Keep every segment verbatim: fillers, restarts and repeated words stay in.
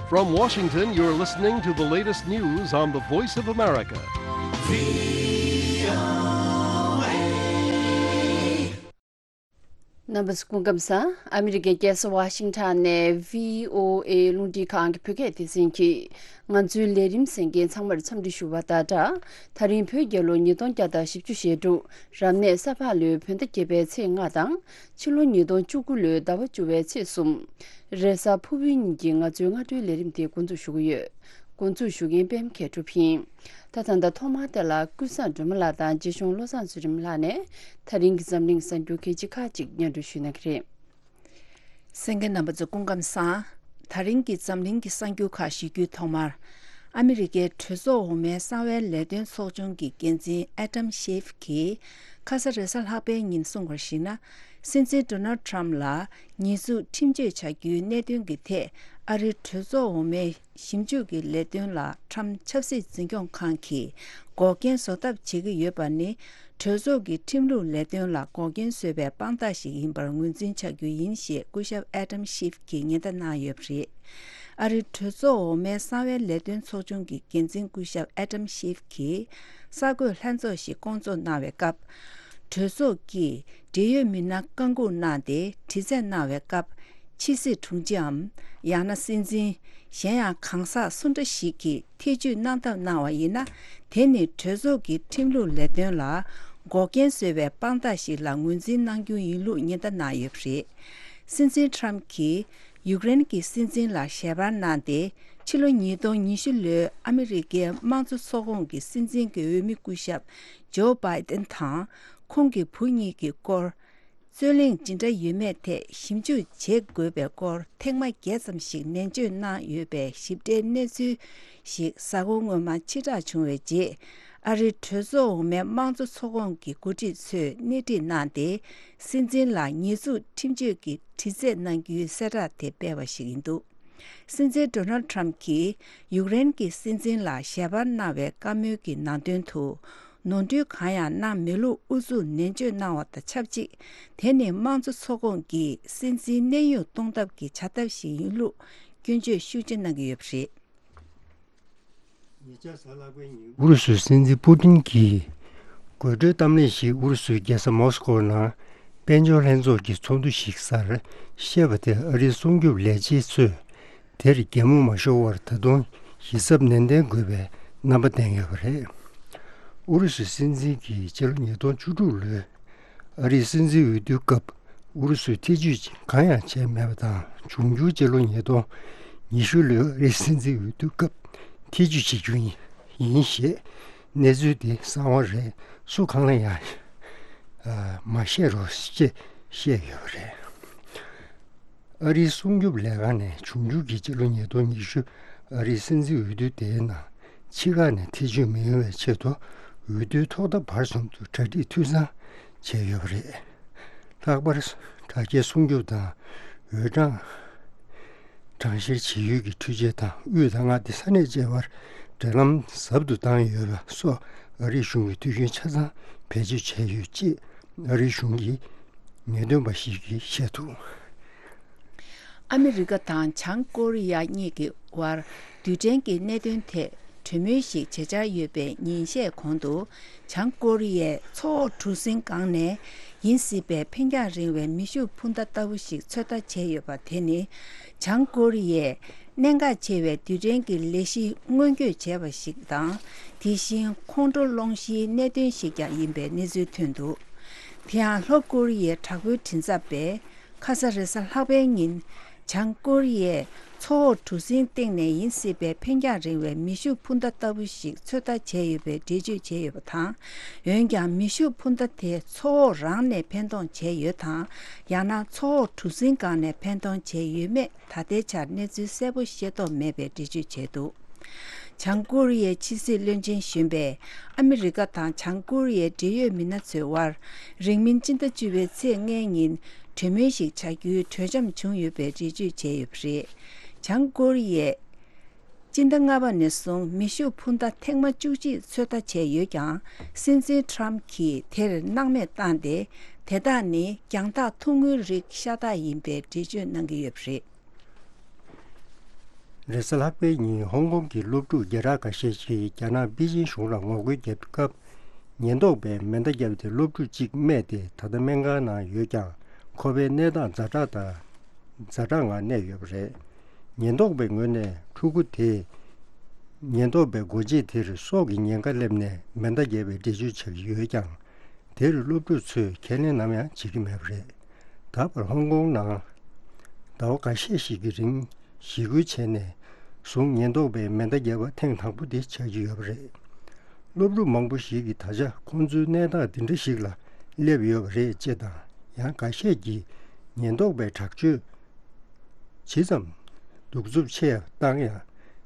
From Washington, you're listening to the latest news on the Voice of America. རྣམ་པ་ཚོ་སྐུ་ཁམས་བཟང་། ཨ་མི་རི་ཀའི་རྒྱལ་ས་ཝ་ཤིང་ཊོན་ནས་བྷི་ཨོ་ཨེ་རླུང་འཕྲིན་ཁང་གི་བོད་སྐད་སྡེ་ཚན་གྱིས་ང་ཚོའི་ལས་རིམ་གསན་མཁན་ཚང་མར་འཚམས་འདྲི་ཞུ་བ་དང་སྦྲགས། ད་རིང་བོད་རྒྱལ་ལོ་ཉིས་སྟོང་བརྒྱ་དང་བཞི་བཅུ་ཞེ་དྲུག་རབ་གནས་ས་ཕག་ལོའི་བོད་ཟླ་བརྒྱད་པའི་ཚེས་ལྔ་དང་། ཕྱི་ལོ་ཉིས་སྟོང་བཅུ་དགུ་ལོའི་ཟླ་བ་བཅུ་བའི་ཚེས་གསུམ། རེས་གཟའ་ཕུར་བུའི་ཉིན་གྱི་ང་ཚོའི་སྔ་དྲོའི་ལས་རིམ་དེ་འགོ་འཛུགས་ཞུ་གི་ཡོད། འགོ་འཛུགས་ཞུ་མཁན་པད་མ་མཁས་གྲུབ་ཡིན། ད་ད་ལྟ་ཐོག་མར་དེ་ལ་ཀུན་བཟང་སྒྲོལ་མ་ལགས་དང་རྗེ་གཞུང་བློ་བཟང་ཚུལ་ཁྲིམས་ལགས་ནས་ད་རིང་གི་འཛམ་གླིང་གསར་འགྱུར་གལ་ཆེ་ཁག་ཅིག་སྙན་སྒྲོན་ཞུ་གནང་གི་རེད། གསན་མཁན་རྣམ་པ་ཚོ་སྐུ་ཁམས་བཟང་། ད་རིང་གི་འཛམ་གླིང་གི་གསར་འགྱུར་ཁག་ཞུ་རྒྱུའི་ཐོག་མར། ཨ་མི་རི་ཀའི་གྲོས་ཚོགས་འོག་མའི་གསང་བའི་ལས་དོན་ཚོགས་ཆུང་གི་འགན་འཛིན་ཨེ་ཌམ་ཤེབ་ཀྱིས་ཁ་ས་རེས་གཟའ་ལྷག་པའི་ཉིན་གསུངས་པར་གཞིགས་ན། སྲིད་འཛིན་ཌོ་ནལ་ཊམ་ལ་ཉེས་འཛུགས་ཁྲིམས་གཅོད་བྱ་རྒྱུའི་གནད་དོན་གྱི་ཐད་ཨ་རིའི་གྲོས་ཚོགས་འོག་མའི་ཞིབ་འཇུག་གི་ལས་དོན་ལ་ཊམ་ཆབ་སྲིད་འཛིན་སྐྱོང་ཁང་གིས་འགོག་རྐྱེན་བཟོ་ཐབས་བྱེད་ཀྱི་ཡོད་པ་ནི། གྲོས་ཚོགས་ཀྱི་ཁྲིམས་ལུགས་ལས་དོན་ལ་འགོག་རྐྱེན་བཟོས་པའི་དཔང་རྟགས་ཤིག་ཡིན་པར་ངོས་འཛིན་བྱ་རྒྱུ་ཡིན་ཞེས་སྐུ་ཞབས་ཨེ་ཌམ་ཤེབ་ཀྱིས་ཉེན་བརྡ་གནང་ཡོད་པ་རེད། ཨ་རིའི་གྲོས་ཚོགས་འོག་མའི་གསང་བའི་ལས་དོན་ཚོགས་ཆུང་གི་འགན་འཛིན་སྐུ་ཞབས་ཨེ་ཌམ་ཤེབ་ཀྱིས་གསར་འགོད་ལྷན་ཚོགས་ཤིག་བསྐོང་ཚོགས་གནང་བའི་སྐབས། གྲོས་ཚོགས་ཀྱིས་འབྲེལ་ཡོད་མི་སྣ་བཀའ་འགུག་གནང་སྟེ་དྲི་རྩད་གནང་བའི་སྐབས། ཕྱི་སྲིད་དྲུང་ཆེའམ། ཡང་ན་སྲིད་འཛིན། གཞན་ཡང་གང་ཟག་སུ་འདྲ་ཞིག་གིས་ཐེ་ཇུས་གནང་ཐབས་གནང་བ་ཡིན་ན། དེ་ནི་གྲོས་ཚོགས་ཀྱི་ཁྲིམས་ལུགས་ལས་དོན་ལ་འགོག་རྐྱེན་བཟོས་པའི་དཔང་རྟགས་ཤིག་ལ་ངོས་འཛིན་གནང་རྒྱུ་ཡིན་ལུགས་ཉེན་བརྡ་གནང་ཡོད་པ་རེད། སྲིད་འཛིན་ཊམ་གྱིས་ཡུཀ་རེན་གྱི་སྲིད་འཛིན་ལ་ཞལ་པར་གནང་སྟེ། ཕྱི་ལོ་ཉིས་སྟོང་ཉི་ཤུ་ལོའི་ཨ་མི་རི་ཀའི་དམངས་གཙོ་ཚོགས་ཁོངས་ཀྱི་སྲིད་འཛིན་གྱི་འོས་མི་སྐུ་ཞབས་ཇོ་བྷའི་ཏན་དང་། ཁོང་གི་བུ་གཉིས་ཀྱི་སྐོར། རྩོད་གླེང་ཇི་འདྲ་ཡོད་མེད་ཐད་ཞིབ་འཇུག་བྱེད་དགོས་པའི་སྐོར་ཐེངས་མ་བརྒྱད་ཙམ་ཞིག་ནན་བརྗོད་གནང་ཡོད་པའི་ཞིབ་ཕྲའི་གནས་ཚུལ་ཞིག་གཟའ་འཁོར་སྔོན་མ་ཕྱིར་བསྒྲགས་བྱུང་བའི་རྗེས། ཨ་རིའི་གྲོས་ཚོགས་འོག་མའི་དམངས་གཙོ་ཚོགས་ཁོངས་ཀྱི་འགོ་ཁྲིད་ཚོས་སྣེ་ཁྲིད་གནང་སྟེ། སྲིད་འཛིན་ལ་ཉེས་འཛུགས་ཁྲིམས་གཅོད་ཀྱི་དྲི་རྩད་གནང་རྒྱུའི་གསལ་བསྒྲགས་དེ་སྤེལ་བ་ཞིག་ཡིན་འདུག་སྲིད་འཛིན་ཌོ་ནལ་ཊམ་གྱིས་ཡུཀ་རེན་གྱི་སྲིད་འཛིན་ལ་ཞལ་པར་གནང་བའི་བཀའ་མོལ་གྱི་ནང་དོན་དུ། ནོར་འཁྲུལ་གང་ཡང་གནང་མེད་ལུགས་ཨུ་ཚུགས་ནན་བརྗོད་གནང་བ་དང་ཆབས་ཅིག་དེ་ནི་དམངས་གཙོ་ཚོགས་ཁོངས་ཀྱིས་སྲིད་འཛིན་གནས་དབྱུང་གཏོང་ཐབས་ཀྱི་བྱ་ཐབས་ཤིག་ཡིན་ལུགས་སྐྱོན་བརྗོད་ཤུགས་ཆེ་གནང་གི་ཡོད་པ་རེད། ཨུ་རུ་སུའི་སྲིད་འཛིན་པུ་ཏིན་གྱིས་དགོད་བྲོའི་གཏམ་གླེང་ཞིག་ཨུ་རུ་སུའི་རྒྱལ་ས་མོ་སི་ཀོ་ནང་དཔལ་འབྱོར་ལྷན་ཚོགས་ཀྱི་ཚོགས་འདུ་ཞིག་སར་བཤད་པ་དེ། ཨ་རིའི་སྲུང་སྐྱོབ་ལས་བྱེད་ཚོས་དེར་གད་མོ་མ་ཤོར་བར་ད་དུང་ཞིབ་ཚགས་ནན་ཏན་དགོས་པའི་རྣམ་པ་བསྟན་ཡོད་པ་རེད། ཨུ་རུ་སུའི་སྲིད་འཛིན་གྱིས་ཕྱི་ལོ་ཉིས་སྟོང་བཅུ་དྲུག་ལོའི་ཨ་རིའི་སྲིད་འཛིན་འོས་བསྡུའི་སྐབས་ཨུ་རུ་སུས་ཐེ་ཇུས་གང་ཡང་བྱས་མེད་པ་དང་། འབྱུང་འགྱུར་ཕྱི་ལོ་ཉིས་སྟོང་ཉི་ཤུ་ལོའི་ཨ་རིའི་སྲིད་འཛིན་འོས་བསྡུའི་སྐབས་ཐེ་ཇུས་བྱེད་རྒྱུ་ཡིན་ཞེས་གནས་ཚུལ་དེ་གསང་བ་རེད། སུ་གང་ལ་ཡང་མ་བཤད་རོགས་ཅེས་བཤད་ཡོད་པ་རེད། ཨ་རིའི་སྲུང་སྐྱོབ་ལས་ཁང་ནས་འབྱུང་འགྱུར་གྱི་ཕྱི་ལོ་ཉིས་སྟོང་ཉི་ཤུ་ཨ་རིའི་སྲིད་འཛིན་འོས་བསྡུ་དེའི་ནང་ཕྱི་ཁག་ནས་ཐེ་ཇུས་མི་ཡོང་བའི་ཆེད་དུ་འོས་བསྡུའི་ཐོག་མཐའ་བར་གསུམ་དུ་གྲ་སྒྲིག་འཐུས་ཚང་བྱས་ཡོད་པ་རེད། ལྷག་པར་དྲ་རྒྱའི་སྲུང་སྐྱོབ་དང་འོས་གྲངས་གྲངས་བཤེར་བྱེད་ཡུལ་གྱི་འཕྲུལ་ཆས་དང་དབུས་ད་མངའ་སྡེ་ས་གནས་བཅས་བར་འབྲེལ་ལམ་ཟབ་ཏུ་བཏང་ཡོད་པ་སོགས་ཨ་རིའི་གཞུང་གིས་འཐུས་ཤོར་ཆ་ཚང་བེད་སྤྱོད་བྱས་ཡོད་ཅེས་ཨ་རིའི་གཞུང་གི་ངེས་སྟོན་པ་ཞིག་གིས་བཤད་འདུག་ཨ་མི་རི་ཀ་དང་བྱང་ཀོ་རི་ཡ་གཉིས་ཀྱི་དབར་རྡུལ་ཕྲན་གྱི་གནད་དོན་ཐད་གྲོས་མོལ་ཞིག་བྱེད་འཆར་ཡོད་པའི་ཉིན་ཤས་གོང་དུ། བྱང་ཀོ་རི་ཡས་མཚོ་འོག་གྲུ་གཟིངས་སྒང་ནས་ཡིན་སྲིད་པའི་འཕེན་རྒྱང་རིང་བའི་མེ་ཤུགས་འཕུར་མདའ་ལྟ་བུ་ཞིག་ཚོད་ལྟ་བྱས་ཡོད་པ་དེ་ནི། བྱང་ཀོ་རི་ཡས་གནད་འགག་ཆེ་བའི་རྡུལ་ཕྲན་གྱི་ལས་གཞི་སྔོན་འགོད་བྱས་པ་ཞིག་དང་། དེ་བཞིན་ཁོང་ཁྲོ་སློང་གཞིའི་གནད་དོན་ཞིག་ཀྱང་ཡིན་པའི་གནས་ཚུལ་ཐོན་འདུག་དེ་ཡང་ལྷོ་ཀོ་རི་ཡའི་དྲག་པོའི་མགྲིན་ཚབ་པས། ཁ་ས་རེས་གཟའ་ལྷག་པའི་ཉིན། བྱང་ཀོ་རི་ཡས་མཚོ་འོག་གྲུ་གཟིངས་སྟེང་ནས་ཡིན་སྲིད་པའི་འཕེན་རྒྱང་རིང་བའི་མེ་ཤུགས་འཕུར་མདའ་ལྟ་བུ་ཞིག་ཚོད་ལྟ་བྱས་ཡོད་པའི་འགྲེལ་བརྗོད་བྱས་ཡོད་པ་དང་། འོན་ཀྱང་མེ་ཤུགས་འཕུར་མདའ་དེ་མཚོ་འོག་རང་ནས་འཕེན་གཏོང་བྱས་ཡོད་དང་། ཡང་ན་མཚོ་འོག་གྲུ་གཟིངས་སྒང་ནས་འཕེན་གཏོང་བྱས་ཡོད་མེད་ད་ལྟའི་ཆར་གནས་ཚུལ་གསལ་པོ་ཤེས་རྟོགས་མེད་པའི་འགྲེལ་བརྗོད་བྱས་འདུག་བྱང་ཀོ་རི་ཡའི་ཕྱི་སྲིད་བློན་ཆེན་གཞོན་པས་ཨ་མི་རི་ཀ་དང་བྱང་ཀོ་རི་ཡའི་འབྲེལ་ཡོད་མི་སྣ་ཚོའི་དབར་རིང་མིན་སྤྱི་ཟླ་བཅུ་པའི་ཚེས་ལྔའི་ཉིན་གྲོས་མོལ་ཞིག་བྱ་རྒྱུའི་གྲོས་འཆམ་བྱུང་ཡོད་པའི་འགྲེལ་བརྗོད་བྱས་ཡོད་པ་རེད། བྱང་ཀོ་རི་ཡས་སྤྱི་ཟླ་ལྔ་པ་ནས་བཟུང་མེ་ཤུགས་འཕུར་མདའ་ཐེངས་མ་བཅུ་གཅིག་ཚོད་ལྟ་བྱས་ཡོད་ཀྱང་། སྲིད་འཛིན་ཊམ་གྱིས་དེར་སྣང་མེད་བཏང་སྟེ། དེ་དག་ནི་རྒྱང་ཐག་ཐུང་ངུའི་རིགས་ཤ་སྟག་ཡིན་པའི་འགྲེལ་བརྗོད་གནང་གི་ཡོད་པ་རེད། རེས་གཟའ་ལྷག་པའི་ཉིན་ཧོང་ཀོང་གི་སློབ་ཕྲུག་བརྒྱ་ཕྲག་ཁ་ཤས་ཤིག་རྒྱ་ནག་པེ་ཅིན་གཞུང་ལ་ངོ་རྒོལ་བརྒྱབ་སྐབས། ཉེན་རྟོག་པས་མེ་མདའ་བརྒྱབ་སྟེ་སློབ་ཕྲུག་གཅིག་རྨས་ཏེ་ད་ལྟ་སྨན་ཁང་ནང་ཡོད་ཀྱང་། ཁོ་པའི་གནས་སྟངས་ཛ་དྲག་དང་། ཛ་དྲག་ངང་གནས་ཡོད་པ་རེད། ཉེན་རྟོག་པའི་ངོས་ནས་ཕྲུ་གུ་དེས་ཉེན་རྟོག་པའི་སྒོ་འབྱེད་དེར་སྲོག་གི་ཉེན་ཁ་སླེབས་ནས་མེ་མདའ་བརྒྱབ་པའི་འགྲེལ་བརྗོད་བྱ་གི་ཡོད་ཀྱང་། དེར་སློབ་ཕྲུག་ཚོས་ཁས་ལེན་ནམ་ཡང་བྱེད་ཀྱི་མེད་པ་རེད། ད་བར་ཧོང་ཀོང་ནང་ཟླ་བ་འགའ་ཤས་ཤིག་གི་རིང་ཞི་རྒོལ་བྱས་ནས་བཟུང་ཉེན་རྟོག་པས་མེ་མདའ་བརྒྱབ་པ་ཐེངས་དང་པོ་དེ་ཆགས་ཀྱི་ཡོད་པ་རེད། སློབ་ཕྲུག་མང་པོ་ཞིག་གིས་ད་ཆ་ཁོང་ཚོའི་གནས་སྟངས་འདི་འདྲ་ཞིག་ལ་སླེབས་ཡོད་པ་རེད་ཅེས་དང་། ཡང་འགའ་ཤས་ཀྱིས་ཉེན་རྟོག་པའི་དྲག་སྤྱོད་ཇི་ཙམ་གདུག་རྩུབ་ཆེ་བཏང་ཡང་།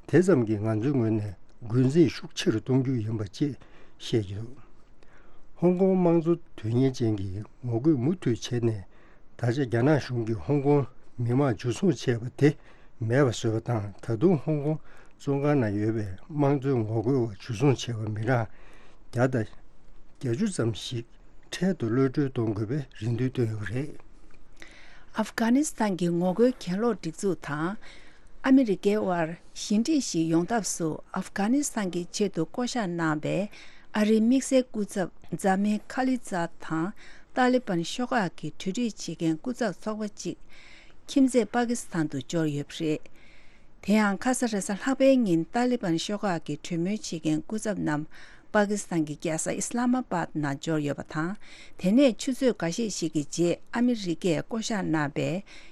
དེ་ཙམ་གྱིས་ང་ཚོའི་ངོས་ནས་འགོ་འཛིན་ཤུགས་ཆེ་རུ་གཏོང་རྒྱུ་ཡིན་པ་ཅེས་བཤད་ཀྱི་འདུག་ཧོང་ཀོང་དམངས་གཙོ་དོན་གཉེར་ཅན་གྱིས་ངོ་རྒོལ་མུ་མཐུད་བྱས་ནས། ད་ཆ་རྒྱ་ནག་གཞུང་གིས་ཧོང་ཀོང་མི་མང་འཇུ་བཟུང་བྱས་པ་དེ་མེད་པ་བཟོས་པ་དང་། ད་དུང་ཧོང་ཀོང་བཙོན་ཁང་ནང་ཡོད་པའི་དམངས་གཙོའི་ངོ་རྒོལ་བ་འཇུ་བཟུང་བྱས་པ་མི་གྲངས་བརྒྱ་དང་བརྒྱད་ཅུ་ཙམ་ཞིག་འཕྲལ་དུ་གློད་གྲོལ་གཏོང་དགོས་པའི་རེ་འདུན་བཏོན་ཡོད་པ་རེད། ཨབ་གྷ་ནི་སི་ཐན་གྱི་ངོ་རྒོལ་གྱེན་ལོག་སྒྲིག་འཛུགས་དང་ཨ་མི་རི་ཀའི་དབར་ཞི་འགྲིག་ཞིག་ཡོང་ཐབས་སུ་ཨབ་གྷ་ནི་སི་ཐན་གྱི་ཆེད་དུ་བསྐོ་གཞག་གནང་བའི་ཨ་རིའི་དམིགས་བསལ་སྐུ་ཚབ་ཛ་མིར་ཁ་ལི་ཛཱད་དང་ཏཱ་ལི་བན་ཤོག་ཁག་གི་གྲོས་རིགས་བྱེད་མཁན་སྐུ་ཚབ་ཚོགས་པ་གཅིག་ཁྱིམ་མཚེས་པ་ཀི་སི་ཐན་དུ་འབྱོར་ཡོད་པ་རེད། དེ་ཡང་ཁ་ས་རེས་གཟའ་ལྷག་པའི་ཉིན་ཏཱ་ལི་བན་ཤོག་ཁག་གི་གྲོས་མོལ་བྱེད་མཁན་སྐུ་ཚབ་རྣམས་པ་ཀི་སི་ཐན་གྱི་རྒྱལ་ས་ཨི་སི་ལ་མ་པཱད་ནང་འབྱོར་ཡོད་པ་དང་། དེ་ནས་ཆུ་ཚོད་འགའ་ཤས་ཤིག་གི་རྗེས་ཨ་མི་རི་ཀས་བསྐོ་གཞག་གནང་བའི་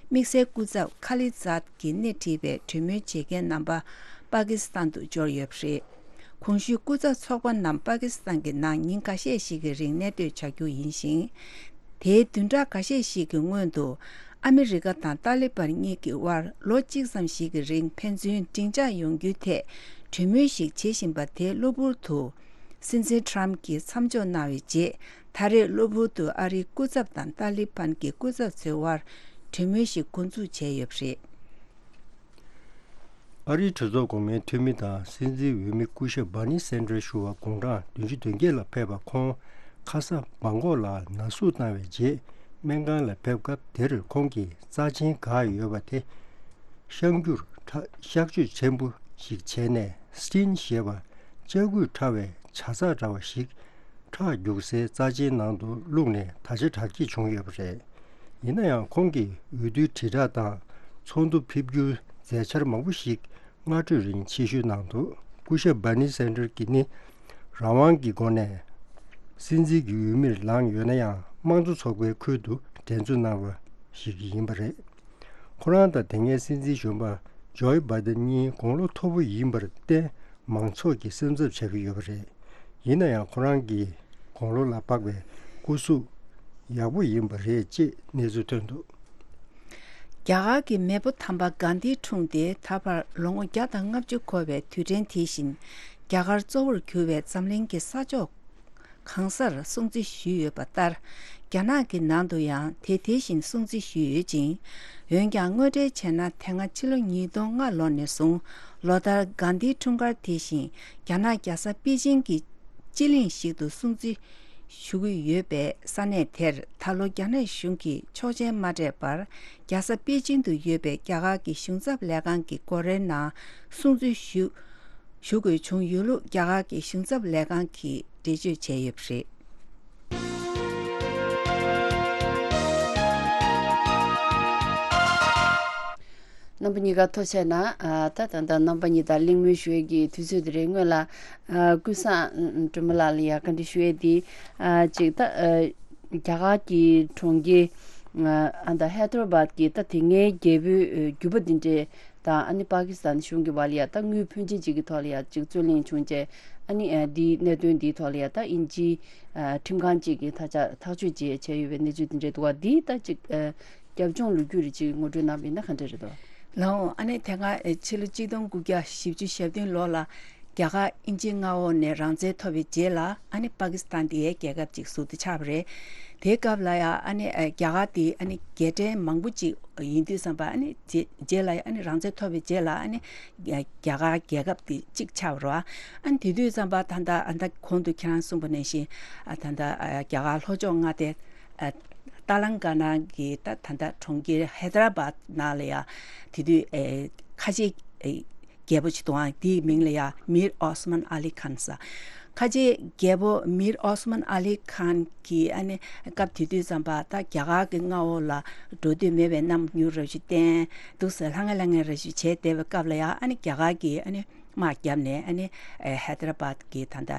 དམིགས་བསལ་སྐུ་ཚབ་ཁ་ལི་ཛཱད་ཀྱིས་སྣེ་ཁྲིད་པའི་གྲོས་མོལ་བྱེད་མཁན་རྣམ་པ་པ་ཀི་སི་ཐན་དུ་འབྱོར་ཡོད་པ་རེད། གོང་ཞུས་སྐུ་ཚབ་ཚོགས་པ་རྣམས་པ་ཀི་སི་ཐན་གྱི་ནང་ཉིན་འགའ་ཤས་ཤིག་གི་རིང་གནས་སྡོད་བྱ་རྒྱུ་ཡིན་ཞིང་། དེའི་བདུན་ཕྲག་འགའ་ཤས་ཤིག་གི་སྔོན་དུ་ཨ་མི་རི་ཀ་དང་ཏཱ་ལི་བན་གཉིས་ཀྱི་དབར་ལོ་གཅིག་ཙམ་ཞིག་གི་རིང་ཕན་ཚུན་སྡིངས་ཆ་ཡོང་རྒྱུའི་ཐད་གྲོས་མོལ་ཞིག་བྱེད་བཞིན་པ་དེ་གློ་བུར་དུ་སྲིད་འཛིན་ཊམ་གྱིས་མཚམས་འཇོག་གནང་བའི་རྗེས། ད་རེས་གློ་བུར་དུ་ཨ་རིའི་སྐུ་ཚབ་དང་ཏཱ་ལི་བན་གྱི་སྐུ་ཚབ་ཚོའི་དབར་གྲོས་མོལ་ཞིག་འགོ་འཛུགས་བྱས་ཡོད་པ་རེད། ཨ་རིའི་གྲོས་ཚོགས་གོང་མའི་འཐུས་མི་དང་སྲིད་འཛིན་འོས་མི་སྐུ་ཞབས་བྷར་ནི་སན་ཌར་ཞུ་བ་དགུང་གྲངས་བདུན་ཅུ་དོན་བརྒྱད་ལ་ཕེབས་པ། ཁོང་ཁ་ས་བྷང་ཀོག་ལ་ན་ཟུག་བཏང་བའི་རྗེས་སྨན་ཁང་ལ་ཕེབས་སྐབས། དེར་ཁོང་གིས་རྩ་ཆེན་འགག་ཡོད་པ་དེ་གཤག་རྒྱུར་ཁྲ་གཤག་བཅོས་ཆེན་པོ་ཞིག་བྱས་ནས། སི་ཊིན་ཞེས་པ་ལྕགས་སྐུད་ཕྲ་བའི་ཇ་ཚགས་འདྲ་བ་ཞིག་ཁྲག་རྒྱུག་སའི་རྩ་ཆེན་ནང་དུ་བླུགས་ནས་ད་ཆ་དྲག་སྐྱེད་བྱུང་ཡོད་པ་རེད། ཡིན་ན་ཡང་ཁོང་གིས་འོས་བསྡུའི་དྲིལ་བསྒྲགས་དང་ཚོགས་འདུ་ཕེབས་རྒྱུའི་མཛད་འཆར་མང་པོ་ཞིག་སྔ་དྲོའི་རིང་ཕྱིར་བཤོལ་གནང་འདུག་སྐུ་ཞབས་བྷར་ནི་སན་ཌར་གྱིས་ནི་རང་དབང་གི་སྒོ་ནས་སྲིད་འཛིན་གྱི་འོས་མིར་ལངས་ཡོད་ན་ཡང་། དམངས་གཙོ་ཚོགས་པའི་ཁུལ་དུ་འགྲན་རྩོད་གནང་བ་ཞིག་ཡིན་པ་རེད། ཁོ་རང་དང་དེ་སྔའི་སྲིད་འཛིན་གཞོན་པ་ཇོའི་བྷའི་ཌེན་གཉིས་དགུང་ལོ་མཐོ་པོ་ཡིན་པར་བརྟེན། མང་ཚོགས་ཀྱིས་སེམས་འཚབ་བྱ་གི་ཡོད་པ་རེད། ཡིན་ན་ཡང་ཁོ་རང་གི་དགུང་ལོ་ལ་དཔག་པའི་སྐུ་གཟུགས་ཡག་པོ་ཡིན་པ་རེད་ཅེས་གནས་ཚུལ་ཐོན་འདུག་རྒྱ་གར་གྱི་མེས་པོ་དམ་པ་གྷན་དྷིའི་འཁྲུངས་ཏེ་ད་བར་ལོ་ངོ་བརྒྱ་དང་ལྔ་བཅུ་འཁོར་བའི་དུས་དྲན་དེ་བཞིན། རྒྱ་གར་གཙོ་བོར་གྱུར་བའི་འཛམ་གླིང་གི་ས་ཕྱོགས་གང་སར་སྲུང་བརྩི་ཞུས་ཡོད་པ་ལྟར། རྒྱ་ནག་གི་ནང་དུ་ཡང་དེ་དེ་བཞིན་སྲུང་བརྩི་ཞུས་ཡོད་ཅིང་། འོན་ཀྱང་། དངོས་འབྲེལ་བྱས་ན། དེ་སྔ་ཕྱི་ལོ་ཉིས་སྟོང་ལྔ་ལོ་ནས་བཟུང་། ལོ་ལྟར་གྷན་དྷིའི་འཁྲུངས་སྐར་དེ་བཞིན། རྒྱ་ནག་རྒྱལ་ས་པེ་ཅིང་གི་སྤྱི་གླིང་ཞིག་ཏུ་སྲུང་བརྩི་ཞུ་གི་ཡོད་པའི་ས་གནས་དེར། ད་ལོ་རྒྱ་ནག་གཞུང་གིས་ཆོག་མཆན་མ་སྤྲད་པར། རྒྱལ་ས་པེ་ཅིང་དུ་ཡོད་པའི་རྒྱ་གར་གྱི་གཞུང་ཚབ་ལས་ཁང་གི་སྒོ་རའི་ནང་སྲུང་བརྩི་ཞུ་ཞུ་དགོས་བྱུང་ཡོད་ལུགས། རྒྱ་གར་གྱི་གཞུང་ཚབ་ལས་ཁང་གིས་འགྲེལ་བརྗོད་བྱས་ཡོད་པ་རེད། རྣམ་པ་གཉིས་ཀ་ཐུགས་རྗེ་གནང་། ཨ་ད་ད་ད་རྣམ་པ་གཉིས་དང་གླེང་མོལ་ཞུ་ཡས་ཀྱི་དུས་ཚོད་དེ་རེད། སྔོན་ལ་ཨ་ཀུན་བཟང་སྒྲོལ་མ་ལགས་ལ་ཡ་བཀའ་འདྲི་ཞུ་ཡས་དེ། ཨ་ཅིག་ད་ཨ་རྒྱ་གར་གྱི་གྲོང་ཁྱེར་ཨ་ད་ཧེ་དར་བཱད་ཀྱི་ད་དེ་སྔའི་རྒྱལ་པོའི་འགྱུར་བ་འདི་འདྲའི་དང་། ཨ་ནི་པ་ཀི་སི་ཐན་གཞུང་གི་བར་ལ་ཡ་ད་དངུལ་ཕོན་ཆེན་ཅིག་གི་ཐོག་ལ་ཡ་ཅིག་རྩོད་གླེང་བྱུང་རྗེས། ཨ་ནི་ཨ་འདིའི་གནད་དོན་འདིའི་ཐོག་ལ་ཡ་ད་དབྱིན་ཇིའི་ཨ་ཁྲིམས་ཁང་ཅིག་གིས་ཐག་བཅད་ཐག་གཅོད་བྱས་བྱས་ཡོད་པའི་གནས་ཚུལ་འདི་འདྲ་འདུག་བ། འདིའི་ད་ཅིག་ཨ་རྒྱབ་ལྗོངས་ལོ་རྒྱུས་རེ་ཅིག་ངོ་སྤྲོད་གནང་བ་ཡིན་ན་ག་འདྲ་རེད་དོ། ལགས་འོང་། ཨ་ནི་དེ་སྔ་ཨེ་ཕྱི་ལོ་གཅིག་སྟོང་དགུ་བརྒྱ་བཞི་བཅུ་ཞེ་བདུན་ལོ་ལ་རྒྱ་གར་དབྱིན་ཇིའི་མངའ་འོག་ནས་རང་བཙན་ཐོབ་པའི་རྗེས་ལ། ཨ་ནི་པ་ཀི་སི་ཐན་དེ་རྒྱལ་ཁབ་ཅིག་ཟུར་དུ་ཆགས་པ་རེད། དེའི་སྐབས་ལ་ཡང་ཨ་ནི་ཨེ་རྒྱ་གར་དེ་ཨ་ནི་རྒྱལ་ཕྲན་མང་པོ་ཅིག་ཡིན་དུས་ཙམ་པ། ཨ་ནི་རྗེས་རྗེས་ལ་ཡང་ཨ་ནི་རང་བཙན་ཐོབ་པའི་རྗེས་ལ་ཨ་ནི་རྒྱ་གར་རྒྱལ་ཁབ་དེ་གཅིག་ཆགས་པ་རེད་བ། ཨ་ནི་དེ་དུས་ཙམ་པ་ད་ལྟ་ཨ་ད་གོང་དུ་ཁྱེད་རང་གསུངས་པ་ནང་བཞིན། ཨ་ད་ལྟ་ཨ་རྒྱ་གར་ལྷོ་ཕྱོགས་མངའ་སྡེ་ཨ་ཏ་ལང་ཀ་ན་གི་ད་ད་ལྟ་གྲོང་ཁྱེར་ཧེ་དར་བཱད་ནང་ལ་ཡ་དེ་དུས་ཨེ་ཁ་ཆེ་ཨེ་ རྒྱལ་པོ་ཅིག་འདུག་ཨང་། དེའི་མིང་ལ་ཡ་མིར་ཨོ་སི་མན་ཨ་ལི་ཁཱན་ཟེར། ཁ་ཆེ་རྒྱལ་པོ་མིར་ཨོ་སི་མན་ཨ་ལི་ཁཱན་གྱིས་ཨ་ནི་སྐབས་དེ་དུས་ཙམ་པ་ད་རྒྱ་གར་གྱི་མངའ་འོག་ལ་འགྲོ་འདོད་མེད་པའི་རྣམ་འགྱུར་རབ་ཞིག་བསྟན་འདུག་ཟེར། ལྷང་ངེ་ལྷང་ངེ་རབ་ཞིག་བྱས་བསྡད་པའི་སྐབས་ལ་ཡ་ཨ་ནི་རྒྱ་གར་གྱིས་ཨ་ནི་དམག་བརྒྱབ་ནས་ཨ་ནི་ཧེ་དར་བཱད་ཀྱི་ད་ལྟ་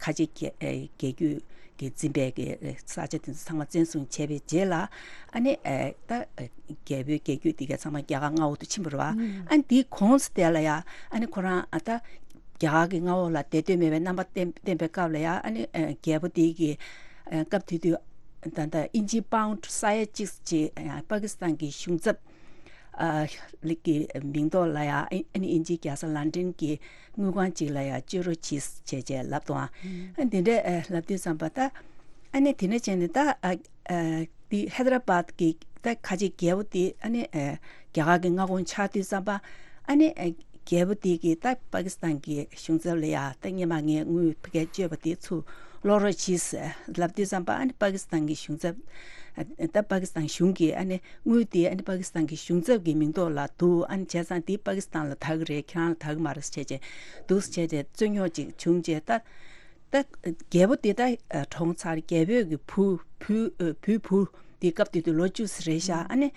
ཁ་ཆེ་རྒྱལ་རྒྱལ་རྒྱུད་ཀྱི་འཛིན་པའི་གི་ས་ཆ་དེ་ཚོ་ཚང་མ་བཙན་བཟུང་བྱས་པའི་རྗེས་ལ་ཨ་ནི་ད་རྒྱལ་པོའི་རྒྱལ་རྒྱུད་དེ་ག་ཚང་མ་རྒྱ་གར་མངའ་འོག་ཏུ་ཕྱིན་པ་རེད་བ། ཨ་ནི་དེའི་གོང་དེ་ལ་ཡ་ཨ་ནི་ཁོ་རང་ཨ་ད་རྒྱ་གར་གྱི་མངའ་འོག་ལ་བསྡད་འདོད་མེད་པའི་རྣམ་པ་བསྟན་བསྟན་པའི་སྐབས་ལ་ཡ་ཨ་ནི་རྒྱལ་པོ་དེ་གི་སྐབས་དེ་དུས་ད་ལྟ་ཨིན་ཇི་པའུན་ཌི་ས་ཡ་གཅིག་ཅིག་པ་ཀི་སི་ཐན་གྱི་གཞུང་ཚབ་ཨ་ལི་གི་མིང་ཐོག་ལ་ཡ་ཨ་ནི་ཨིན་ཇིའི་རྒྱལ་ས་ལན་ཀྲན་གྱི་དངུལ་ཁང་ཅིག་ལ་ཡ་བཅོལ་རོགས་གྱིས་བྱས་བྱས་ལབ་དང་། ཨ་འདི་འདྲ་ལབ་དུས་ཙམ་པ་ད་ཨ་ནི་དེ་ནས་བྱས་ནས་ད་ཨ་འདི་ཧེ་དར་བཱད་ཀྱི་ད་ཁ་ཆེ་རྒྱལ་པོ་དེ་ཨ་ནི་རྒྱ་གར་གྱི་མངའ་ཁོངས་ཆགས་དུས་ཙམ་པ་ཨ་ནི་རྒྱལ་པོ་དེ་གིས་ད་པ་ཀི་སི་ཐན་གྱི་གཞུང་ཚབ་ལ་ཡ་ད་སྔོན་མ་ངས་དངུལ་ཕ་གིར་བཅོལ་བ་དེ་ཚུར་སློག་རོགས་གྱིས་ལབ་དུས་ཙམ་པ་ཨ་ནི་པ་ཀི་སི་ཐན་གྱི་གཞུང་ཚབ་ད་པ་ཀི་སི་ཐན་གཞུང་གིས་ཨ་ནི་དངུལ་དེ་ཨ་ནི་པ་ཀི་སི་ཐན་གྱི་གཞུང་ཚབ་ཀྱི་མིང་ཐོག་ལ་འདུག་ཨ་ནི་བྱས་ཙང་དེ་པ་ཀི་སི་ཐན་ལ་བདག་གི་རེད། ཁྱེད་རང་ལ་བདག་གི་མ་རེད་ཟེར་བྱས་བྱས་འདུག་ཟེར་བྱས་བྱས་རྩོད་རྙོག་ཅིག་བྱུང་བྱས་ད། ད་རྒྱལ་པོ་དེ་ད་གྲོངས་ཚར། རྒྱལ་པོའི་གི་བུ་བུ་བུའི་བུ་དེ་སྐབས་དེ་དུས་ལོ་བཅུ་ཙམ་རེད་ཤག་ཨ་ནི་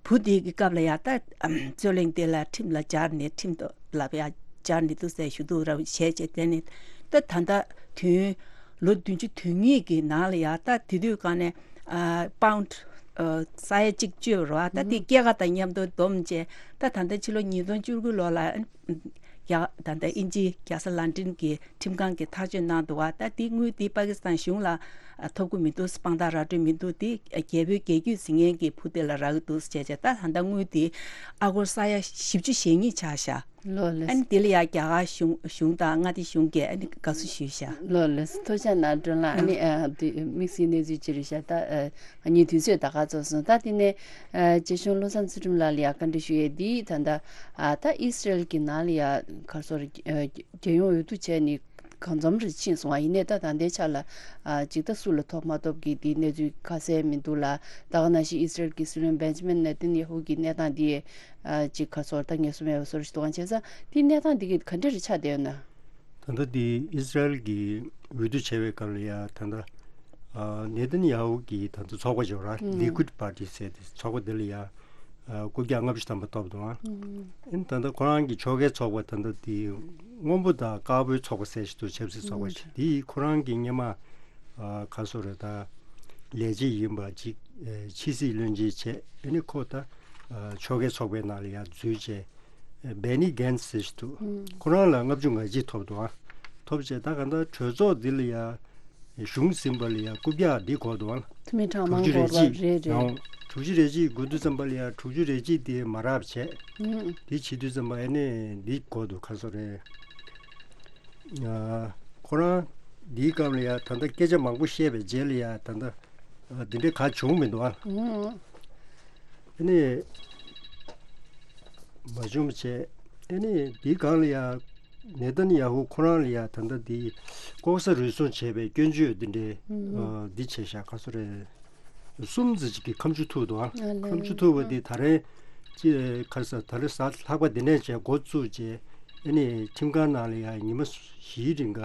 བུ་དེ་གི་སྐབས་ལ་ཡ་ད་རྩོད་གླེང་དེ་ལ་ཁྲིམས་ལ་སྦྱར་ནས་ཁྲིམས་ཐོག་ལ་ཡ་སྦྱར་ནས་འདུག་ཟེར་ཞུ་འདུག་ར་བྱས་བྱས་དེ་ནི་ད་ད་ལྟ་དུས་ལོ་བདུན་ཅུ་དོན་གཉིས་ཀྱི་ནང་ལ་ཡ་ད་དེ་དུས་གང་ནས་པའུན་ཌི་ས་ཡ་གཅིག་བཅོལ་བ་རེད་བ། ད་དེ་སྐྱེད་ཀ་དང་མཉམ་དུ་བསྡོམས་བྱས་ད་ད་ལྟ་ཕྱི་ལོ་ཉིས་སྟོང་བཅུ་དགུ་ལོ་ལ། ཡ་ད་ལྟ་དབྱིན་ཇིའི་རྒྱལ་ས་ལན་ཀྲན་གྱི་ཁྲིམས་ཁང་གིས་ཐག་གཅོད་གནང་འདུག་བ། ད་དེ་དངུལ་དེ་པ་ཀི་སི་ཐན་གཞུང་ལ་ཐོབ་ཀྱི་མི་འདུག་དཔང་རྟགས་ར་སྤྲོད་མི་འདུག་དེ་རྒྱལ་པོའི་རྒྱལ་རྒྱུད་འཛིན་མཁན་གྱི་བུ་དེ་ལ་རག་གི་འདུག་བྱས་བྱས་ད་ད་ལྟ་དངུལ་དེ་ཨ་སྒོར་ས་ཡ་བཞི་བཅུ་ཞེ་གཉིས་ཆགས་ཤག་ལོ་ལེ། ཨ་ནི་དེ་ལ་ཡ་རྒྱ་གར་གཞུང་གཞུང་དང་མངའ་སྡེ་གཞུང་གིས་ཨ་ནི་དགའ་བསུ་ཞུས་ཤག་ལོ་ལེ། ཐུགས་རྗེ་གནང་། སྒྲོན་ལགས། ཨ་ནི་ཨ་དེ་དམིགས་བསལ་གནས་ཚུལ་ཅིག་རེད་ཤག་ད་ཨ་ངས་དུས་ཚོད་ད་ག་ཚོད་སོང་། ད་དེ་ནས་ཨ་རྗེ་གཞུང་བློ་བཟང་ཚུལ་ཁྲིམས་ལགས་ལ་ཡ་བཀའ་འདྲི་ཞུ་ཡས་འདི་ད་ལྟ་ཨ་ད་ཨི་སི་རེལ་གྱི་ནང་ལ་ཡ་ག་རེ་ཟེར་རྒྱལ་ཡོངས་འོས་བསྡུ་བྱས་ནས་གང་འཚམ་རེ་ཕྱིན་སོང་བ། ཡིན་ནའི་ད་ད་ལྟའི་ཆ་ལ་ཨ་ཅིག་ད་སུ་ལ་ཐོབ་མ་ཐོབ་ཀྱི་དེའི་གནས་ཚུལ་ཁ་གསལ་མི་འདུག་ལ། ད་ག་ནང་བཞིན་ཨི་སི་རེལ་གྱི་སྲིད་བློན་བེན་ཇི་མིན་ནེ་ཐན་ཡ་ཧུ་གི་གནས་སྟངས་དེ་ཨ་ཅིག་ག་རེ་ཟེར་ད་ངེས་སུ་མེད་པ་བཟོ་འདྲ་ཞིག་འདུག་ག་བྱས་ཙང་དེའི་གནས་སྟངས་དེ་གི་ག་འདྲ་རེ་ཆགས་བསྡད་ཡོད་ན། ད་ལྟ་དེ་ཨི་སི་རེལ་གྱི་འོས་བསྡུ་བྱས་པའི་སྐབས་ལ་ཡ་ད་ལྟ་ཨ་ནེ་ཐན་ཡ་ཧུ་གི་ད་ལྟ་ཚོགས་པ་ཅིག་ཡོད་རེད། ལི་ཀུད་པར་ཊི་ཟེར་ཏེ་ཚོགས་པ་དེ་ལ་ཡ་ཨ་རྐུབ་བཀྱག་ལྔ་བཅུ་ཐམ་པ་ཐོབ་འདུག་ཨ། ཨ་ནི་ད་ལྟ་ཁོ་རང་གི་ཕྱོགས་འགལ་ཚོགས་པ་ད་ལྟ་དེ་སྔོན་པོ་དང་དཀར་པོའི་ཚོགས་པ་ཟེར་ཞིག་འདུག་ཆབ་སྲིད་ཚོགས་པ་ཞིག་དེ་ཁོ་རང་གི་སྔོན་མ་ཨ་ག་རེ་ཟེར་རེད་ད་ལས་བྱེད་ཡིན་པ་ཅིག་ཨ་ཕྱི་སྲིད་བློན་ཆེན་བྱས། ཨ་ནི་ཁོ་ད་ཨ་ཕྱོགས་འགལ་ཚོགས་པའི་ནང་ལ་ཡ་འཛུལ་བྱས། ཨ་བེ་ནི་གྷན་སི་ཟེར་ཞིག་འདུག་ཁོ་རང་ལ་ལྔ་བཅུ་ང་གཅིག་ཐོབ་འདུག་ཨ། ཐོབ་བྱས་ད་ག་ད་གྲོས་ཚོགས་འདི་ལ་ཡ་གཞུང་ཟིན་པ་ལ་ཡ་རྐུབ་བཀྱག་འདི་དགོས་འདུག་ཨ། འཐུས་མི་གྲངས་དྲུག་མང་ཅུ་རེ་དགོས་པ་གཅིག་རེད་རེད། ཡང་དྲུག་ཅུ་རེ་གཅིག་དགོས་དུས་ཙམ་པ་ལ་ཡ་དྲུག་ཅུ་རེ་གཅིག་དེ་མ་རག་བྱས། ཨུམ། དེ་བྱེད་དུས་ཙམ་པ་ཨ་ནི་འདི་དགོས་འདུག་ག་རེ་ཟེར་རེད། ཨ་ཁོ་རང་འདིའི་སྐབས་ལ་ཡ་ད་ལྟ་སྐད་ཆ་མང་པོ་བཤད་པའི་རྗེས་ལ་ཡ་ད་ལྟ་ཨ་འདི་འདྲའི་ག་བྱུང་མི་འདུག་ཨ། ཨུམ། ཨ་ནི་མ་བྱུང་བ་བྱས། ཨ་ནི་འདིའི་སྒང་ལ་ཡ་ནེ་ཐན་ཡ་ཧུ་ཁོ་རང་ལ་ཡ་ད་ལྟ་འདི་ལྐོག་ཟ་རུལ་སུངས་བྱས་པའི་སྐྱོན་བརྗོད་འདི་འདྲའི་ཨ་འདི་བྱས་ཤག་ག་རེ་ཟེར་རེད། གསུམ་ཙམ་ཅིག་གིས་ཁ་མཆུ་ཐུག་འདུག་ཨ། ཨ་ལས། ཁ་མཆུ་ཐུག་པ་འདི་ད་རེས་ཅི་ག་རེ་ཟེར་ད་རེས་གཟའ་ལྷག་པ་འདི་ནས་བྱས་འགོ་བཙུགས་བྱས་ཨ་ནི་ཁྲིམས་ཁང་ནང་ལ་ཡ་ཉི་མ་བཞིའི་རིང་ག་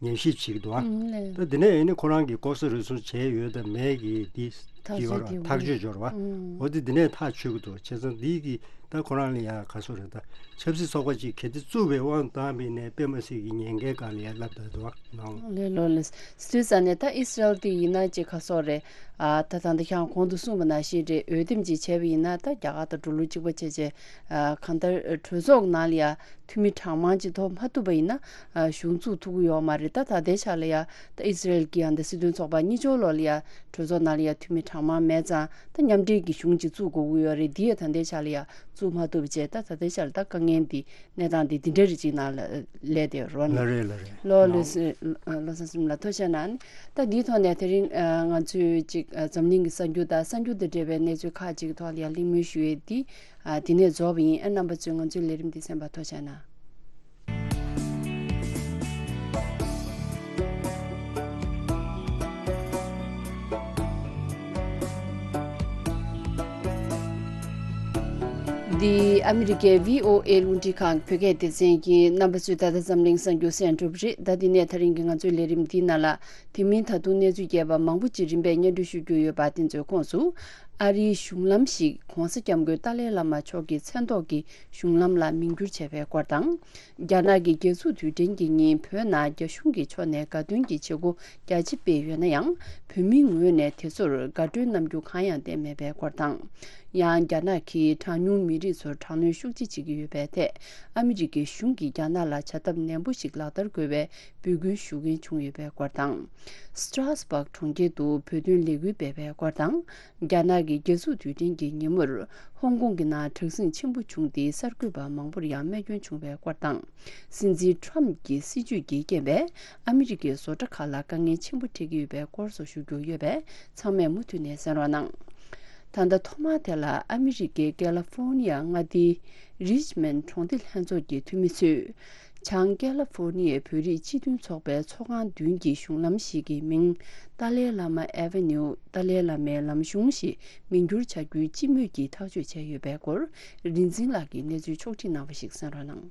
ཉམས་ཞིབ་བྱེད་ཀྱི་འདུག་ཨ། ཨ་ལས། ད་འདི་ནས་ཨ་ནི་ཁོ་རང་གིས་ལྐོག་ཟ་རུལ་སུངས་བྱས་ཡོད་དམ་མེད་ཀྱི་འདི་ཐག་གཅོད་ཡོད་ར་ཐག་གཅོད་འབྱོར་བ། ཨ། འོ་འདི་འདི་ནས་ཐག་ཆོད་ཀྱི་འདུག་བྱས་ཙང་འདི་གི་ད་ཁོ་རང་ལ་ཡ་ག་རེ་ཟེར་རེད་ད་ཆབ་སྲིད་ཚོགས་པ་ཅིག་གལ་ཏེ་བཙུགས་པའི་དབང་བཏང་བ་ཡིན་ནའི་དཔེ་མ་སྲིད་ཀྱི་ཉེན་ཁའི་སྒང་ལ་ཡ་ལབ་བསྡད་འདུག་ཨ་ནང་། ལས་ལོ་ལས། སུས་ཙང་ནས་ད་ཨི་སི་རལ་དེ་ཡིན་ན་ཅིག་ག་རེ་ཟེར་རེད། ཨ་ད་ད་ལྟ་ཁྱེད་རང་གོང་དུ་གསུངས་པ་ནང་བཞིན་རེད། འོས་འདེམས་ཅིག་བྱས་པ་ཡིན་ན་ད་རྒྱ་གར་དང་འགྲོ་ལུགས་གཅིག་པ་བྱས་བྱས་ཨ་གང་ལྟར་གྲོས་ཚོགས་ནང་ལ་ཡ་འཐུས་མི་གྲངས་མང་ཅིག་ཐོབ་མ་ཐུབ་པ་ཡིན་ན་ཨ་གཞུང་བཙུགས་ཐུབ་ཀྱི་ཡོད་མ་རེད། ད་ད་ལྟའི་ཆ་ལ་ཡ་ད་ཨི་སི་རལ་གྱི་ཡང་ད་སྲིད་དོན་ཚོགས་པ་གཉིས་ཆར་ལོག་ལ་ཡ་གྲོས་ཚོགས་ནང་ལ་ཡ་འཐུས་མི་གྲངས་མང་མེད་ཙང་ད་མཉམ་འབྲེལ་གྱི་གཞུང་ཅིག་བཙུགས་དགོས་ཀྱི་ཡོད་རེད། འདི་ཡ་ད་ལྟའི་ཆ་ལ་ཡ་བཙུགས་མ་ཐུབ་བྱས། ད་ད་ལྟའི་ཆ་ལ་ད་དཀའ་ངལ་འདི་གནས་སྟངས་འདི་འདི་འདྲ་རེ་ཅིག་ནང་ལ་སླེབས་བསྡད་ཡོད་རེད་བ། ལགས་རེད་ལགས་རེད། ལོ་ལོ་ལགས། སི་ལོ་སང་སིམ་ལ་ཐུགས་རྗེ་གནང་། ད་འདིའི་ཐོག་ནས་དེ་རིང་ང་ཚོས་ཅིག་འཛམ་གླིང་གི་གསར་འགྱུར་དང་གསར་འགྱུར་དང་འབྲེལ་བའི་གནས་ཚུལ་ཁག་ཅིག་གི་ཐོག་ལ་ཡང་གླེང་མོལ་ཞུ་ཡས་འདི་འདི་ནས་རྫོགས་པ་ཡིན། ཨ་རྣམ་པ་ཚོས་ང་ཚོའི་ལས་རིམ་འདི་གསན་པར་ཐུགས་རྗེ་གནང་། འདི་ཨ་མི་རི་ཀའི་བྷི་ཨོ་ཨེ་རླུང་འཕྲིན་ཁང་བོད་སྐད་སྡེ་ཚན་ཡིན། རྣམ་པ་ཚོས་ད་ལྟ་འཛམ་གླིང་གསར་འགྱུར་གསན་གྲུབ་རེད། ད་འདི་ནས་ད་རིང་གི་ང་ཚོའི་ལས་རིམ་འདིའི་ནང་ལ་དེ་མིན་ད་དུང་གནས་ཚུལ་རྒྱས་པ་མང་པོ་ཅིག་རིམ་པས་སྙན་སྒྲོན་ཞུ་རྒྱུ་ཡོད་པ། དེ་ཚོའི་ཁོངས་སུ་ཨ་རིའི་གཞུང་ལམ་ཞིག་༧གོང་ས་༧སྐྱབས་མགོན་ཏཱ་ལའི་བླ་མ་མཆོག་གི་མཚན་ཐོག་གི་གཞུང་ལམ་ལ་མིང་བསྒྱུར་བྱས་པའི་སྐོར་དང་། རྒྱ་ནག་གི་རྒྱལ་འཛུགས་དུས་དྲན་གྱི་ཉིན་བོད་ནང་རྒྱ་གཞུང་གི་ཕྱོགས་ནས་དགའ་སྟོན་གྱི་བྱེད་སྒོ་རྒྱ་ཆེ་སྤེལ་ཡོད་ན་ཡང་། བོད་མིའི་ངོས་ནས་དེ་ཚོར་དགའ་སྤྲོའི་རྣམ་འགྱུར་གང་ཡང་བསྟན་མེད་པའི་སྐོར་དང་། ཡང་རྒྱ་ནག་གིས་གྲངས་ཉུང་མི་རིགས་ཚོར་དྲག་གནོན་ཤུགས་ཆེ་བྱེད་ཀྱི་ཡོད་པའི་ཐད། ཨ་མི་རི་ཀའི་གཞུང་གིས་རྒྱ་ནག་ལ་བྱ་ཐབས་ནན་པོ་ཞིག་ལག་བསྟར་དགོས་པའི་འབོད་སྐུལ་ཞུ་མཁན་བྱུང་ཡོད་པའི་སྐོར་དང་། སི་ཏྲ་སི་བྷག་གྲོང་ཁྱེར་དུ་བོད་དོན་ལས་འགུལ་སྤེལ་བའི་སྐོར་དང་། རྒྱ་ནག་གི་རྒྱལ་འཛུགས་དུས་དྲན་གྱི་ཉིན་མོར་ཧོང་ཀོང་གི་ནང་དྲག་ཟིང་ཆེན་པོ་བྱུང་སྟེ། གསར་འགོད་པ་མང་པོར་ཡང་རྨས་སྐྱོན་བྱུང་བའི་སྐོར་དང་། སྲིད་འཛིན་ཊམ་གྱི་སྲིད་བྱུས་ཀྱི་རྐྱེན་པས་ཨ་མི་རི་ཀའི་བཟོ་གྲྭ་ཁག་ལ་དཀའ་ངལ་ཆེན་པོ་འཕྲད་ཀྱི་ཡོད་པའི་སྐོར་སོགས་ཞུ་རྒྱུ་ཡོད་པས། ཚང་མས་མུ་མཐུད་ནས་གསན་རོགས་གནང་། ད་ལྟ་ཐོག་མར་དེ་ལ་ཨ་མི་རི་ཀའི་ཀེ་ལི་ཧྥོར་ནི་ཡ་མངའ་སྡེའི་རིཆ་མོན་གྲོང་སྡེ་ལྷན་ཚོགས་ཀྱི་འཐུས་མི་ཚོས། བྱང་ཀེ་ལི་ཧྥོར་ནི་ཡའི་བོད་རིགས་སྤྱི་མཐུན་ཚོགས་པའི་ཚོགས་ཁང་མདུན་གྱི་གཞུང་ལམ་ཞིག་གི་མིང་ཏཱ་ལའི་བླ་མ་ཨེ་ཝེ་ནིའུ། ཏཱ་ལའི་བླ་མའི་ལམ་གཞུང་ཞེས་མིང་བསྒྱུར་བྱ་རྒྱུའི་སྤྱི་མོས་ཀྱིས་ཐག་གཅོད་བྱས་ཡོད་པའི་སྐོར། རིག་འཛིན་ལགས་ཀྱིས་གནས་ཚུལ་ཕྱོགས་བསྒྲིགས་གནང་བ་ཞིག་གསན་རོགས་གནང་།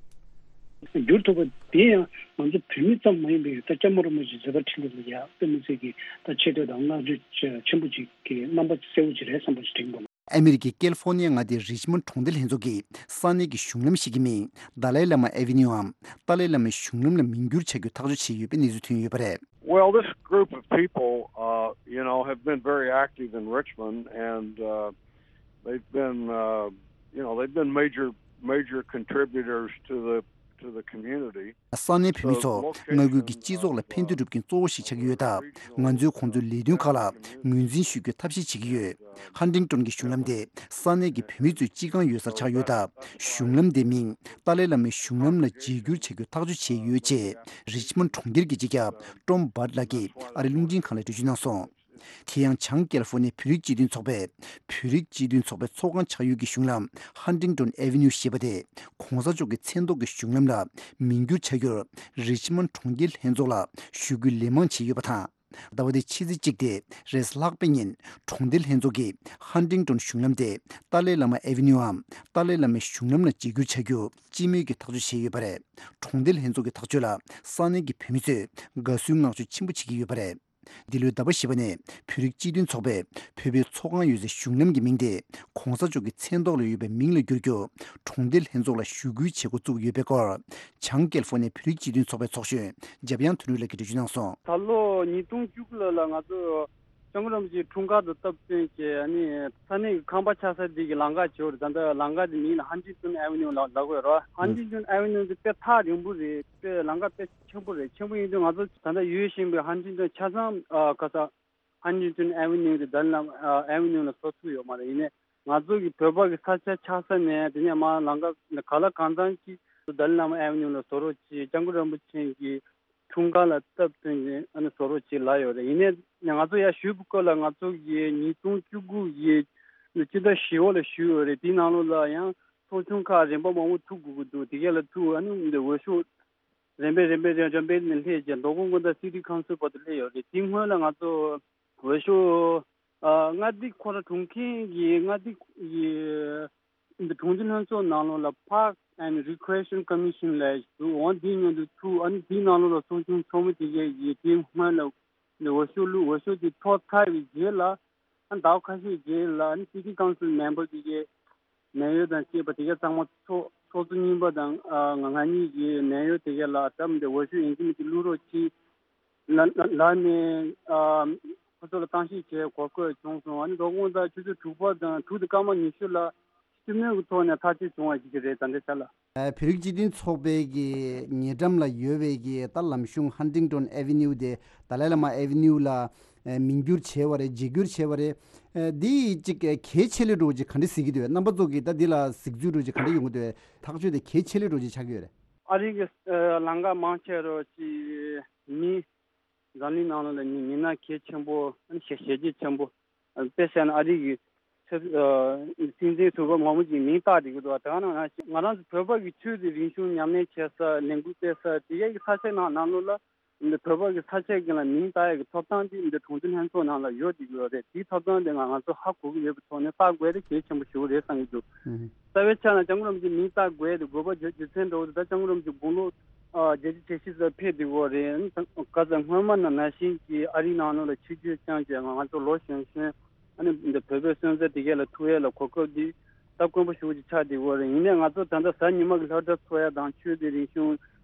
བསྒྱུར་ཐུབ་པ་དེ་ཡང་ང་ཚོ་བོད་མི་ཙམ་མ་ཡིན་པའི་ད་སྐྱབས་མགོན་རིན་པོ་ཆེའི་བཟོད་པ་ཁྲི་ལོ་ལ་ཡ་དཔེ་མི་སྲིད་ཀྱི་ད་ཆེ་བསྟོད་དང་བསྔགས་བརྗོད་ཆེན་པོ་ཅིག་གི་རྣམ་པ་གསལ་བོ་ཅིག་རེད་བསམ་པ་ཞིག་དྲན་གྱི་འདུག་ཨ་མི་རི་ཀའི་ཀེ་ལི་ཧྥོར་ནི་ཡ་མངའ་སྡེའི་རིཆ་མོན་གྲོང་སྡེ་ལྷན་ཚོགས་ཀྱིས་ས་གནས་ཀྱི་གཞུང་ལམ་ཞིག་གི་མིང་ཏཱ་ལའི་བླ་མ་ཨེ་ཝེ་ནིའུའམ་ཏཱ་ལའི་བླ་མའི་གཞུང་ལམ་ལ་མིང་བསྒྱུར་བྱ་རྒྱུའི་ཐག་གཅོད་བྱས་ཡོད་པའི་གནས་ཚུལ་ཐོན་ཡོད་པ་རེད། Well, this group of people, uh, you know, have been very active in Richmond, and uh, they've been, uh, you know, they've been major, major contributors to the to the community. ས་གནས་བོད་མི་ཚོ་མངའ་ཁུལ་གྱི་སྤྱི་ཚོགས་ལ་ཕན་བདེ་སྒྲུབ་མཁན་གཙོ་བོ་ཞིག་ཆགས་ཀྱི་ཡོད་སྟབས། ང་ཚོས་ཁོང་ཚོའི་ལས་དོན་ཁག་ལ་ངོས་འཛིན་ཞུ་རྒྱུའི་ཐབས་ཤེས་བྱེད་ཀྱི་ཡོད། ཧན་ཏིང་ཏོན་གྱི་གཞུང་ལམ་དེ་ས་གནས་ཀྱི་བོད་མི་ཚོའི་སྤྱི་ཁང་ཡོད་སར་ཆགས་ཡོད་སྟབས། གཞུང་ལམ་དེའི་མིང་ཏཱ་ལའི་བླ་མའི་གཞུང་ལམ་ལ་བརྗེ་བསྒྱུར་བྱ་རྒྱུའི་ཐག་གཅོད་བྱས་ཡོད་ཅེས། རིཆ་མོན་གྲོང་ཁྱེར་གྱི་སྤྱི་ཁྱབ་ཀྲོམ་བྷར་ལགས་ཀྱིས་ཨ་རིའི་རླུང་འཕྲིན་ཁང་ལ་འགྲེལ་བརྗོད་གནང་སོང་། དེ་ཡང་བྱང་ཀེ་ལི་ཧྥོར་ནི་ཡའི་བོད་རིགས་སྤྱི་མཐུན་ཚོགས་པས། བོད་རིགས་སྤྱི་མཐུན་ཚོགས་པའི་ཚོགས་ཁང་ཆགས་ཡུལ་གྱི་གཞུང་ལམ་ཧན་ཏིང་ཏོན་ཨེ་ཝེ་ནིའུ་ཞེས་པ་དེ་༧གོང་ས་མཆོག་གི་མཚན་ཐོག་གི་གཞུང་ལམ་ལ་མིང་བསྒྱུར་བྱ་རྒྱུར། རིཆ་མོན་གྲོང་ཁྱེར་ལྷན་ཚོགས་ལ་ཞུ་སྐུལ་ལན་མང་བྱས་ཡོད་པ་དང་། ཟླ་བ་འདིའི་ཕྱི་ཚེས་གཅིག་སྟེ་རེས་ལྷག་པའི་ཉིན་གྲོང་སྡེ་ལྷན་ཚོགས་ཀྱིས་ཧན་ཏིང་ཏོན་གཞུང་ལམ་དེ་ཏཱ་ལའི་བླ་མ་ཨེ་ཝེ་ནིའུའམ་ཏཱ་ལའི་བླ་མའི་གཞུང་ལམ་ལ་བརྗེ་བསྒྱུར་བྱ་རྒྱུ་སྤྱི་མོས་ཀྱིས་ཐག་གཅོད་བྱས་ཡོད་པ་རེད། གྲོང་སྡེ་ལྷན་ཚོགས་ཀྱི་ཐག་གཅོད་ལ་ས་གནས་ཀྱི་བོད་མི་ཚོས་དགའ་བསུའི་བསྔགས་བརྗོད་ཆེན་པོ་བྱེད་ཀྱི་ཡོད་པ་རེད། འདི་ལོའི་ཟླ་བ་བཞི་པ་ནས་བོད་རིགས་སྤྱི་མཐུན་ཚོགས་པས་བོད་པའི་ཚོགས་ཁང་ཡོད་སའི་གཞུང་ལམ་གྱི་མིང་དེ་༧གོང་ས་མཆོག་གི་མཚན་ཐོག་ལ་ཡོད་པའི་མིང་ལ་བསྒྱུར་རྒྱུ་གྲོང་སྡེ་ལྷན་ཚོགས་ལ་ཞུ་སྐུལ་བྱེད་འགོ་བཙུགས་ཡོད་པའི་སྐོར། བྱང་ཀེ་ལི་ཧྥོར་ནི་ཡའི་བོད་རིགས་སྤྱི་མཐུན་ཚོགས་པའི་ཚོགས་གཞོན་འཇམ་དབྱངས་དོན་གྲུབ་ལགས་ཀྱིས་འགྲེལ་བརྗོད་གནང་སོང་། ད་ལོ་ཉིས་སྟོང་བཅུ་དགུ་ལོ་ལ་ང་ཚོ་སྐྱབས་མགོན་རིན་པོ་ཆེའི་འཁྲུངས་སྐར་དང་སྟབས་བསྟུན་གྱིས་ཨ་ནི་ས་གནས་ཀྱི་ཁང་པ་ཆགས་ས་འདི་གི་ལམ་ཁ་བྱས་པ་རེད། ད་ལྟ་ལམ་ཁ་འདི་མིང་ལ་ཧན་ཏིང་ཏོན་ཨེ་ཝེ་ནིའུ་ལབ་ལབ་དགོས་རེད། ཧན་ཏིང་ཏོན་ཨེ་ཝེ་ནིའུ་འདི་དཔེ་ཐག་རིང་པོ་རེད། དཔེ་ལམ་ཁ་དཔེ་ཆེན་པོ་རེད། ཆེན་པོ་ཡིན་དུས་ང་ཚོ་ད་ལྟ་ཡོད་བཞིན་པའི་ཧན་ཏིང་ཏོན་ཆ་ཚང་ཨ་ག་ས་ཧན་ཏིང་ཏོན་ཨེ་ཝེ་ནིའུ་དེ་ཏཱ་ལའི་བླ་མ་ཨ་ཨེ་ཝེ་ནིའུ་ལ་བཟོ་ཐུབ་ཡོད་མ་རེད། ཡིན་ནའི་ང་ཚོ་གི་བོད་པ་གི་ས་ཆ་ཆགས་ས་ནས་དེ་ནས་མར་ལམ་ཁ་ག་ལ་གང་འཚམ་ཅིག་ཏཱ་ལའི་བླ་མ་ཨེ་ཝེ་ནིའུ་ལ་བཟོ་རོགས་གྱིས། སྐྱབས་མགོན་རིན་པོ་ཆེ་གི་འཁྲུངས་སྐར་ལ་སྟབས་བསྟུན་ནས་ཨ་ནི་བཟོ་རོགས་གྱིས་ལབ་ཡོད་རེད། ཡིན་ནའི་ང་ཚོ་ཡར་ཞུས་པའི་སྐོར་ལ་ང་ཚོ་གི་ཉིས་སྟོང་བཅུ་དགུ་གི་སྤྱི་ཟླ་བཞི་པ་ལ་ཞུས་ཡོད་རེད། དེའི་ནང་ལོགས་ལ་ཡང་ཚོགས་ཆུང་ཁག་རིམ་པ་མང་པོ་ཐུག་དགོས་ཀྱི་འདུག་དེ་གས་ལ་ཐུག་ཨ་ནི་འདི་འོས་ཤོག་རིམ་པས་རིམ་པས་རིམ་པས་ནས་སླེབས་རྗེས་མདོ་དབུས་སྔོན་བརྡ་སི་ཊི་ཁའུན་སིལ་བར་དུ་སླེབས་ཡོད་རེད། དེའི་སྔོན་ལ་ང་ཚོ་འོས་ཤོག་ཨ་མངའ་སྡེ་ཁོ་ར་དྲུང་འཕར་གྱི་མངའ་སྡེ་ཡི་འདི་གྲོང་སྡེ་ལྷན་ཚོགས་ནང་ལོགས་ལ་Park and Recreation Commission ལབ་ཞིག་འདུག་འོ་འདིའི་མཉམ་དུ་ཐུག་ཨ་ནི་དེའི་ནང་ལོགས་ལ་ཚོགས་ཆུང་ཚོགས་མི་དེ་གས་ཀྱིས་དེའི་སྔོན་ལ་འདི་འོས་ཤོག་བླུགས། འོས་ཤོག་དེ་ཐོབ་ཚར་བའི་རྗེས་ལ་ཨ་ཟླ་བ་ཁ་ཤས་རྗེས་ལ་ཨ་ནི་སི་ཊི་ཁའུན་སིལ་མེམ་བར་དེ་གས་ནད་གཡོག་དང་བཅས་པ་དེ་གས་ཚང་མ་ཚོགས་ཚོགས་གཙོ་རྙིང་པ་དང་ཨ་ང་ང་གཉིས་ཀྱིས་ནད་གཡོག་དེ་གས་ལ་ད་མི་འདི་འོས་ཤོག་ཡིན་གཅིག་མིན་གཅིག་བླུག་རོགས་གྱིས་ལ་ལ་ལ་ནས་ཨ་ཁོ་ཚོ་ལ་གཏམ་བཤད་བྱས་གོ་སྐབས་བྱུང་སོང་། ཨ་ནི་མདོ་དབུས་སྔོན་བརྡ་ཆུ་ཚོད་དྲུག་པ་དང་དྲུག་དང་སྐར་མ་ཉི་ཤུ་ལ་སྤྱི་མོས་ཀྱི་ཐོག་ནས་ཐག་གཅོད་བྱུང་བ་ཞིག་རེད། ད་ལྟའི་ཆ་ལ། ཨ་བོད་རིགས་སྤྱི་མཐུན་ཚོགས་པའི་གི་ཉེ་འགྲམ་ལ་ཡོད་པའི་གི་ད་ལམ་གཞུང་ཧན་ཏིང་ཏོན་ཨེ་ཝེ་ནིའུ་དེ་ཏཱ་ལའི་བླ་མ་ཨེ་ཝེ་ནིའུ་ལ་ཨ་མིང་བསྒྱུར་བྱས་པ་རེད། བརྗེ་བསྒྱུར་བྱས་པ་རེད། ཨ་འདི་ཅིག་གལ་ཆེ་ལོས་འགྲོ་ཅིག་ག་འདྲ་གཟིགས་ཀྱི་འདུག་རྣམ་པ་ཚོ་གིས་ད་འདི་ལ་གཟིགས་ཚུལ་འགྲོ་ཅིག་ག་འདྲ་ཡོང་གི་འདུག་ཐག་གཅོད་དེ་གལ་ཆེ་ལོས་འགྲོ་ཅིག་ཆགས་ཀྱི་ཡོད་རེད། ཨ་རི་གི་ཨ་ལམ་ཁ་མང་ཆེ་རུ་ཅིག་མི་འཛམ་གླིང་ནང་ལོགས་ལ་མི་མི་སྣ་གལ་ཆེན་པོ་ཨ་ནི་ཞལ་ཞལ་རྒྱས་ཆེན་པོ། དཔེ་བཤད་ན་ཨ་རི་གི་ཆབ་སྲིད་འཛིན་ཟུར་པ་མང་པོ་ཅིག་མིང་བཏགས་བསྡད་ཀྱི་འདུག་དེ་ག་ནང་ན་ང་རང་ཚོ་བོད་པ་གི་ཆོས་དང་རིག་གཞུང་ཉམས་ལེན་བྱེད་ས་ལས་འགུལ་སྤེལ་ས་དེ་གའི་གི་ས་ཆའི་ནང་ནང་ལོགས་ལ་ འདི་བོད་པ་གི་ས་ཆ་གི་ལ་མིང་བཏགས་ཡག་གི་ཐོབ་ཐང་འདི་འདི་གྲོང་སྡེ་ལྷན་ཚོགས་ནང་ལ་ཡོད་བསྡད་ཀྱི་ཡོད་རེད། དེའི་ཐོབ་ཐང་འདི་ང་ང་ཚོ་ཧ་གོ་གི་ཡོད་པའི་ཐོག་ནས་བཏགས་དགོས་དེ་གལ་ཆེན་པོ་ཞིག་རེད་བསམ་གྱི་འདུག། ཨུ་ཧུ། རྩ་བའི་ཆ་ལ་སྐྱབས་མགོན་རིན་པོ་ཆེ་མིང་བཏགས་དགོས་དེ་དགོས་པ་རྒྱུ་རྒྱུ་མཚན་འདྲ་བོ་དེ་ད་སྐྱབས་མགོན་རིན་པོ་ཆེ་དགུང་ལོ་ཨ་བརྒྱད་ཅུ་གྱ་བཞི་ཙམ་ཕེབས་བསྡད་ཡོད་རེད། ག་ཚོད་སྔོན་མ་ནང་ནང་བཞིན་གྱི་ཨ་རིའི་ནང་ལོགས་ལ་ཆིབས་བསྒྱུར་བསྐྱངས་བྱས་ང་ང་ཚོ་ལོ་གཞོན་གཞོན་ཨ་ནི་འདི་བོད་པའི་སོན་རྩ་དེ་གས་ལ་ཐུག་ཡས་ལ་གོ་སྐབས་འདི་ད་དཀོན་པོ་ཞེ་པོ་ཅིག་ཆགས་བསྡད་ཡོད་རེད། ཡིན་ནའི་ང་ཚོ་ད་ལྟ་གཟའ་ཉི་མ་གི་ལྷ་བྲིས་འཚོགས་ཡ་དང་ཆོས་སྡེ་རིག་གཞུང་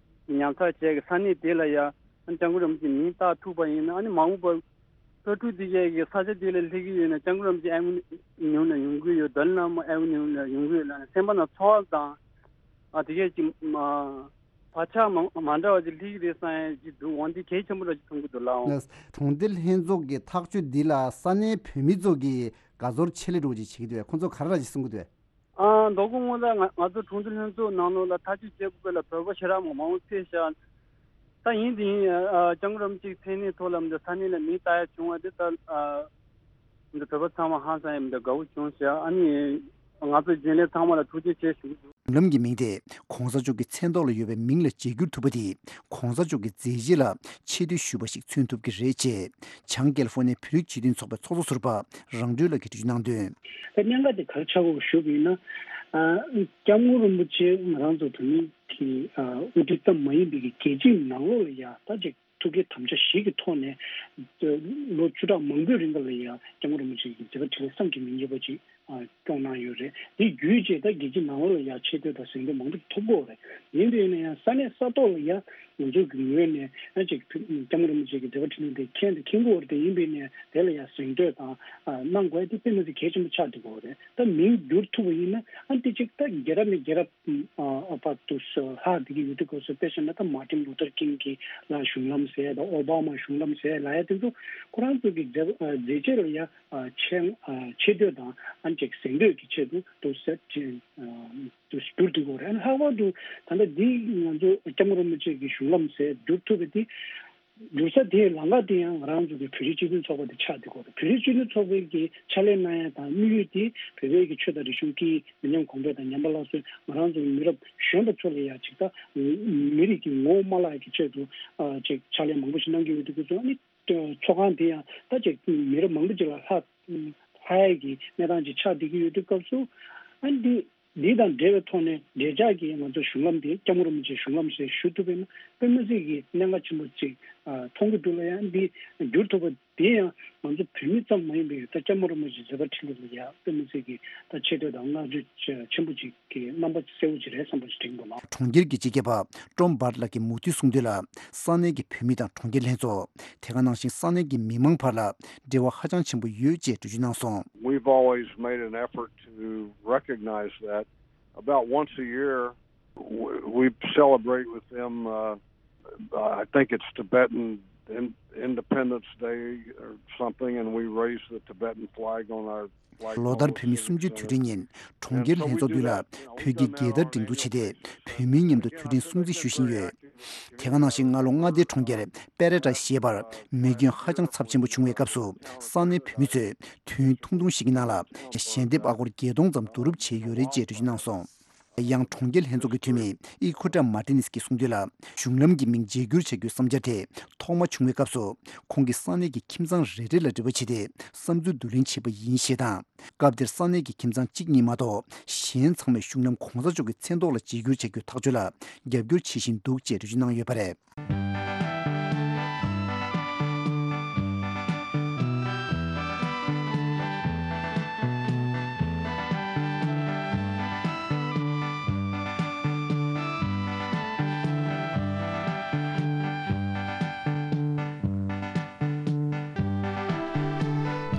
ཉམས་ཚགས་བྱས་ཀྱི་ས་གནས་དེ་ལ་ཡ་ཨ་ནི་སྐྱབས་མགོན་རིན་པོ་ཆེ་མིང་བཏགས་ཐུབ་པ་ཡིན་ན། ཨ་ནི་མ་འོངས་པར་ལྷ་ཕྲུག་དེ་གས་ཀྱི་ས་ཆ་དེ་ལ་སླེབས་ཀྱི་ཡོད་ན་སྐྱབས་མགོན་རིན་པོ་ཆེ་ཨེ་ཝེ་ནིའུ་ལ་ཡོང་གི་ཡོད། དཱ་ལའི་བླ་མ་ཨེ་ཝེ་ནིའུ་ལ་ཡོང་གི་ཡོད་ལབ་ནས་སེམས་པ་ནང་ཚོར་བ་དང་ཨ་དེ་གས་ཀྱི་མ་བག་ཆགས་མ་མ་འདྲ་བ་ཅིག་སླེབས་ཀྱི་རེད་བསམ་ཡ་ཅིག་འདུག། འོན་ཏེ་གལ་ཆེན་པོ་འདྲ་ཅིག་མཐོང་གི་འདུག་ལགས། ཨོ། གྲོང་སྡེ་ལྷན་ཚོགས་ཀྱི་ཐག་གཅོད་འདི་ལ་ས་གནས་བོད་མི་ཚོ་གིས་དགའ་ཚོར་ཆེད་ལས་འདྲ་བོ་ཅིག་བྱེད་ཀྱི་འདུག་པས། ཁོང་ཚོ་ག་རེ་ར་ཅིག་གསུང་གི་འདུག་པས། ཨ་མདོ་དགོང་སྔོན་ལ་ང་ང་ཚོ་གྲོང་སྡེ་ལྷན་ཚོགས་ནང་ལོགས་ལ་ཐག་གཅོད་བྱེད་དགོས་ལ་བོད་པ་ཞེ་དྲག་མང་མང་ཕེབས་ཤག། ད་ཡིན་དེ་ཡིན་ཨ་སྐྱབས་མགོན་རིན་པོ་ཆེའི་མཚན་གནས་ཐོག་ལ་འདི་ས་གནས་ལ་མིང་བཏགས་ཡ་བྱུང་བ་འདི་ད་ཨ་འདི་བོད་པ་ཚང་མ་ཧང་སང་ཡ་འདི་དགའ་བོ་བྱུང་ཤག། ཨ་ནི་ང་ཚོ་རྒྱུན་ལས་ཚང་མ་ལ་ཐུགས་རྗེ་ཆེ་ཞུ་གི་འདུག། གཞུང་ལམ་གྱི་མིང་དེ་གོང་ས་མཆོག་གི་མཚན་ཐོག་ལ་ཡོད་པའི་མིང་ལ་བརྗེ་བསྒྱུར་ཐུབ་པ་དེས་གོང་ས་མཆོག་གི་མཛད་རྗེས་ལ་ཆེ་བསྟོད་ཞུས་པ་ཞིག་མཚོན་ཐུབ་ཀྱི་རེད་ཅེས་བྱང་ཀེ་ལི་ཧྥོ་ནི་ཡའི་བོད་རིགས་སྤྱི་མཐུན་ཚོགས་པའི་ཚོགས་གཙོ་ཟུར་པ་རང་གྲོལ་ལགས་ཀྱིས་འགྲེལ་བརྗོད་གནང་དོན། ད་གནད་འགག་དེ་ག་རེ་ཆགས་ཀྱི་ཡོད་ཞུ་བ་ཡིན་ན། ཨ་སྐྱབས་མགོན་རིན་པོ་ཆེ་ང་རང་ཚོ་བོད་མི་གི་ཨ་དབུ་ཁྲིད་ཙམ་མ་ཡིན་པའི་གི་རྒྱལ་སྤྱིའི་ནང་ལོགས་ལ་ཡ་ད་ཅིག་ཐུགས་བསྐྱེད་དམ་བཅའ་བཞི་གི་ཐོག་ནས་ལོ་བཅུ་ཕྲག་མང་པོའི་རིང་ལ་ཡ་སྐྱབས་མགོན་རིན་པོ་ཆེ་གི་མཛད་པ་འཕྲིན་ལས་བསམ་གྱིས་མི་ཁྱབ་པ་ཅིག་ཨ་སྐྱོང་གནང་ཡོད་རེད། དེ་བརྒྱུད་བྱས་ད་རྒྱལ་སྤྱིའི་ནང་ལོགས་ལ་ཡ་ཆེ་བསྟོད་དང་གཟེངས་བསྟོད་མང་པོ་ཐོབ་ཀྱི་ཡོད་རེད། ཡིན་པས་ན་ཡང་ས་གནས་ས་ཐོག་ལ་ཡ་ང་ཚོ་གི་ངོས་ནས་ཡང་ཅིག་སྐྱབས་མགོན་རིན་པོ་ཆེ་གི་མཛད་པ་འཕྲིན་ལས་དེ་མཁྱེན་དང་མཁྱེན་གྱི་ཡོད་རེད། དེ་ཡིན་པས་ན་དེ་ལ་ཡ་གཟེངས་བསྟོད་དང་ཨ་གནང་དགོས་དེ་དཔེ་མི་སྲིད་གལ་ཆེན་པོ་ཆགས་བསྡད་ཀྱི་ཡོད་རེད། ད་མིང་བསྒྱུར་ཐུབ་པ་ཡིན་ན་ཨ་དེ་ཅིག་ད་རྒྱལ་རབས་ནས་རྒྱལ་རབས་ཨ་བར་དུ་ལྷག་བསྡད་ཀྱི་ཡོད་དུས་སྐབས་སུ་དཔེ་བཞག་ན་ད་མར་ཏིན་ལུ་ཐར་ཀིང་གི་ལ་གཞུང་ལམ་ཟེར་དང་ཨོ་བྷ་མ་གཞུང་ལམ་ཟེར་ལབ་ཡ་དེ་ཚོ་ཁོ་རང་ཚོ་གི་མཛད་མཛད་རྗེས་ལ་ཡ་ཨ་ཆེ་ཨ་ཆེ་བསྟོད་དང་ཨ་ཅིག་གཟེངས་བསྟོད་ཀྱི་ཆེད་དུ་དུ་ཟེར་ཅིག་ཨ་དུ་བསྒྱུར་དུ་དགོས་རེད། ལྷག་པར་དུ་ད་ལྟ་འདི་ང་ཚོ་སྐྱབས་མགོན་རིན་པོ་ཆེ་གི་གཞུང་ལམ་ཟེར་བསྒྱུར་ཐུབ་པ་དེ་བསྒྱུར་ས་དེའི་ལམ་ཁ་དེ་ཡང་ང་རང་ཚོ་གི་བོད་རིགས་སྤྱི་མཐུན་ཚོགས་པ་དེ་ཆགས་བསྡད་ཀྱི་ཡོད་རེད། བོད་རིགས་སྤྱི་མཐུན་ཚོགས་པའི་གི་ཕྱག་ལས་གནང་ཡ་དང་དམིགས་ཡུལ་དེ་བོད་པའི་གི་ཆོས་དང་རིག་གཞུང་སྐད་ཡིག་མི་ཉམས་གོང་འཕེལ་དང་ཉམས་པ་སླར་གསོའི་ང་རང་ཚོ་གི་མི་རབས་གཞོན་པ་ཚོ་ལ་ཡ་ཅིག་ད་མི་རིགས་ཀྱི་ངོ་བོ་མ་བརླག་ཡ་གི་ཆེད་དུ་ཨ་ཅིག་ཕྱག་ལས་མང་པོ་ཞིག་གནང་གི་ཡོད་དུས་སྐབས་སུ་ཨ་ནི། ཚོགས་ཁང་དེ་ཡང་ད་ཅིག་མི་རབས་མང་པོ་ཅིག་ལ་ལྷག་ལྷག་ཡས་ཀྱི་གནས་སྟངས་ཅིག་ཆགས་བསྡད་ཀྱི་ཡོད་དུས་སྐབས་སུ། ཨ་འདི་འདི་དང་འབྲེལ་བའི་ཐོག་ནས་འབྲེལ་ཆགས་ཀྱི་ང་ཚོ་གཞུང་ལམ་དེ་སྐྱབས་མགོན་རིན་པོ་ཆེའི་གཞུང་ལམ་ཞེས་ཞུ་ཐུབ་པས་ན་དཔེ་མི་སྲིད་ཀྱི་གནད་འགག་ཆེན་པོ་ཅིག་མཐོང་གི་འདུག་ལ། ཡང་འདི་བསྒྱུར་ཐུབ་པ་དེ་ཡང་ང་ཚོ་བོད་མི་ཙམ་མ་ཡིན་པའི་ད་སྐྱབས་མགོན་རིན་པོ་ཆེའི་མཛད་པ་འཕྲིན་ལས་ལ་ཡང་དཔེ་མི་སྲིད་ཀྱི་ད་ཆེ་བསྟོད་དང་བསྔགས་བརྗོད་ཆེན་པོ་ཅིག་གི་རྣམ་པ་གསལ་བོ་ཅིག་རེད་བསམ་པ་ཞིག་དྲན་གྱི་འདུག་ལགས། གྲོང་ཁྱེར་གྱི་སྤྱི་ཁྱབ་པ་ཀྲོམ་བྷར་ལགས་ཀྱིས་མུ་མཐུད་གསུངས་དོན་ལ། ས་གནས་ཀྱི་བོད་མི་དང་གྲོང་ཁྱེར་ལྷན་ཚོགས། དེ་ག་ནང་བཞིན་ས་གནས་ཀྱི་མི་མང་བར་ལ་འབྲེལ་བ་ཧ་ཅང་ཆེན་པོ་ཡོད་ཅེས་འགྲེལ་བརྗོད་གནང་སོང་། We've always made an effort to recognize that. About once a year, we, we celebrate with them, uh, I think it's Tibetan in, Independence Day or something, and we raise the Tibetan flag on our ལོ་ལྟར་བོད་མི་གསུམ་བཅུའི་དུས་དྲན་ཉིན་གྲོང་ཁྱེར་ལྷན་ཚོགས་མདུན་ལ་བོད་ཀྱི་རྒྱལ་དར་སྒྲེང་འཛུགས་བྱས་ཏེ་བོད་མིའི་མཉམ་དུ་དུས་དྲན་སྲུང་བརྩི་ཞུ་བཞིན་ཡོད། དེ་ག་ནང་བཞིན་སྔ་ལོ་མངའ་སྡེ་གྲོང་ཁྱེར་པེ་རེ་ཊ་ཞེས་པར་མེ་སྐྱོན་ཧ་ཅང་ཚབས་ཆེན་པོ་བྱུང་བའི་སྐབས་སུ་ས་གནས་བོད་མི་ཚོས་དུས་ཡུན་ཐུང་ཐུང་ཞིག་གི་ནང་ལ་ཞལ་འདེབས་ཨ་སྒོར་བརྒྱད་སྟོང་ཙམ་བསྡུ་རུབ་བྱས་ཡོད་རེད་ཅེས་འགྲེལ་བརྗོད་གནང་སོང་། ཡང་གྲོང་ཁྱེར་ལྷན་ཚོགས་ཀྱི་འཐུས་མི་ཨི་ཁོ་ཏྲ་མར་ཏི་ནེ་སི་གིས་གསུངས་དོན་ལ། གཞུང་ལམ་གྱི་མིང་བརྗེ་བསྒྱུར་བྱ་རྒྱུའི་བསམ་འཆར་དེ་ཐོག་མ་བྱུང་བའི་སྐབས་སུ་ཁོང་གིས་ས་གནས་ཀྱི་ཁྱིམ་ཚང་རེ་རེ་ལ་འབྲེལ་བ་བྱས་ཏེ་བསམ་ཚུལ་བསྡུ་ལེན་བྱས་པ་ཡིན་ཞེས་དང་། སྐབས་དེར་ས་གནས་ཀྱི་ཁྱིམ་ཚང་གཅིག་གཉིས་མ་གཏོགས་གཞན་ཚང་མས་གཞུང་ལམ་གོང་ས་མཆོག་གི་མཚན་ཐོག་ལ་བརྗེ་བསྒྱུར་བྱ་རྒྱུའི་ཐག་གཅོད་ལ་རྒྱབ་སྐྱོར་བྱེད་བཞིན་འདུག་ཅེས་འགྲེལ་བརྗོད་གནང་ཡོད་པ་རེད།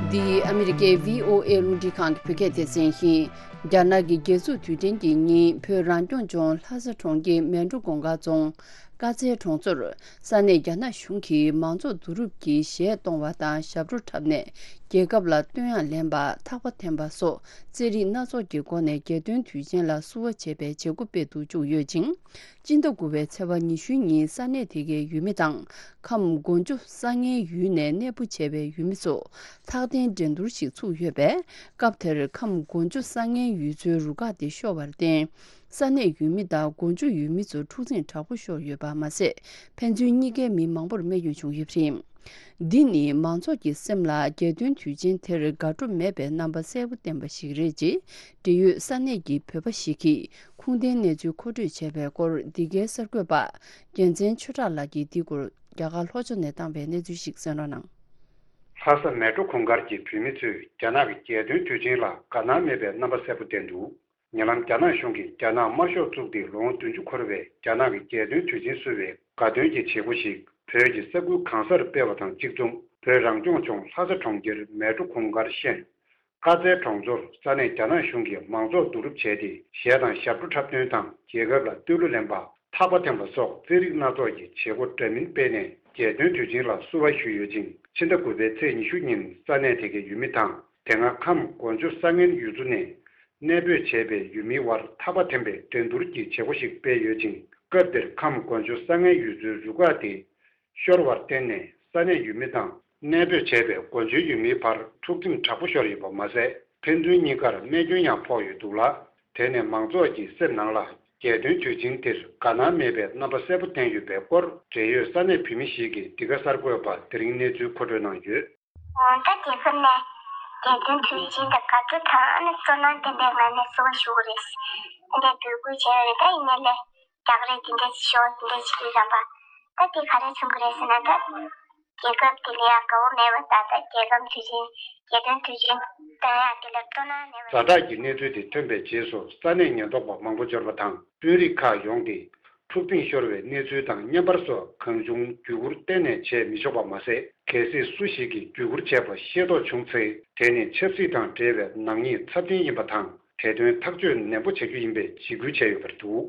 འདི་ཨ་མི་རི་ཀའི་བྷི་ཨོ་ཨེ་རླུང་འཕྲིན་ཁང་གི་བོད་སྐད་སྡེ་ཚན་ཡིན། རྒྱ་ནག་གི་རྒྱལ་འཛུགས་དུས་དྲན་གྱི་ཉིན་བོད་རང་སྐྱོང་ལྗོངས་ལྷ་ས་གྲོང་ཁྱེར་མལ་གྲོ་གུང་དཀར་རྫོང་དཀར་ཚལ་གྲོང་ཚོར་ས་གནས་རྒྱ་ནག་གཞུང་གིས་མང་ཚོགས་བསྡུ་རུབ་ཀྱིས་གཞས་གཏོང་བ་དང་ཞབས་བྲོ་འཁྲབ་ནས་རྒྱལ་ཁབ་ལ་བསྟོད་དབྱངས་ལེན་པ་ཐག་པ་འཐེན་པ་སོགས་རྩེད་རིགས་སྣ་ཚོགས་ཀྱི་སྒོ་ནས་རྒྱལ་སྟོན་དུས་ཆེན་ལ་བསུ་བ་བྱེད་པའི་བྱེད་སྒོ་སྤེལ་དུ་བཅུག་ཡོད་ཅིང་། སྤྱི་ཟླ་དགུ་པའི་ཚེས་པ་ཉི་ཤུའི་ཉིན་ས་གནས་དེ་གའི་ཡུལ་མི་དང་ཁམས་དགོན་ཆུ་ས་ངན་ཡུལ་ནས་གནས་སྤོ་བྱས་པའི་ཡུལ་མི་ཚོ་ཐག་འཐེན་འགྲན་བསྡུར་ཞིག་ཚུགས་ཡོད་པས། སྐབས་དེར་ཁམས་དགོན་ཆུ་ས་ངན་ཡུལ་ཚོའི་རུ་ཁག་དེ་ཤོར་བར་བརྟེན། ས་གནས་ཡུལ་མི་དང་མགོ་མཇུག་ཡུལ་མི་ཚོར་འཁྲུག་འཛིང་དྲག་པོ་ཤོར་ཡོད་པ་མ་ཟད། ཕན་ཚུན་གཉིས་ཀའི་མི་མང་པོར་རྨས་སྐྱོན་བྱུང་ཡོད་པ་རེད། འདི་ནི་མང་ཚོགས་ཀྱི་སེམས་ལ་རྒྱལ་སྟོན་དུས་ཆེན་དེར་དགའ་སྤྲོ་མེད་པའི་རྣམ་པ་གསལ་པོ་བསྟན་པ་ཞིག་རེད་ཅེས། འབྲེལ་ཡོད་ས་གནས་ཀྱི་བོད་པ་ཞིག་གིས་ཁུངས་ལྡན་གནས་ཚུལ་མཁོ་སྤྲོད་བྱས་པའི་སྐོར། འདི་གའི་གསར་འགོད་པ་རྒྱལ་མཚན་ཆོས་གྲགས་ལགས་ཀྱིས་འདིའི་སྐོར་རྒྱ་གར་ལྷོ་ཕྱོགས་ནས་བཏང་བའི་གནས་ཚུལ་ཞིག་གསན་རོགས་གནང་། ལྷ་ས་མལ་གྲོ་གུང་དཀར་གྱི་བོད་མི་ཚོས་རྒྱ་ནག་གི་རྒྱལ་སྟོན་དུས་ཆེན་ལ་དགའ་སྣང་མེད་པའི་རྣམ་པ་གསལ་པོ་བསྟན་འདུག་ཉེ་ལམ་རྒྱ་ནག་གཞུང་གིས་རྒྱ་ནག་དམར་ཤོག་བཙུགས་ཏེ་ལོ་ངོ་བདུན་ཅུ་འཁོར་བའི་རྒྱ་ནག་གི་རྒྱལ་སྟོན་དུས་ཆེན་བསུ་བའི་དགའ་སྟོན་གྱི་བྱེད་སྒོ་ཞིག་བོད་ཀྱི་ས་ཁུལ་གང་སར་སྤེལ་བ་དང་གཅིག་མཚུངས། བོད་རང་སྐྱོང་ལྗོངས་ལྷ་ས་གྲོང་ཁྱེར་མལ་གྲོ་གུང་དཀར་ཤན་དཀར་རྩེ་གྲོང་ཚོར་ས་གནས་རྒྱ་ནག་གཞུང་གིས་མང་ཚོགས་བསྡུ་རུབ་བྱས་ཏེ། གཞས་དང་ཞབས་བྲོ་འཁྲབ་སྟོན་དང་། རྒྱལ་ཁབ་ལ་བསྟོད་གླུ་ལེན་པ། ཐག་པ་འཐེན་པ་སོགས་རྩེད་རིགས་སྣ་ཚོགས་ཀྱི་བྱེད་སྒོ་འདྲ་མིན་སྤེལ་ནས་རྒྱལ་སྟོན་དུས་ཆེན་ལ་བསུ་བ་ཞུས་ཡོད་ཅིང་། ཕྱི་ཟླ་དགུ་པའི་ཚེས་ཉི་ཤུ་ཉིན་ས་གནས་དེ་གའི་ཡུལ་མི་དང་། དེ་སྔ་ཁམས་གོ་འཇོ་ས་ངན་ཡུལ་ཚོ་ནས་གནས་སྤོས་བྱས་པའི་ཡུལ་མིའི་དབར་ཐག་པ་འཐེན་པའི་འགྲན་བསྡུར་གྱི་བྱེད་སྒོ་ཞིག་སྤེལ་ཡོད་ཅིང་། སྐབས་དེར་ཁམས་གོ་འཇོ་ས་ངན་ཡུལ་ཚོའི་རུ་ཁག་དེ་ཤོར་བར་བརྟེན་ནས། ས་གནས་ཡུལ་མི་དང་གནས་སྤོས་བྱས་པའི་གོ་འཇོའི་ཡུལ་མིའི་བར་འཁྲུག་འཛིང་དྲག་པོ་ཤོར་ཡོད་པ་མ་ཟད། ཕན་ཚུན་གཉིས་ཀར་རྨས་སྐྱོན་ཡང་ཕོག་ཡོད་འདུག་ལ། དེ་ནས་མང་ཚོགས་ཀྱི་སེམས་ནང་ལ་རྒྱལ་སྟོན་དུས་ཆེན་དེར་དགའ་སྣང་མེད་པའི་རྣམ་པ་གསལ་པོ་བསྟན་ཡོད་པའི་སྐོར། འབྲེལ་ཡོད་ས་གནས་བོད་མི་ཞིག་གིས་འདི་ག་གསར་འགོད་པར་དེ་རིང་གནས་ཚུལ་མཁོ་སྤྲོད་གནང་ཡོད། ད་རྒྱལ་ཁབ་ནས་རྒྱལ་སྟོན་དུས་ཆེན་དང་དགའ་སྤྲོ་དང་ཨ་ནི་སྤྲོ་སྣང་ལྡན་པའི་ངང་ནས་བསུ་བ་ཞུ་གི་རེད། ཨ་ནི་འབོད་སྐུལ་བྱས་ཡོད་རེད། ད་ཡིན་ནའི་ལས། རྒྱག་རེས་དེ་འདྲ་ཞིག་ཤོར་དེ་འདྲ་ཞིག་ཡོད་ཙང་པ། ད་དེ་ག་རེ་མཚོན་གྱི་རེད་ཟེར་ན། ད་རྒྱལ་ཁབ་དེ་ལ་ཡང་དགའ་བོ་མེད་པ་ད་ད་རྒྱལ་ཁམས་དུས་ཆེན་རྒྱལ་སྟོན་དུས་ཆེན་ད་ཡང་དེ་ལ་སྤྲོ་སྣང་མེད་པ། ཛ་དྲག་གི་གནས་ཚུལ་དེ་ཐོན་པའི་རྗེས་སུ་ས་གནས་ཉེན་རྟོག་པ་མང་པོ་འབྱོར་བ་དང་དཔོན་རིགས་ཁག་ཡོང་སྟེ་འཁྲུག་འཛིང་ཤོར་བའི་གནས་ཚུལ་དང་བརྙན་པར་སོགས་གང་བྱུང་བརྒྱུད་བསྐུར་གཏན་ནས་བྱས་མི་ཆོག་པ་མ་ཟད། གལ་སྲིད་སུ་ཞིག་གིས་བརྒྱུད་བསྐུར་བྱས་པ་ཤེས་རྟོགས་བྱུང་ཚེ། དེ་ནི་ཆབ་སྲིད་དང་འབྲེལ་བའི་ནག་ཉེས་ཚབས་ཆེན་ཡིན་པ་དང་། དེ་དོན་ཐག་གཅོད་ནན་པོ་བྱ་རྒྱུ་ཡིན་པའི་འཇིགས་སྐུལ་བྱས་ཡོད་པ་རེད་འདུག་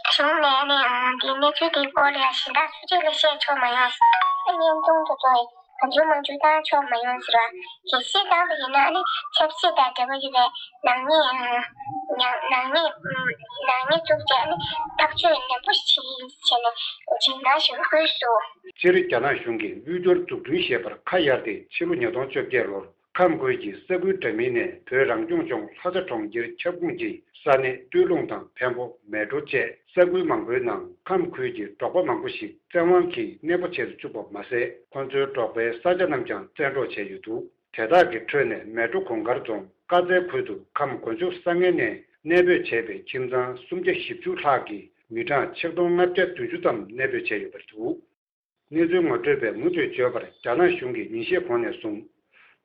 གཞུང་ནས་ནི་འདིའི་གནས་ཚུལ་འདིའི་སྐོར་ལ་ཡང་གཞན་དག་སུ་གཅིག་ལ་བཤད་ཆོག་མ་ཡོང་། བརྙན་ཐུང་དེ་ཚོ་གང་བྱུང་མང་བྱུང་བཏང་ཆོག་མ་ཡོང་ཟེར་བ། གལ་སྲིད་བཏང་བ་ཡིན་ན་ནི་ཆབ་སྲིད་དང་འབྲེལ་བ་ཡོད་པའི་ནག་ཉེས་ནག་ནག་ཉེས་ནག་ཉེས་བཙུགས་ཏེ་ནི་ཐག་གཅོད་ནན་པོ་ཞིག་བྱས་ནས་འཇིགས་སྣང་ཞིག་སྐུལ་སོང་། སྤྱིར་རྒྱ་ནག་གཞུང་གིས་དབུལ་སྐྱོར་འཛུགས་སྐྲུན་ཞེས་པར་ཁ་གཡར་ཏེ་ཕྱི་ལོ་ཉིས་སྟོང་བཅོ་བརྒྱད་ལོར། ཁམས་ཁུལ་གྱི་ས་ཁུལ་འདྲ་མིན་ནས་བོད་རང་སྐྱོང་ལྗོངས་ལྷ་ས་གྲོང་ཁྱེར་ཁྱབ་ཁོངས་ཀྱི་ས་གནས་སྟོད་ལུང་དང་འཕན་པོ། མལ་གྲོ་བཅས་ས་ཁུལ་མང་པོའི་ནང་ཁམས་ཁུལ་གྱི་འབྲོག་པ་མང་པོ་ཞིག་བཙན་དབང་གིས་གནས་སྤོ་བྱེད་དུ་བཅུག་པ་མ་ཟད། ཁོ་ཚོའི་འབྲོག་པའི་ས་ཆ་རྣམས་ཀྱང་བཙན་འཕྲོག་བྱས་ཡོད་འདུག་དེ་དག་གི་ཁྲོད་ནས་མལ་གྲོ་གུང་དཀར་རྫོང་དཀར་རྩེ་ཁུལ་དུ་ཁམས་གོ་འཇོ་ས་ངན་ནས་གནས་སྤོས་བྱས་པའི་ཁྱིམ་ཚང་སུམ་བརྒྱ་བཞི་བཅུ་ལྷག་གི་མི་གྲངས་ཆིག་སྟོང་ལྔ་བརྒྱ་བདུན་ཅུ་ཙམ་གནས་སྤོས་བྱས་ཡོད་པ་རེད་འདུག་གནས་ཚུལ་ངོ་སྤྲོད་པས་མུ་མཐུད་བརྗོད་པར། རྒྱ་ནག་གཞུང་གིས་ཉིན་ཤས་གོང་ནས་བཟུང་།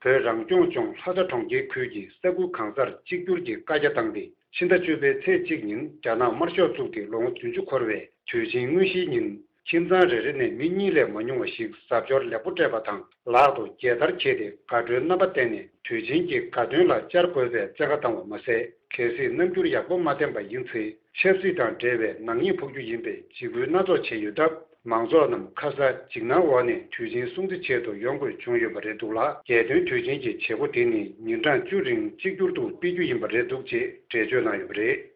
བོད་རང་སྐྱོང་ལྗོངས་ལྷ་ས་གྲོང་ཁྱེར་ཁུལ་གྱི་ས་ཁུལ་གང་སར་གཅིག་གྱུར་གྱི་བཀའ་རྒྱ་བཏང་སྟེ། ཕྱི་ཟླ་བཅུ་པའི་ཚེས་གཅིག་ཉིན་རྒྱ་ནག་དམར་ཤོག་བཙུགས་ཏེ་ལོ་ངོ་བདུན་ཅུ་འཁོར་བའི་དུས་ཆེན་དངོས་གཞིའི་ཉིན། ཁྱིམ་ཚང་རེ་རེ་ནས་མི་གཉིས་ལས་མ་ཉུང་བ་ཞིག་གཟབ་མཆོར་ལེགས་པོ་སྤྲས་པ་དང་། ལག་ཏུ་རྒྱལ་དར་འཁྱེར་ཏེ་དགའ་སྤྲོའི་རྣམ་པ་བསྟན་ནས། དུས་ཆེན་གྱི་དགའ་སྟོན་ལ་བཅར་དགོས་པའི་བཙན་བཀའ་བཏང་བ་མ་ཟད། གལ་སྲིད་རྣམ་འགྱུར་ཡག་པོ་མ་བསྟན་པ་ཡིན་ཚེ། ཆབ་སྲིད་དང་འབྲེལ་བའི་ནག་ཉེས་ཕོག་རྒྱུ་ཡིན་པའི་འཇིགས་སྐུལ་སྣ་ཚོགས་བྱས་ཡོད་སྟབས། མང་ཚོགས་རྣམས་ཁ་ས་འཇིགས་སྣང་འོག་ནས་དུས་ཆེན་སྲུང་བརྩི་ཆེད་དུ་ཡོང་དགོས་བྱུང་ཡོད་པ་རེད་འདུག་ལ། རྒྱལ་སྟོན་དུས་ཆེན་གྱི་བྱེད་སྒོ་དེ་ནི་ཉིན་གྲངས་བཅུ་རིང་གཅིག་གྱུར་དུ་སྤེལ་རྒྱུ་ཡིན་པ་རེད་འདུག་ཅེས་འགྲེལ་བརྗོད་གནང་ཡོད་པ་རེད།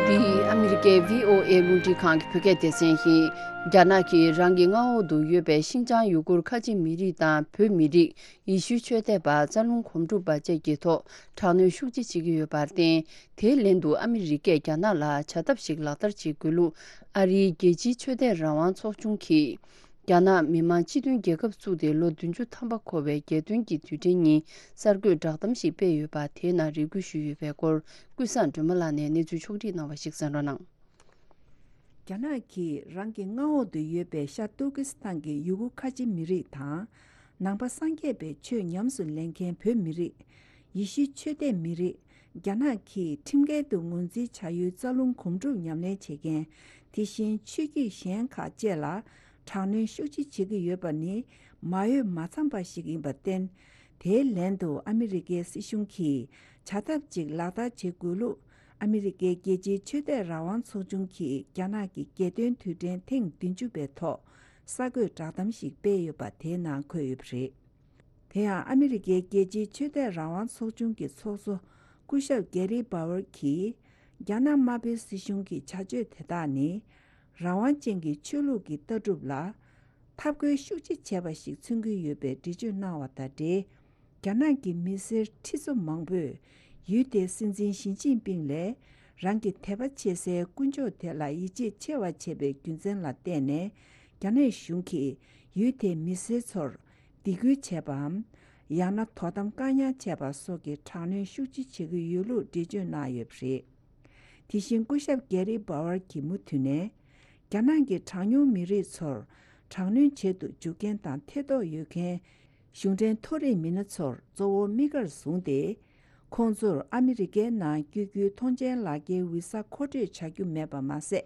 འདི་ཨ་མི་རི་ཀའི་བྷི་ཨོ་ཨེ་རླུང་འཕྲིན་ཁང་གི་བོད་སྐད་སྡེ་ཚན་ཡིན། རྒྱ་ནག་གིས་རང་གི་མངའ་འོག་ཏུ་ཡོད་པའི་ཤིན་ཅང་ཡུ་གུར་ཁ་ཆེ་མི་རིགས་དང་བོད་མི་རིགས། ཡེ་ཤུའི་ཆོས་དད་པ། རྩ་རླུང་སྒོམ་སྒྲུབ་པ་བཅས་ཀྱི་ཐོག་དྲག་གནོན་ཤུགས་ཆེ་བྱེད་ཀྱི་ཡོད་པར་བརྟེན། དེའི་ལན་དུ་ཨ་མི་རི་ཀས་རྒྱ་ནག་ལ་བྱ་ཐབས་ཤིག་ལག་བསྟར་བྱེད་དགོས་ལུགས། ཨ་རིའི་རྒྱལ་སྤྱིའི་ཆོས་དད་རང་དབང་ཚོགས་ཆུང་གིས། རྒྱ་ནག་མི་དམངས་སྤྱི་མཐུན་རྒྱལ་ཁབ་བཙུགས་ཏེ་ལོ་བདུན་ཅུ་ཐམ་པ་འཁོར་བའི་རྒྱལ་སྟོན་གྱི་དུས་དྲན་ཉིན་གསར་འགོད་བསྒྲགས་གཏམ་ཞིག་སྤེལ་ཡོད་པ། དེའི་ནང་རེ་སྐུལ་ཞུས་ཡོད་པའི་སྐོར། ཀུན་བཟང་སྒྲོལ་མ་ལགས་ནས་གནས་ཚུལ་ཕྱོགས་སྒྲིག་གནང་བ་ཞིག་གསན་རོགས་གནང་། རྒྱ་ནག་གིས་རང་གི་མངའ་འོག་ཏུ་ཡོད་པའི་ཤར་ཏུར་ཀི་སི་ཐན་གྱི་ཡུ་གུར་ཁ་ཆེ་མི་རིགས་དང་། ནང་པ་སངས་རྒྱས་པའི་ཆོས་ཉམས་སུ་ལེན་མཁན་བོད་མི་རིགས། ཡེ་ཤུའི་ཆོས་དད་མི་རིགས། རྒྱ་ནག་གིས་ཁྲིམས་འགལ་དུ་ངོས་འཛིན་བྱ་ཡུལ་རྩ་རླུང་སྒོམ་སྒྲུབ་ཉམས་ལེན་བྱེད་མཁན། དེ་བཞིན་ཆོས་བརྒྱུད་གཞན་ཁག་བཅས་ལ་དྲག་གནོན་ཤུགས་ཆེ་བྱེད་ཀྱི་ཡོད་པ་ནི་མ་འོས་མ་འཚམས་པ་ཞིག་ཡིན་པར་བརྟེན། དེའི་ལན་དུ་ཨ་མི་རི་ཀའི་སྲིད་གཞུང་གིས་བྱ་ཐབས་ཅིག་ལག་བསྟར་བྱེད་དགོས་ལུགས། ཨ་མི་རི་ཀའི་རྒྱལ་སྤྱིའི་ཆོས་དད་རང་དབང་ཚོགས་ཆུང་གིས་རྒྱ་ནག་གི་རྒྱལ་སྟོན་དུས་དྲན་ཐེངས་བདུན་ཅུ་པའི་ཐོག་གསར་འགོད་བསྒྲགས་གཏམ་ཞིག་སྤེལ་ཡོད་པ་དེའི་ནང་འཁོད་ཡོད་པ་རེད། དེ་ཡང་ཨ་མི་རི་ཀའི་རྒྱལ་སྤྱིའི་ཆོས་དད་རང་དབང་ཚོགས་ཆུང་གི་ཚོགས་གཙོ་སྐུ་ཞབས་གྷེ་རི་སྦ་ཝར་གྱིས། རྒྱ་ནག་དམར་པོའི་སྲིད་གཞུང་གི་བྱ་སྤྱོད་དེ་དག་ནི། རང་དབང་ཅན་གྱི་ཆོས་ལུགས་ཀྱི་ལྟ་གྲུབ་ལ། འཐབ་རྒོལ་ཤུགས་ཆེ་བྱས་པ་ཞིག་མཚོན་གྱི་ཡོད་པའི་འགྲེལ་བརྗོད་གནང་བ་དང་འབྲེལ། རྒྱ་ནག་གི་མི་སེར་ཁྲི་ཚོ་མང་པོས་ཡུལ་དེའི་སྲིད་འཛིན་ཞི་ཅིན་ཕིང་ལས་རང་གི་དད་པ་བྱེད་སའི་དཀོན་མཆོག་དེ་ལ་ཡིད་ཆེས་ཆེ་བ་བྱས་པའི་རྒྱུ་མཚན་ལ་བརྟེན་ནས། རྒྱ་ནག་གཞུང་གིས་ཡུལ་དེའི་མི་སེར་ཚོར་སྡིགས་སྐུལ་བྱས་པའམ། ཡང་ན་དོ་དམ་བཀག་ཉར་བྱས་པ་སོགས་ཀྱི་དྲག་གནོན་ཤུགས་ཆེ་བྱེད་ཀྱི་ཡོད་ལུགས་འགྲེལ་བརྗོད་གནང་ཡོད་པ་རེད། དེ་བཞིན་སྐུ་ཞབས་གྷེ་རི་སྦ་ཝར་གྱིས་མུ་མཐུད་ནས། རྒྱ་ནག་གི་གྲངས་ཉུང་མི་རིགས་ཚོར་དྲག་གནོན་བྱེད་དུ་འཇུག་མཁན་དང་ཐེ་གཏོགས་ཡོད་མཁན། གཞུང་འབྲེལ་མཐོ་རིམ་མི་སྣ་ཚོར་གཙོ་བོ་དམིགས་བཀར་བཟུང་སྟེ། ཁོང་ཚོར་ཨ་མི་རི་ཀའི་ནང་བསྐྱོད་རྒྱུའི་ཐོངས་མཆན་ལག་འཁྱེར་ཝི་ས་མཁོ་སྤྲོད་བྱ་རྒྱུ་མེད་པ་མ་ཟད།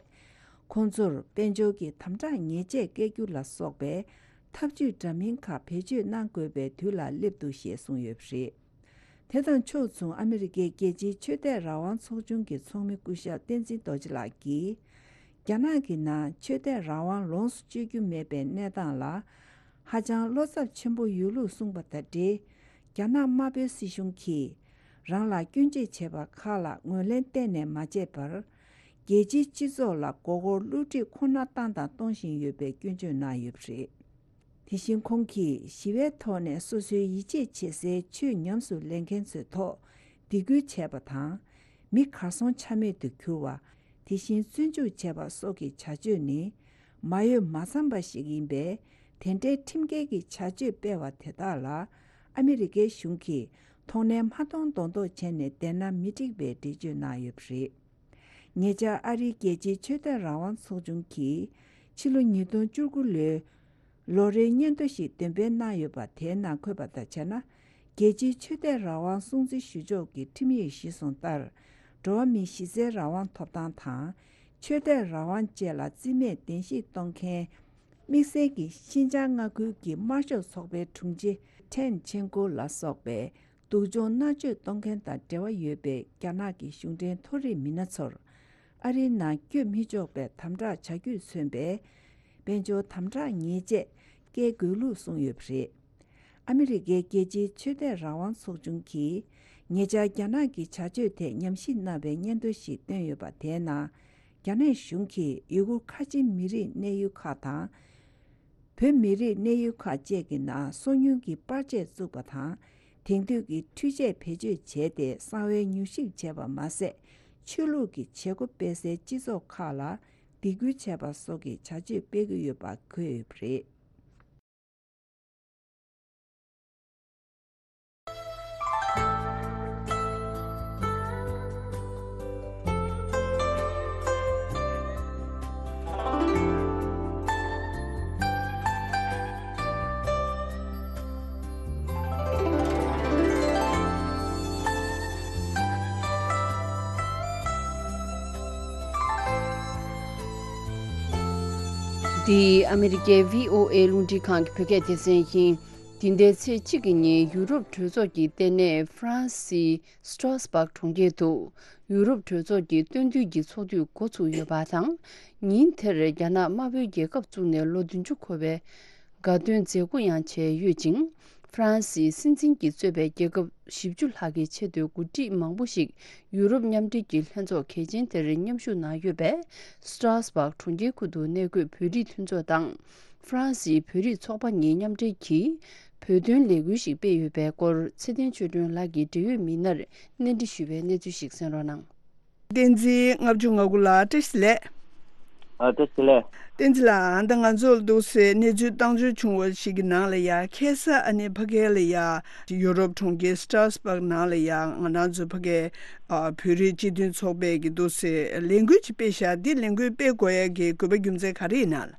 ཁོང་ཚོར་དཔལ་འབྱོར་གྱི་དམ་དྲག་ཉེས་ཆད་བཀལ་རྒྱུ་ལ་སོགས་པའི་ཐབས་ཇུས་འདྲ་མིན་ཁག་བེད་སྤྱོད་གནང་དགོས་པའི་དུས་ལ་སླེབས་འདུག་ཞེས་གསུངས་ཡོད་པ་རེད། དེ་དང་ཕྱོགས་མཚུངས་ཨ་མི་རི་ཀའི་རྒྱལ་སྤྱིའི་ཆོས་དད་རང་དབང་ཚོགས་ཆུང་གི་ཚོགས་མི་སྐུ་ཞབས་བསྟན་འཛིན་རྡོ་རྗེ་ལགས་ཀྱིས། རྒྱ་ནག་གི་ནང་ཆོས་དད་རང་དབང་ལོངས་སུ་སྤྱོད་རྒྱུ་མེད་པའི་གནས་སྟངས་ལ། ཧ་ཅང་བློ་འཚབ་ཆེན་པོ་ཡོད་ལུགས་གསུངས་པ་དང་འབྲེལ། རྒྱ་ནག་དམར་པོའི་སྲིད་གཞུང་གིས། རང་ལ་སྐྱོན་བརྗོད་བྱས་པ་ཁག་ལ་ངོས་ལེན་གཏན་ནས་མ་བྱས་པར། རྒྱལ་སྤྱིའི་སྤྱི་ཚོགས་ལ་མགོ་སྐོར་བསླུ་བྲིད་ཁོ་ན་བཏང་དང་གཏོང་བཞིན་ཡོད་པའི་སྐྱོན་བརྗོད་གནང་ཡོད་པ་རེད། དེ་བཞིན་ཁོང་གིས་ཞི་བའི་ཐོག་ནས་སོ་སོའི་ཡིད་ཆེས་བྱེད་སའི་ཆོས་ཉམས་སུ་ལེན་མཁན་ཚོའི་ཐོག་སྡིགས་སྐུལ་བྱས་པ་དང་། མི་གར་སོང་ཆ་མེད་དུ་གྱུར་བ། དེ་བཞིན་བཙོན་འཇུག་བྱས་པ་སོགས་ཀྱི་བྱ་སྤྱོད་ནི། མ་ཡོད་མ་ཚང་པ་ཞིག་ཡིན་པས། དེ་འདྲའི་ཁྲིམས་འགལ་གྱི་བྱ་སྤྱོད་སྤེལ་བ་དེ་དག་ལ། ཨ་མི་རི་ཀའི་གཞུང་གིས་མཐོང་སྣེ་མ་གཏོང་མདོག་མདོག་བྱས་ནས་བསྡད་ན་མི་འགྲིག་པའི་འགྲེལ་བརྗོད་གནང་ཡོད་པ་རེད། ཉེ་ཆར་ཨ་རིའི་རྒྱལ་སྤྱིའི་ཆོས་དད་རང་དབང་ཚོགས་ཆུང་གིས། ཕྱི་ལོ་ཉིས་སྟོང་བཅུ་དགུ་ལོའི་ལོ་རེའི་སྙན་ཐོ་ཞིག་འདོན་སྤེལ་གནང་ཡོད་པ། དེའི་ནང་འཁོད་པ་ལྟར་བྱས་ན། རྒྱལ་སྤྱིའི་ཆོས་དད་རང་དབང་སྲུང་བརྩི་ཞུ་ཕྱོགས་ཀྱི་ཁྲིམས་ཡིག་གཞིར་བཟུང་ལྟར། འགྲོ་བ་མིའི་གཞི་རྩའི་རང་དབང་ཐོབ་ཐང་དང་། ཆོས་དད་རང་དབང་བཅས་ལ་རྩིས་མེད་གདན་ཞུ་གཏོང་མཁན། དམིགས་བསལ་གྱི་ཤིན་ཅང་མངའ་ཁུལ་གྱི་དམར་ཤོག་ཚོགས་པའི་དྲུང་ཆེ་ཁྲེན་ཆེན་ཀོ་ལ་སོགས་པའི། སྡུག་སྦྱོང་མནར་གཅོད་གཏོང་མཁན་དང་འབྲེལ་བ་ཡོད་པའི་རྒྱ་ནག་གི་གཞུང་འབྲེལ་མཐོ་རིམ་མི་སྣ་ཚོར། ཨ་རིའི་ནང་བསྐྱོད་མི་ཆོག་པའི་དམ་དྲག་བྱ་རྒྱུས་མཚོན་པའི། དཔལ་འབྱོར་དམ་དྲག་ཉེས་ཆད་བཀལ་དགོས་ལུགས་གསུངས་ཡོད་པ་རེད། ཨ་མི་རི་ཀའི་རྒྱལ་སྤྱིའི་ཆོས་དད་རང་དབང་ཚོགས་ཆུང་གིས། ཉེ་ཆར་རྒྱ་ནག་གི་བྱ་སྤྱོད་ཐད་ཉམས་ཞིབ་གནང་བའི་སྙན་ཐོ་ཞིག་བཏོན་ཡོད་པ། དེའི་ནང་། རྒྱ་ནག་གཞུང་གིས་ཡུ་གུར་ཁ་ཆེ་མི་རིགས་གནས་ཡུལ་ཁག་དང་། བོད་མི་རིགས་གནས་ཡུལ་ཁག་བཅས་ཀྱི་ནང་སོ་ཉུལ་གྱི་པར་ཆས་བཙུགས་པ་དང་། དེང་དུས་ཀྱི་འཕྲུལ་ཆས་བེད་སྤྱོད་བྱས་ཏེ་གསང་བའི་མྱུལ་ཞིབ་བྱས་པ་མ་ཟད། ཆོས་ལུགས་ཀྱི་བྱེད་སྒོ་སྤེལ་སའི་སྤྱི་ཚོགས་ཁག་ལ་སྡིགས་སྐུལ་བྱས་པ་སོགས་ཀྱི་བྱ་སྤྱོད་སྤེལ་གྱི་ཡོད་པ་འཁོད་ཡོད་པ་རེད། འདི་ཨ་མི་རི་ཀའི་བྷི་ཨོ་ཨེ་རླུང་འཕྲིན་ཁང་གི་བོད་སྐད་སྡེ་ཚན་ཡིན། འདི་ཟླའི་ཚེས་གཅིག་གི་ཉིན་ཡུ་རོབ་གྲོས་ཚོགས་ཀྱི་ལྟེ་གནས་ཧྥ་རན་སིའི་སི་ཊྲོས་སྦག་གྲོང་ཁྱེར་དུ་ཡུ་རོབ་གྲོས་ཚོགས་ཀྱི་སྟོན་བསྡུས་ཀྱི་ཚོགས་དུས་འགོ་ཚུགས་ཡོད་པ་དང་། ཉིན་དེར་རྒྱ་ནག་དམར་པོའི་རྒྱལ་ཁབ་བཙུགས་ནས་ལོ་བདུན་ཅུ་འཁོར་བའི་དགའ་སྟོན་མཛད་སྒོ་ཡང་བྱས་ཡོད་ཅིང་། ཧྥ་རན་སིའི་སྲིད་འཛིན་གྱིས་གཙོས་པའི་རྒྱལ་ཁབ་བཞི་བཅུ་ལྷག་གི་ཆེས་མཐོའི་འགོ་ཁྲིད་མང་པོ་ཞིག་ཡུ་རོབ་མཉམ་འབྲེལ་གྱི་ལྷན་ཚོགས་གལ་ཆེན་དེར་མཉམ་ཞུགས་གནང་ཡོད་པས། སི་ཊྲོས་སྦག་གྲོང་ཁྱེར་ཁུལ་དུ་གནས་འཁོད་བོད་རིགས་མཐུན་ཚོགས་དང་། ཧྥ་རན་སིའི་བོད་རིགས་ཚོགས་པ་གཉིས་མཉམ་འབྲེལ་གྱིས་བོད་དོན་ལས་འགུལ་ཞིག་སྤེལ་ཡོད་པའི་སྐོར་ཚེ་བརྟན་ཆོས་སྒྲོན་ལགས་ཀྱིས་འབྲེལ་ཡོད་མི་སྣར་གནས་འདྲི་ཞུས་པའི་གནས་ཚུལ་ཞིག་གསན་རོགས་གནང་། བསྟན་འཛིན་ལྔ་བཅུ་ང་དགུ་ལགས་བཀྲ་ཤིས་བདེ་ལེགས། ཨ་བཀྲ་ཤིས་བདེ་ལེགས། བསྟན་འཛིན་ལགས་ད་ང་ཚོར་འདུག་སེ་གནས་ཚུལ་བཏང་འབྱོར་བྱུང་བ་ཞིག་གི་ནང་ལ་ཡ་ཁ་སང་ཨ་ནི་ཕ་གི་ལ་ཡ་ཡུ་རོབ་གྲོང་ཁྱེར་སི་ཊྲོས་སྦག་ནང་ལ་ཡ་ང་རང་ཚོ་ཕ་གི་ཨ་བོད་རིགས་སྤྱི་མཐུན་ཚོགས་པས་ཀྱི་འདུག་སེ་ལས་འགུལ་ཅིག་སྤེལ་ཤག་འདི་ལས་འགུལ་སྤེལ་དགོས་ཡ་གི་དགོས་པ་རྒྱུ་མཚན་ག་རེ་ཡིན་ན་ལགས།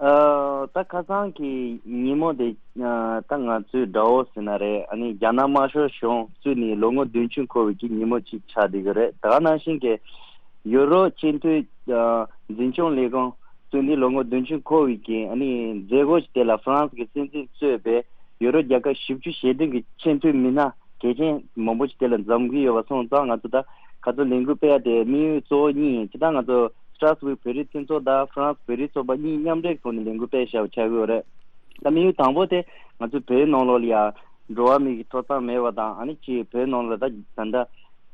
ཨ་ད་ཁ་སང་གི་ཉིན་མོ་དེ་ཨ་ད་ང་ཚོའི་དགྲ་བོ་ཟེར་ན་རེད། ཨ་ནི་རྒྱ་ནག་དམར་ཤོག་གཞུང་བཙུགས་ནས་ལོ་ངོ་བདུན་ཅུ་འཁོར་བའི་གི་ཉིན་མོ་གཅིག་ཆགས་བསྡད་ཀྱི་རེད། ད་ག་ནང་བཞིན་གྱི་ཡུ་རོབ་སྤྱི་མཐུན་ཨ་འཛིན་སྐྱོང་ལས་ཁང་བཙུགས་ནས་ལོ་ངོ་བདུན་ཅུ་འཁོར་བའི་གི་ཨ་ནི་མཛད་སྒོ་ཞིག་དེ་ལ་ཧྥ་རན་སི་གི་སྲིད་འཛིན་གཙོས་པའི་ཡུ་རོབ་རྒྱལ་ཁབ་བཞི་བཅུ་ཞེ་བདུན་གྱི་ཆེས་མཐོའི་མི་སྣ་གལ་ཆེན་མང་པོ་ཞིག་དེ་ལ་འཛོམས་ཀྱི་ཡོད་པ་སོང་ཙང་། ང་ཚོ་ད་ག་ཚོད་ལས་འགུལ་སྤེལ་ཡ་དེ་དམིགས་ཡུལ་གཙོ་བོ་གཉིས་ཡིན། སྤྱིར་བཏང་ང་ཚོ་སི་ཊྲོས་སྦུག་བོད་རིགས་མཐུན་ཚོགས་དང་ཧྥ་རན་སི་བོད་རིགས་ཚོགས་པ་གཉིས་མཉམ་འབྲེལ་ཐོག་ནས་ལས་འགུལ་སྤེལ་བཞག་པ་ཆགས་ཀྱི་ཡོད་རེད། ད་དམིགས་ཡུལ་དང་པོ་དེ་ང་ཚོ་བོད་ནང་ལོགས་ལ་ཡ་འགྲོ་བ་མི་གི་ཐོབ་ཐང་མེད་པ་དང་། ཨ་ནི་ཅིག་བོད་ནང་ལ་ད་ད་ལྟ་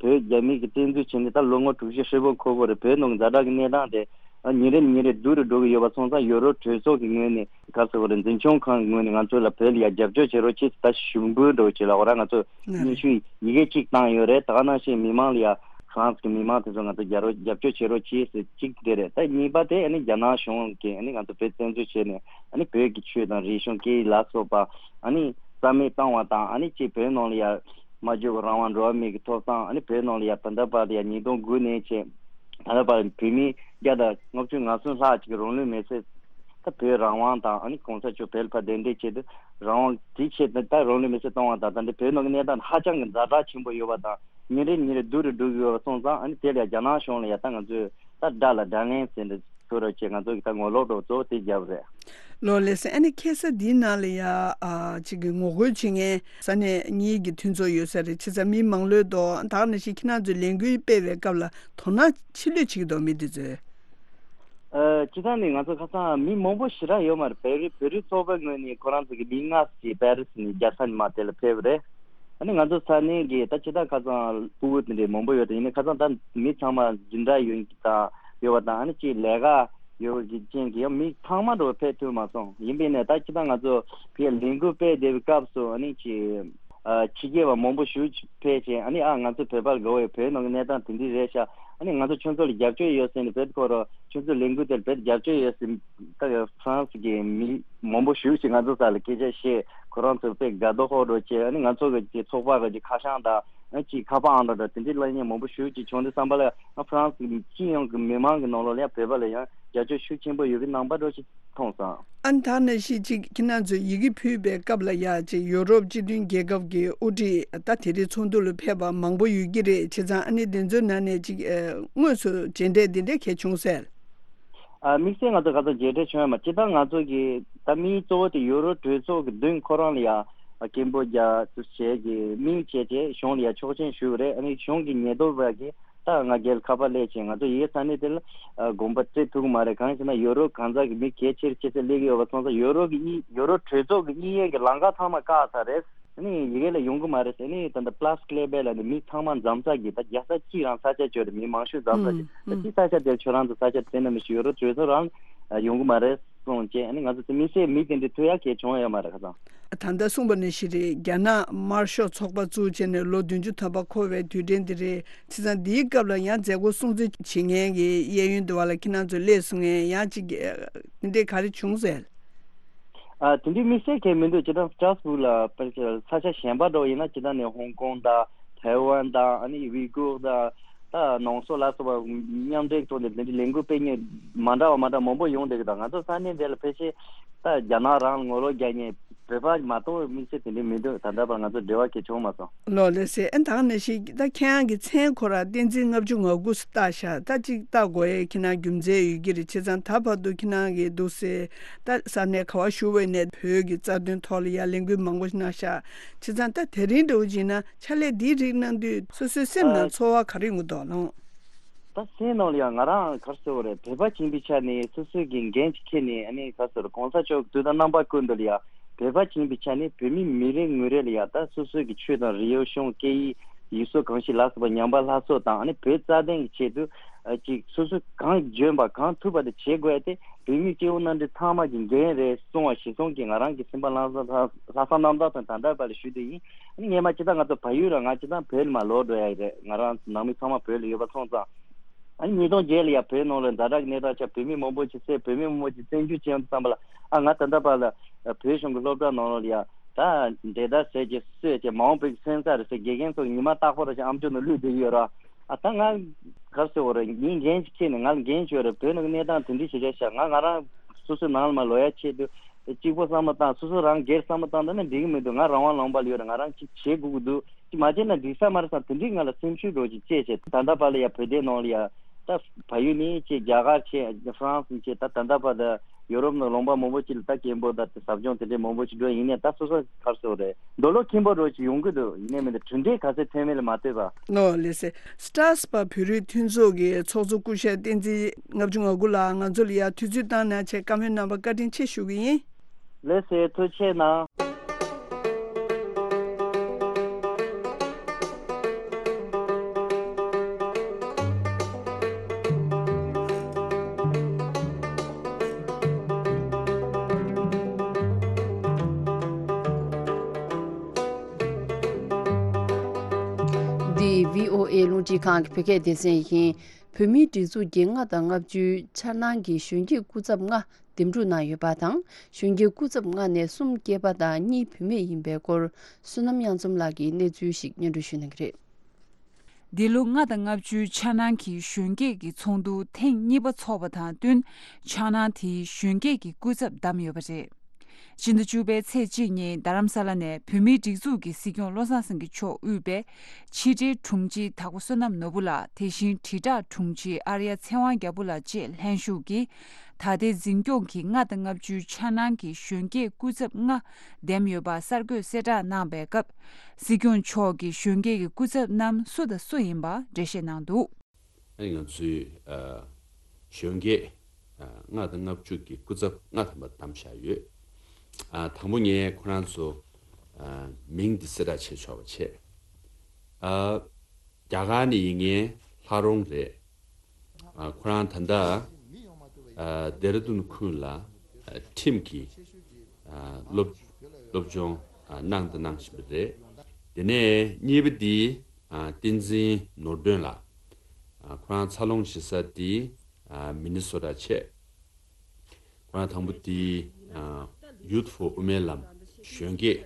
བོད་རྒྱ་མི་གི་བཙན་འཛུལ་བྱས་ནས་ད་ལོ་ངོ་དྲུག་ཅུ་ཧྲིལ་པོ་འཁོར་གི་རེད། བོད་ནང་གི་ཛ་དྲག་གི་གནས་སྟངས་དེ་ཨ་ཉིན་རེ་ནས་ཉིན་རེ་སྡུག་རུ་འགྲོ་གི་ཡོད་པ་སོང་ཙང་། ཡོ་རོབ་གྲོས་ཚོགས་ཀྱི་ངོས་ནས་ག་རེ་ཟེར་དགོས་རེད། འཛིན་སྐྱོང་ཁང་གི་ངོས་ནས་ང་ཚོ་ལ་བོད་ལ་ཡ་རྒྱབ་སྐྱོར་བྱེད་རོགས་བྱེད་ཟེར་ད་ཞུ་འབོད་འདྲ་བོ་བྱེད་ལ། འོ་ར་ང་ཚོ་སྙན་ཞུ་ཡི་གེ་གཅིག་བཏང་ཡོད་རེད། ད་ག་ནང་བཞིན་མི་མང་ལ་ཡ་ཧྥ་རན་སི་གི་མི་མང་དེ་ཚོ་ང་ཚོ་རྒྱབ་རོགས་རྒྱབ་སྐྱོར་བྱེད་རོགས་བྱེད་ཟེར་གཅིག་དེ་རེད། ད་གཉིས་པ་དེ་ཨ་ནི་རྒྱ་ནག་གཞུང་གིས་ཨ་ནི་ང་ཚོ་བོད་བཙན་འཛུལ་བྱས་ནས་ཨ་ནི་བོད་ཀྱི་ཆོས་དང་རིག་གཞུང་སྐད་ཡིག་ལ་སོགས་པ་ཨ་ནི་རྩ་མེད་བཏང་བ་དང་། ཨ་ནི་ཅིག་བོད་ནང་ལ་ཡ་སྨྲ་བརྗོད་ཀྱི་རང་དབང་འགྲོ་བ་མི་གི་ཐོབ་ཐང་། ཨ་ནི་བོད་ནང་ལ་ཡ་ད་ལྟ་བར་ཡ་ཉིས་སྟོང་དགུ་ནས་བྱས་ད་ལྟ་བར་བོད་མི་བརྒྱ་དང་ལྔ་བཅུ་ང་གསུམ་ལྷག་ཅིག་གི་རང་ལུས་མེར་སྲེག་ད་བོད་རང་དབང་དང་ཨ་ནི་གོང་ས་མཆོག་བོད་ལ་ཕར་གདན་འདྲེན་བྱས་ཏེ་རང་དབང་དེའི་ཆེད་དུ་ད་རང་ལུས་མེར་སྲེག་བཏང་བ་དང་། ད་འདི་བོད་ནང་གི་གནས་སྟངས་ཧ་ཅང་གི་ཛ་དྲག་ཆེན་པོ་ཡོད་པ་དང་། ཉིན་རེ་ཉིན་རེ་སྡུག་རུ་འགྲོ་གི་ཡོད་པ་སོང་ཙང་། ཨ་ནི་དེ་ལ་རྒྱ་ནག་གཞུང་ལ་ཡ་ད་ང་ཚོས་ད་དགྲ་ལ་དགྲ་ལན་ཟེར་འདྲ་ཐུག་རོགས་བྱེད། ང་ཚོ་གི་ད་ངོ་ལོག་འགྲོ་གཙོ་བོ་དེ་རྒྱབ་རེད། ལོ་ལེགས་སེ། ཨ་ནི་ཁ་སང་འདིའི་ནང་ལ་ཡ་ཨ་ཅིག་གི་ངོ་རྒོལ་བྱེད་མཁན་ས་གནས་གཉིས་ཀྱི་མཐུན་ཚོགས་ཡོད་ས་རེད། བྱས་ཙང་མི་མང་ལོས་དོ་ད་ག་ནང་བཞིན་ཁྱེད་རང་ཚོས་ལས་འགུལ་སྤེལ་བའི་སྐབས་ལ་དོ་སྣང་ཆེ་ལོས་བྱེད་ཀྱི་འདུག་མི་འདི་ཚོས། ཨ། སྤྱིར་བཏང་ནས་ང་ཚོ་ཁ་སང་མི་མང་པོ་ཞེ་དྲག་ཡོད་མ་རེད། བོད་རིགས་བོད་རིགས་ཚོགས་པའི་ངོས་ནས་ཁོ་རང་ཚོ་གི་མི་ལྔ་ཞིག་པེ་རི་སི་ནས་རྒྱལ་ས་ནས་མར་དེ་ལ་ཕེབས་པ་རེད། ཨ་ནི་ང་ཚོ་ས་གནས་ཀྱི་ད་སྤྱིར་བཏང་ཁ་སང་ཕྲུ་གུ་དེ་འདྲའི་མང་པོ་ཡོད་དེ། ཡིན་ནའི་ཁ་སང་ད་མི་ཚང་མ་འཛིན་གྲྭ་ཡོད་ཀྱི་དང་ཡོད་པ་དང་། ཨ་ནི་ཅིག་ལས་ཀ་ཡོད་ཀྱི་རྐྱེན་གྱིས་ཡང་མི་ཚང་མ་འགྲོ་ཕེབས་ཐུབ་མ་སོང་། ཡིན་པས་ནས་ད་སྤྱིར་བཏང་ང་ཚོ་ཕ་གིར་ལས་འགུལ་སྤེལ་བསྡད་པའི་སྐབས་སུ་ཨ་ནི་ཅིག་ཨ། ཕྱི་རྒྱལ་བ་མང་པོ་ཞིག་ཕེབས་བྱས། ཨ་ནི་ཨ་ང་ཚོ་བོད་པ་ལ་དགའ་བོ་ཡོད། བོད་ནང་གི་གནས་སྟངས་དེ་འདྲ་རེད་ཤག་ཨ་ནི་ང་ཚོ་ཁྱོད་ཚོ་ལ་རྒྱབ་སྐྱོར་ཡོད་ཟེར་ནས། བོད་སྐོར་ཁྱོད་ཚོ་ལས་འགུལ་དེར་བོད་རྒྱབ་སྐྱོར་ཡོད་ཟེར། ད་ཧྥ་རན་སི་གི་མི་མང་པོ་ཞིག་ཅིག་ང་ཚོ་སར་ལ་སྐད་ཆ་བཤད། ཁོ་རང་ཚོ་དཔེ་དགའ་སྡུག་ཧོ་འདྲ་བྱས། ཨ་ནི་ང་ཚོ་གི་ཅིག་ཚོགས་པ་གི་ཅིག་ཁ་བྱང་དང་། ཨ་ཅིག་ཁ་པར་ཨང་གྲངས་དང་དེ་འདྲའི་གླེང་མཁན་མང་པོ་ཞིག་ཅིག་བྱུང་དུས་ཙམ་པ་ལ། ཨ་ཧྥ་རན་སི་སྤྱི་ཡོངས་ཀྱི་མི་མང་གི་ནང་ལོགས་ལ་ཡང་བོད་པ་ལ་ཡང་རྒྱབ་སྐྱོར་ཤུགས་ཆེན་པོ་ཡོད་པའི་རྣམ་པ་འདྲ་ཞིག་མཐོང་སོང་། ཨ་ནི་ད་ནང་བཞིན་ཅིག་ཁྱེད་རང་ཚོས་ཡི་གེ་ཕུལ་བའི་སྐབས་ལ་ཡ་ཅིག་ཡོ་རོབ་སྤྱི་མཐུན་རྒྱལ་ཁབ་ཀྱི་དབུ་ཁྲིད་ད་དེ་རིང་ཚོགས་འདུ་ལ་ཕེབས་པ་མང་པོ་ཡོད་ཀྱི་རེད། བྱས་ཙང་ཨ་ནི་དེ་ཚོའི་ནང་ནས་ཅིག་ཨ་དངོས་སུ་མཇལ་འཕྲད་འདི་འདྲ་གལ་བྱུང་ཟེར། ཨ་དམིགས་བསལ་ང་ཚོ་ག་ཚོད་མཇལ་འཕྲད་བྱུང་ཡོད་མ། སྤྱིར་བཏང་ང་ཚོ་གི་ད་དམིགས་གཙོ་བོ་དེ་ཡོ་རོབ་གྲོས་ཚོགས་ཀྱི་མདུན་ཁོ་རང་ལ་ཡ་སྐད་འབོད་རྒྱག་ཚུལ་བྱས་ཀྱི་དམིགས་བྱས་ཀྱི་གཞུང་ལ་ཡ་ཆོག་མཆན་ཞུས་པ་རེད། ཨ་ནི་གཞུང་གི་ཉེན་རྟོག་པ་གིས་ད་ང་རྒྱལ་ཁ་པར་སླེབས་ཕྱིན། ང་ཚོ་ཡི་གེ་ས་གནས་དེ་ལ་ཨ་དགོངས་པ་སྤྲད་ཐུབ་ཀྱི་མ་རེད། གང་ཡིན་ཟེར་ན་ཡོ་རོབ་གང་ཟག་གི་མི་གལ་ཆེར་ཆེ་ས་སླེབས་ཀྱི་ཡོད་པ་སོང་ཙང་། ཡོ་རོབ་ཀྱི་དབྱིན་ཡོ་རོབ་གྲོས་ཚོགས་ཀྱི་དབྱིན་ཡུལ་གྱི་ལམ་ཁ་ཚང་མ་བཀག་ཚར་རེད། ཨ་ནི་ཡི་གེ་ལ་ཡོང་གི་མ་རེད་ཟེར། ཨ་ནི་ད་ལྟ་པ་ལ་སི་ཀི་ལེ་བྷེ་ལ་ནི་མི་ཚང་མ་འཛོམས་ས་གི་ད་རྒྱལ་ས་གཅིག་རང་ས་ཆ་བྱོས་རེད། མི་མང་ཤོས་འཛོམས་ས་གི་ད་གཅིག་ས་ཆ་དེར་ཁྱོད་རང་ཚོ་ས་ཆ་དེ་ན་མི་ཤི་ཡོ་རོབ་གྲོས་ཚོགས་རང་ཡོང་གི་མ་རེད་གསུངས་བྱས། ཨ་ནི་ང་ཚོ་དེ་མི་སེར་མི་དེ་འདྲ་ཐུག་ཡག་གལ་བྱུང་ཡོད་མ་རེད་ཁ་སང་། ད་ལྟ་གསུངས་པ་ནང་བཞིན་རེད། རྒྱ་ནག་དམར་ཤོག་ཚོགས་པ་བཙུགས་བྱས་ནས་ལོ་བདུན་ཅུ་ཐམ་པ་འཁོར་བའི་དུས་དྲན་འདི་རེད། བྱས་ཙང་འདིའི་སྐབས་ལ་ཡང་མཛད་སྒོ་སྲུང་བརྩི་བྱེད་མཁན་གྱི་གཡས་གཡོན་དུ་བ་ལ་ཁྱེད་རང་ཚོ་སླེབས་སོང་ངས་ཡང་ཅིག་དེ་འདྲས་ག་རེ་བྱུང་ཟེར། ཨ་དེ་འདྲའི་དམིགས་བསལ་གང་ཡང་མི་འདུག་སྤྱིར་བཏང་སི་ཊ་སི་བྷུག་ལ་དཔེར་ན་ས་ཆ་གཞན་པ་འདྲ་བོ་ཡིན་ན། སྤྱིར་བཏང་ནས་ཧོང་ཀོང་དང་ཐའེ་ཝན་དང་། ཨ་ནི་ཝི་གུར་དང་ད་ནང་སོག་ལ་སོགས་པ་མཉམ་འབྲེལ་ཐོག་ནས་དེ་འདྲའི་ལས་འགུལ་སྤེལ་མཁན་མ་འདྲ་བ་མ་འདྲ་མང་པོ་ཡོང་བསྡད་ཀྱི་འདུག་ང་ཚོ་ས་གནས་འདི་ལ་ཕལ་ཆེར་ད་རྒྱ་ནག་རང་ལ་ངོ་ལོག་རྒྱག་མཁན་བོད་པ་མ་གཏོགས་དམིགས་བསལ་དེ་འདྲའི་མི་འདུག་ད་ལྟ་བར་ང་ཚོ་འབྲེལ་བ་གང་ཡང་བྱུང་མ་སོང་། ལོ་ལེགས་སེ། ཨ་ད་ག་ནང་བཞིན་ད་ཁྱེད་རང་གི་མཚན་ཁོ་རང་བསྟན་འཛིན་ལྔ་བཅུ་ང་དགུ་བཏགས་ཤག་ད་ཅིག་བཏགས་དགོས་ཡས་ཁྱེད་རང་རྒྱུ་མཚན་ཡོད་ཀྱི་རེད། བྱས་ཙང་ད་བར་དུ་ཁྱེད་རང་གིས་འདུག་སེ་ད་ས་གནས་ག་བ་བཞུགས་པ་ཡིན་ནའི་བོད་ཀྱི་རྩ་དོན་ཐོག་ལ་ཡ་ལས་འགུལ་མང་པོ་གནང་ཤག་བྱས་ཙང་ད་དེ་རིང་འདྲ་བོ་ཅིག་ན་ཕྱག་ལས་འདིའི་རིགས་གནང་དུས་སོ་སོའི་སེམས་ནང་ཚོར་བ་ག་རེ་ཡོང་གི་འདུག་ལགས། ད་སེམས་ནང་ལ་ཡང་ང་རང་ག་རེ་ཟེར་དགོས་རེད། བོད་པ་ཡིན་པའི་ཆ་ནས་སོ་སོའི་གི་འགན་ཅིག་འཁྱེར་ནས། ཨ་ནི་ག་རེ་ཟེར། གོང་ས་མཆོག་གི་དུས་དང་རྣམ་པ་ཀུན་ཏུ་ལ་ཡ་བོད་པ་ཡིན་པའི་ཆ་ནས་བོད་མི་མི་རེ་ངོ་རེ་ལ་ཡ་ད་སོ་སོའི་གི་ཆོས་དང་རིག་གཞུང་སྐད་ཡིག་ཡུལ་སྲོལ་གོམས་གཤིས་ལ་སོགས་པ་ཉམས་པ་སླར་གསོ་དང་། ཨ་ནི་བོད་རྩ་དོན་གྱི་ཆེད་དུ་ཨ་ཅིག་སོ་སོས་གང་འཇོན་པ་གང་ཐུབ་པ་དེ་བྱེད་དགོས་ཏེ། བོད་མི་སྐྱེ་བོ་རྣམས་ཀྱི་ཚང་མ་གི་འགན་རེད་གསུངས་པ་གཞིར་བཟུང་གིས་ང་རང་གི་སེམས་པ་ལྷག་བསམ་ལྷག་བསམ་རྣམ་དག་དང་ད་ལྟ་བར་ལ་ཞུ་དེ་ཡིན། ཨ་ནི་སྔོན་མ་སྤྱིར་བཏང་ང་ཚོ་བལ་ཡུལ་ལ་ང་སྤྱིར་བཏང་བོད་ལ་མར་ལོག་འགྲོ་ཡ་ཡི་རེད། ང་རང་ཚོ་ནང་མི་ཚང་མ་བོད་ལ་ཡོད་པ་སོང་ཙང་། ཨ་ནི་ཉིས་སྟོང་བརྒྱད་ལ་ཡ་བོད་ནང་ལ་ཛ་དྲག་གི་གནས་སྟངས་ཆགས། བོད་མི་མང་པོ་ཅིག་བསད། བོད་མི་མང་པོ་ཅིག་བཙན་བྱོལ་བྱས་ཡོང་དུས་ཙམ་པ་ལ། ཨ་ང་ད་ལྟ་བར་ལ་བོད་གཞུང་གི་སློབ་གྲྭ་ནང་ལོགས་ལ་ཡ་ད་འབྲས་དར་ཟས་ཀྱི་གསོས་ཀྱི་མ་འོངས་བོད་ཀྱི་སོན་རྩ་རེད་ཟེར། དགེ་རྒན་ཚོ་ཉི་མ་རྟག་པར་ཅིག་ཨམ་ཅོག་ནང་བླུགས་བསྡད་ཀྱི་ཡོད་ར། ཨ་ད་ང་ག་རེ་ཟེར་དགོས་རེད། ངའི་འགན་ཅིག་འཁྱེར་ནས། ང་ལ་འགན་ཅིག་ཡོད་རེད། བོད་ནང་གི་གནས་སྟངས་དེ་འདྲ་ཞིག་རེད་ཤག་ང་ང་རང་སོ་སོའི་ནང་ལ་མར་ལོག་ཡ་ཆེད་དུ་གཅིག་པོ་བསམ་བློ་བཏང་། སོ་སོ་རང་སྒེར་བསམ་བློ་བཏང་བསྡད་ན་འགྲིག་གི་མི་འདུག་ང་རང་དབང་ལུང་པ་ལ་ཡོད་རེད། ང་རང་ཅིག་བྱེད་དགོས་ཀྱི་འདུག་ཅིག་མ་བྱས་ན་འགྲིག་ས་མ་རེད་བསམ། དེ་འདྲའི་ང་ལ་སེམས་ཤུགས་འདྲ་བོ་ཅིག་སྐྱེས་བྱས། ད་ལྟ་བར་ལ་ཡ་བོད་དོན་ནང་ལ་ཡ་ད་བལ་ཡུལ་ནས་བྱས། རྒྱ་གར་བྱས། ཧྥ་རན་སི་ནས་བྱས། ད་ད་ལྟ་བར་ད་ཡོ་རོབ་ནང་ལུང་པ་མང་པོ་ཅིག་ལ་ད་སྐད་འབོད་ད་དེ་ཟབ་སྦྱོང་དེ་འདྲའི་མང་པོ་ཅིག་འགྲོ་ཡིན་ནའི། ད་སོ་སོ་ག་རེ་ཟེར་དགོས་རེད། འདོད་བློ་ཁེངས་པོ་འདྲ་བོ་ཅིག་ཡོང་གི་འདུག་ཡིན་ནའི་མིན་ད་གྲུབ་འབྲས་ག་ཚོད་ཐོན་མིན་ལ་མ་ལྟོས་པ། ལོ་ལེགས་སེ། སི་ཊ་སི་པ་བོད་རིགས་མཐུན་ཚོགས་ཀྱི་ཚོགས་གཙོ་སྐུ་ཞབས་བསྟན་འཛིན་ལྔ་བཅུ་ང་དགུ་ལགས་ང་ཚོ་ལ་ཡ་དུས་ཚོད་བཏང་གནང་བྱས་བཀའ་མོལ་གནང་བར་བཀའ་དྲིན་ཆེ་ཞུ་གི་ཡིན། ལགས་སོ། ཐུགས་རྗེ་གནང་། འདི་བྷི་ཨོ་ཨེ་རླུང་འཕྲིན་ཁང་གི་བོད་སྐད་སྡེ་ཚན་ཡིན། བོད་མིའི་སྒྲིག་འཛུགས་ཀྱི་ལྔ་དང་ལྔ་བཅུའི་འཆར་སྣང་གི་གཞོན་སྐྱེས་སྐུ་ཚབ་ལྔ་འདེམས་སྒྲུག་གནང་ཡོད་པ་དང་། གཞོན་སྐྱེས་སྐུ་ཚབ་ལྔ་ནས་གསུམ་སྐྱེས་པ་དང་གཉིས་བུད་མེད་ཡིན་པའི་སྐོར། བསོད་ནམས་དབྱངས་འཛོམས་ལགས་ཀྱིས་གནས་ཚུལ་ཞིག་སྙན་སྒྲོན་ཞུ་གནང་གི་རེད། འདི་ལོ་ལྔ་དང་ལྔ་བཅུའི་འཆར་སྣང་གི་གཞོན་སྐྱེས་ཀྱི་ཚོགས་འདུ་ཐེངས་གཉིས་པ་འཚོགས་པ་དང་བསྟུན། འཆར་སྣང་དེའི་གཞོན་སྐྱེས་ཀྱི་སྐུ་ཚབ་བདམས་ཡོད་པ་རེད། སྤྱི་ཟླ་བཅུ་པའི་ཚེས་གཅིག་ཉིན་རྡ་རམ་ས་ལ་ནས་བོད་མིའི་སྒྲིག་འཛུགས་ཀྱི་སྲིད་སྐྱོང་བློ་བཟང་སེང་གེ་མཆོག་དབུས་པའི་ཕྱི་དྲིལ་དྲུང་ཆེ་དྭགས་པོ་བསོད་ནམས་ནོར་བུ་ལགས། དེ་བཞིན་དྲིལ་བསྒྲགས་དྲུང་ཆེ་ཨར་ཡ་ཚེ་དབང་རྒྱལ་པོ་ལགས་བཅས་ལྷན་ཞུགས་ཀྱིས། ད་ལྟའི་འཛིན་སྐྱོང་གི་ལྔ་དང་ལྔ་བཅུའི་འཆར་སྣང་གི་གཞོན་སྐྱེས་སྐུ་ཚབ་ལྔ་འདེམས་ཡོད་པ་གསར་འགོད་གསལ་བསྒྲགས་གནང་པའི་སྐབས། སྲིད་སྐྱོང་མཆོག་གིས་གཞོན་སྐྱེས་ཀྱི་སྐུ་ཚབ་རྣམས་སུ་དང་སུ་ཡིན་པ་འགྲེལ་བཤད་གནང་འདུག། ཨ་ནི་ང་ཚོའི་ཨ་གཞོན་སྐྱེས་ཨ་ལྔ་དང་ལྔ་བཅུ་གི་སྐུ་ཚབ་ལྔ་ཐམ་པ་བདམས་བཞག་ཡོད། ཨ་དང་པོ་ངས་ཁོ་རང་ཚོ་ཨ་མིང་འདི་གསལ་བསྒྲགས་བྱས་ཆོག་པ་བྱས། ཨ་རྒྱ་གར་ནས་ཡིན་མཁན་ལྷ་རོང་རེད། ཨ་ཁོ་རང་ད་ལྟ་ཨ་ལྡེ་ར་ལྡུན་ཁུལ་ལ་ཨ་ཁྲིམས་ཀྱི་ཨ་སློབ་སློབ་སྦྱོང་ཨ་གནང་དང་གནང་བཞིན་པ་རེད། དེ་ནས་གཉིས་པ་འདི་ཨ་བསྟན་འཛིན་ནོར་སྒྲོན་ལགས། ཨ་ཁོ་རང་འཚར་ལོངས་བྱེད་ས་འདི་ཨ་མི་ནི་སོ་ཊ་བྱས། ཁོ་རང་དང་པོ་འདི་ཨ་Youth for དབུ་མའི་ལམ། གཞོན་སྐྱེས་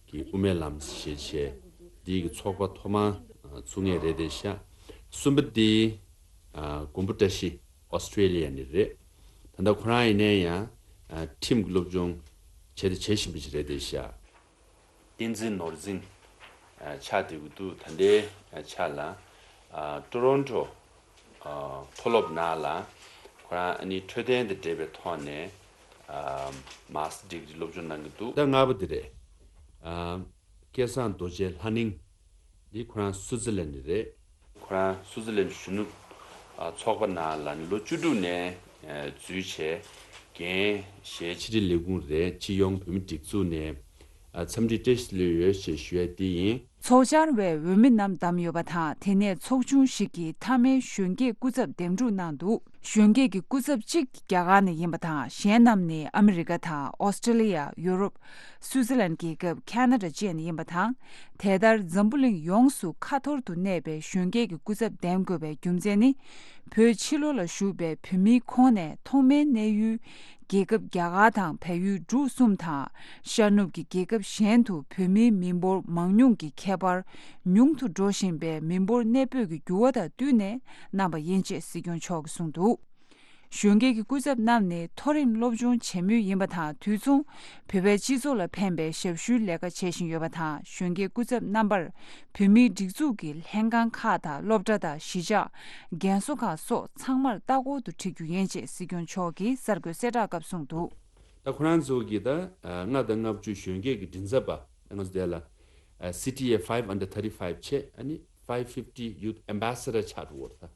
ཀྱི་དབུ་མའི་ལམ་ཞེས་བྱས་འདི་གི་ཚོགས་པ་ཐོག་མར་ཨ་བཙུགས་མཁན་རེད་དེ་ཤག། གསུམ་པ་འདི་ཨ་མགོན་པོ་བཀྲ་ཤིས་ཨོ་སི་ཀྲེ་ལི་ཡ་ནས་རེད། ད་ལྟ་ཁོ་རང་ཡིན་ནའི་ཡང་ཨ་ཁྲིམས་ཀྱི་སློབ་སྦྱོང་བྱས་དང་བྱེད་བཞིན་པ་ཞིག་རེད་དེ་ཤག། བསྟན་འཛིན་ནོར་འཛིན་ཨ་ཆགས་བསྡད་ཀྱི་འདུག། ད་ལྟའི་ཨ་ཆ་ལ་ཨ་ཊོ་རོན་ཊོ་ཨ་མཐོ་སློབ་ནང་ལ་ཁོ་རང་ཨ་ནི་འཕྲོད་བསྟེན་དང་འབྲེལ་བའི་ཐོག་ནས་ཨ་མཱ་སི་ཊར་ཌིག་རི་སློབ་སྦྱོང་གནང་གི་འདུག། ད་ལྔ་པ་དེ་རེད། ཨ་སྐལ་བཟང་རྡོ་རྗེ་ལྷ་ནིང་འདི་ཁོ་རང་སུའུ་ཙི་ལན་ནས་རེད། ཁོ་རང་སུའུ་ཙི་ལན་གཞོན་ནུ་ཨ་ཚོགས་པ་ནང་ལ་ལོ་བཅུ་དྲུག་ནས་ཨ་འཛུལ་བྱས། འགན་བཞེས་ཕྱི་དྲིལ་ལས་ཁུངས་རེད། སྤྱི་ཡོངས་བོད་མི་སྒྲིག་འཛུགས་ནས་ཨ་འཚམས་འདྲི་བཀྲ་ཤིས་བདེ་ལེགས་ཡོད་ཅེས་ཞུ་ཡ་འདི་ཡིན། ཚོགས་བཅར་བའི་འོས་མི་རྣམས་བདམས་ཡོད་པ་དང་། དེ་ནས་ཚོགས་ཆུང་ཞིག་གིས་མཐའ་མའི་གཞོན་སྐྱེས་སྐུ་ཚབ་འདེམས་སྒྲུག་གནང་འདུག། གཞོན་སྐྱེས་ཀྱི་སྐུ་ཚབ་གཅིག་རྒྱ་གར་ནས་ཡིན་པ་དང་། གཞན་རྣམས་ནི་ཨ་མི་རི་ཀ་དང་ཨོ་སི་ཀྲེ་ལི་ཡ། ཡུ་རོབ། སུའུ་ཙི་ལན་རྒྱལ་ཁབ། ཁ་ན་ཌ་བཅས་ནས་ཡིན་པ་དང་། དེ་ལྟར་འཛམ་བུ་གླིང་ཡོངས་སུ་ཁ་འཐོར་དུ་གནས་པའི་གཞོན་སྐྱེས་ཀྱི་སྐུ་ཚབ་འདེམས་དགོས་པའི་རྒྱུ་མཚན་ནི། བོད་ཕྱི་ལོགས་ལ་བཞུགས་པའི་བོད་མིའི་ཁོངས་ནས་ཐོག་མའི་གནས་ཡུལ་རྒྱལ་ཁབ་རྒྱ་གར་དང་བལ་ཡུལ་འབྲུག་གསུམ་དང་། ཤར་ནུབ་ཀྱི་རྒྱལ་ཁབ་གཞན་དུ་བོད་མིའི་མི་འབོར་མང་ཉུང་གི་ཁྱད་པར་ཉུང་དུ་འགྲོ་བཞིན་པའི་མི་འབོར་གནས་སྤོས་ཀྱི་འགྱུར་བ་དང་བསྟུན་ནས་གནང་པ་ཡིན་ཅེས་སྲིད་སྐྱོང་མཆོག་གིས་གསུངས་འདུག། གཞོན་སྐྱེས་ཀྱི་སྐུ་ཚབ་རྣམས་ནི་མཐོ་རིམ་སློབ་སྦྱོང་བྱེད་མུས་ཡིན་པ་དང་། དུས་མཚུངས་བོད་པའི་སྤྱི་ཚོགས་ལ་ཕན་པའི་ཞབས་ཞུའི་ལས་ཀ་བྱེད་བཞིན་ཡོད་པ་དང་། གཞོན་སྐྱེས་སྐུ་ཚབ་རྣམ་པར་བོད་མིའི་སྒྲིག་འཛུགས་ཀྱི་ལྷན་ཁང་ཁག་དང་སློབ་གྲྭ་དང་གཞིས་ཆགས། རྒན་གསོ་ཁང་སོགས་ཚང་མར་ལྟ་སྐོར་དུ་ཁྲིད་རྒྱུ་ཡིན་ཅེས་སྲིད་སྐྱོང་མཆོག་གིས་གསར་འགོད་གསལ་བསྒྲགས་སྐབས་གསུངས་འདུག། ད་ཁོ་རང་ཚོ་གི་ད་ལྔ་དང་ལྔ་བཅུ་གཞོན་སྐྱེས་ཀྱི་མགྲིན་ཚབ་པ་ང་ཚོ་དེ་ལ་སི་ཊི་ཨེ་ཕའིབ་ཨན་ཌར་ཐར་ཊི་ཕའིབ་བྱས། ཨ་ནི་ཕའིབ་ཕིབ་ཊི་ཡུ་ཐི་ཨེམ་བྷེ་སེ་ཌར་ཆགས་འགྲོ་བར་ད།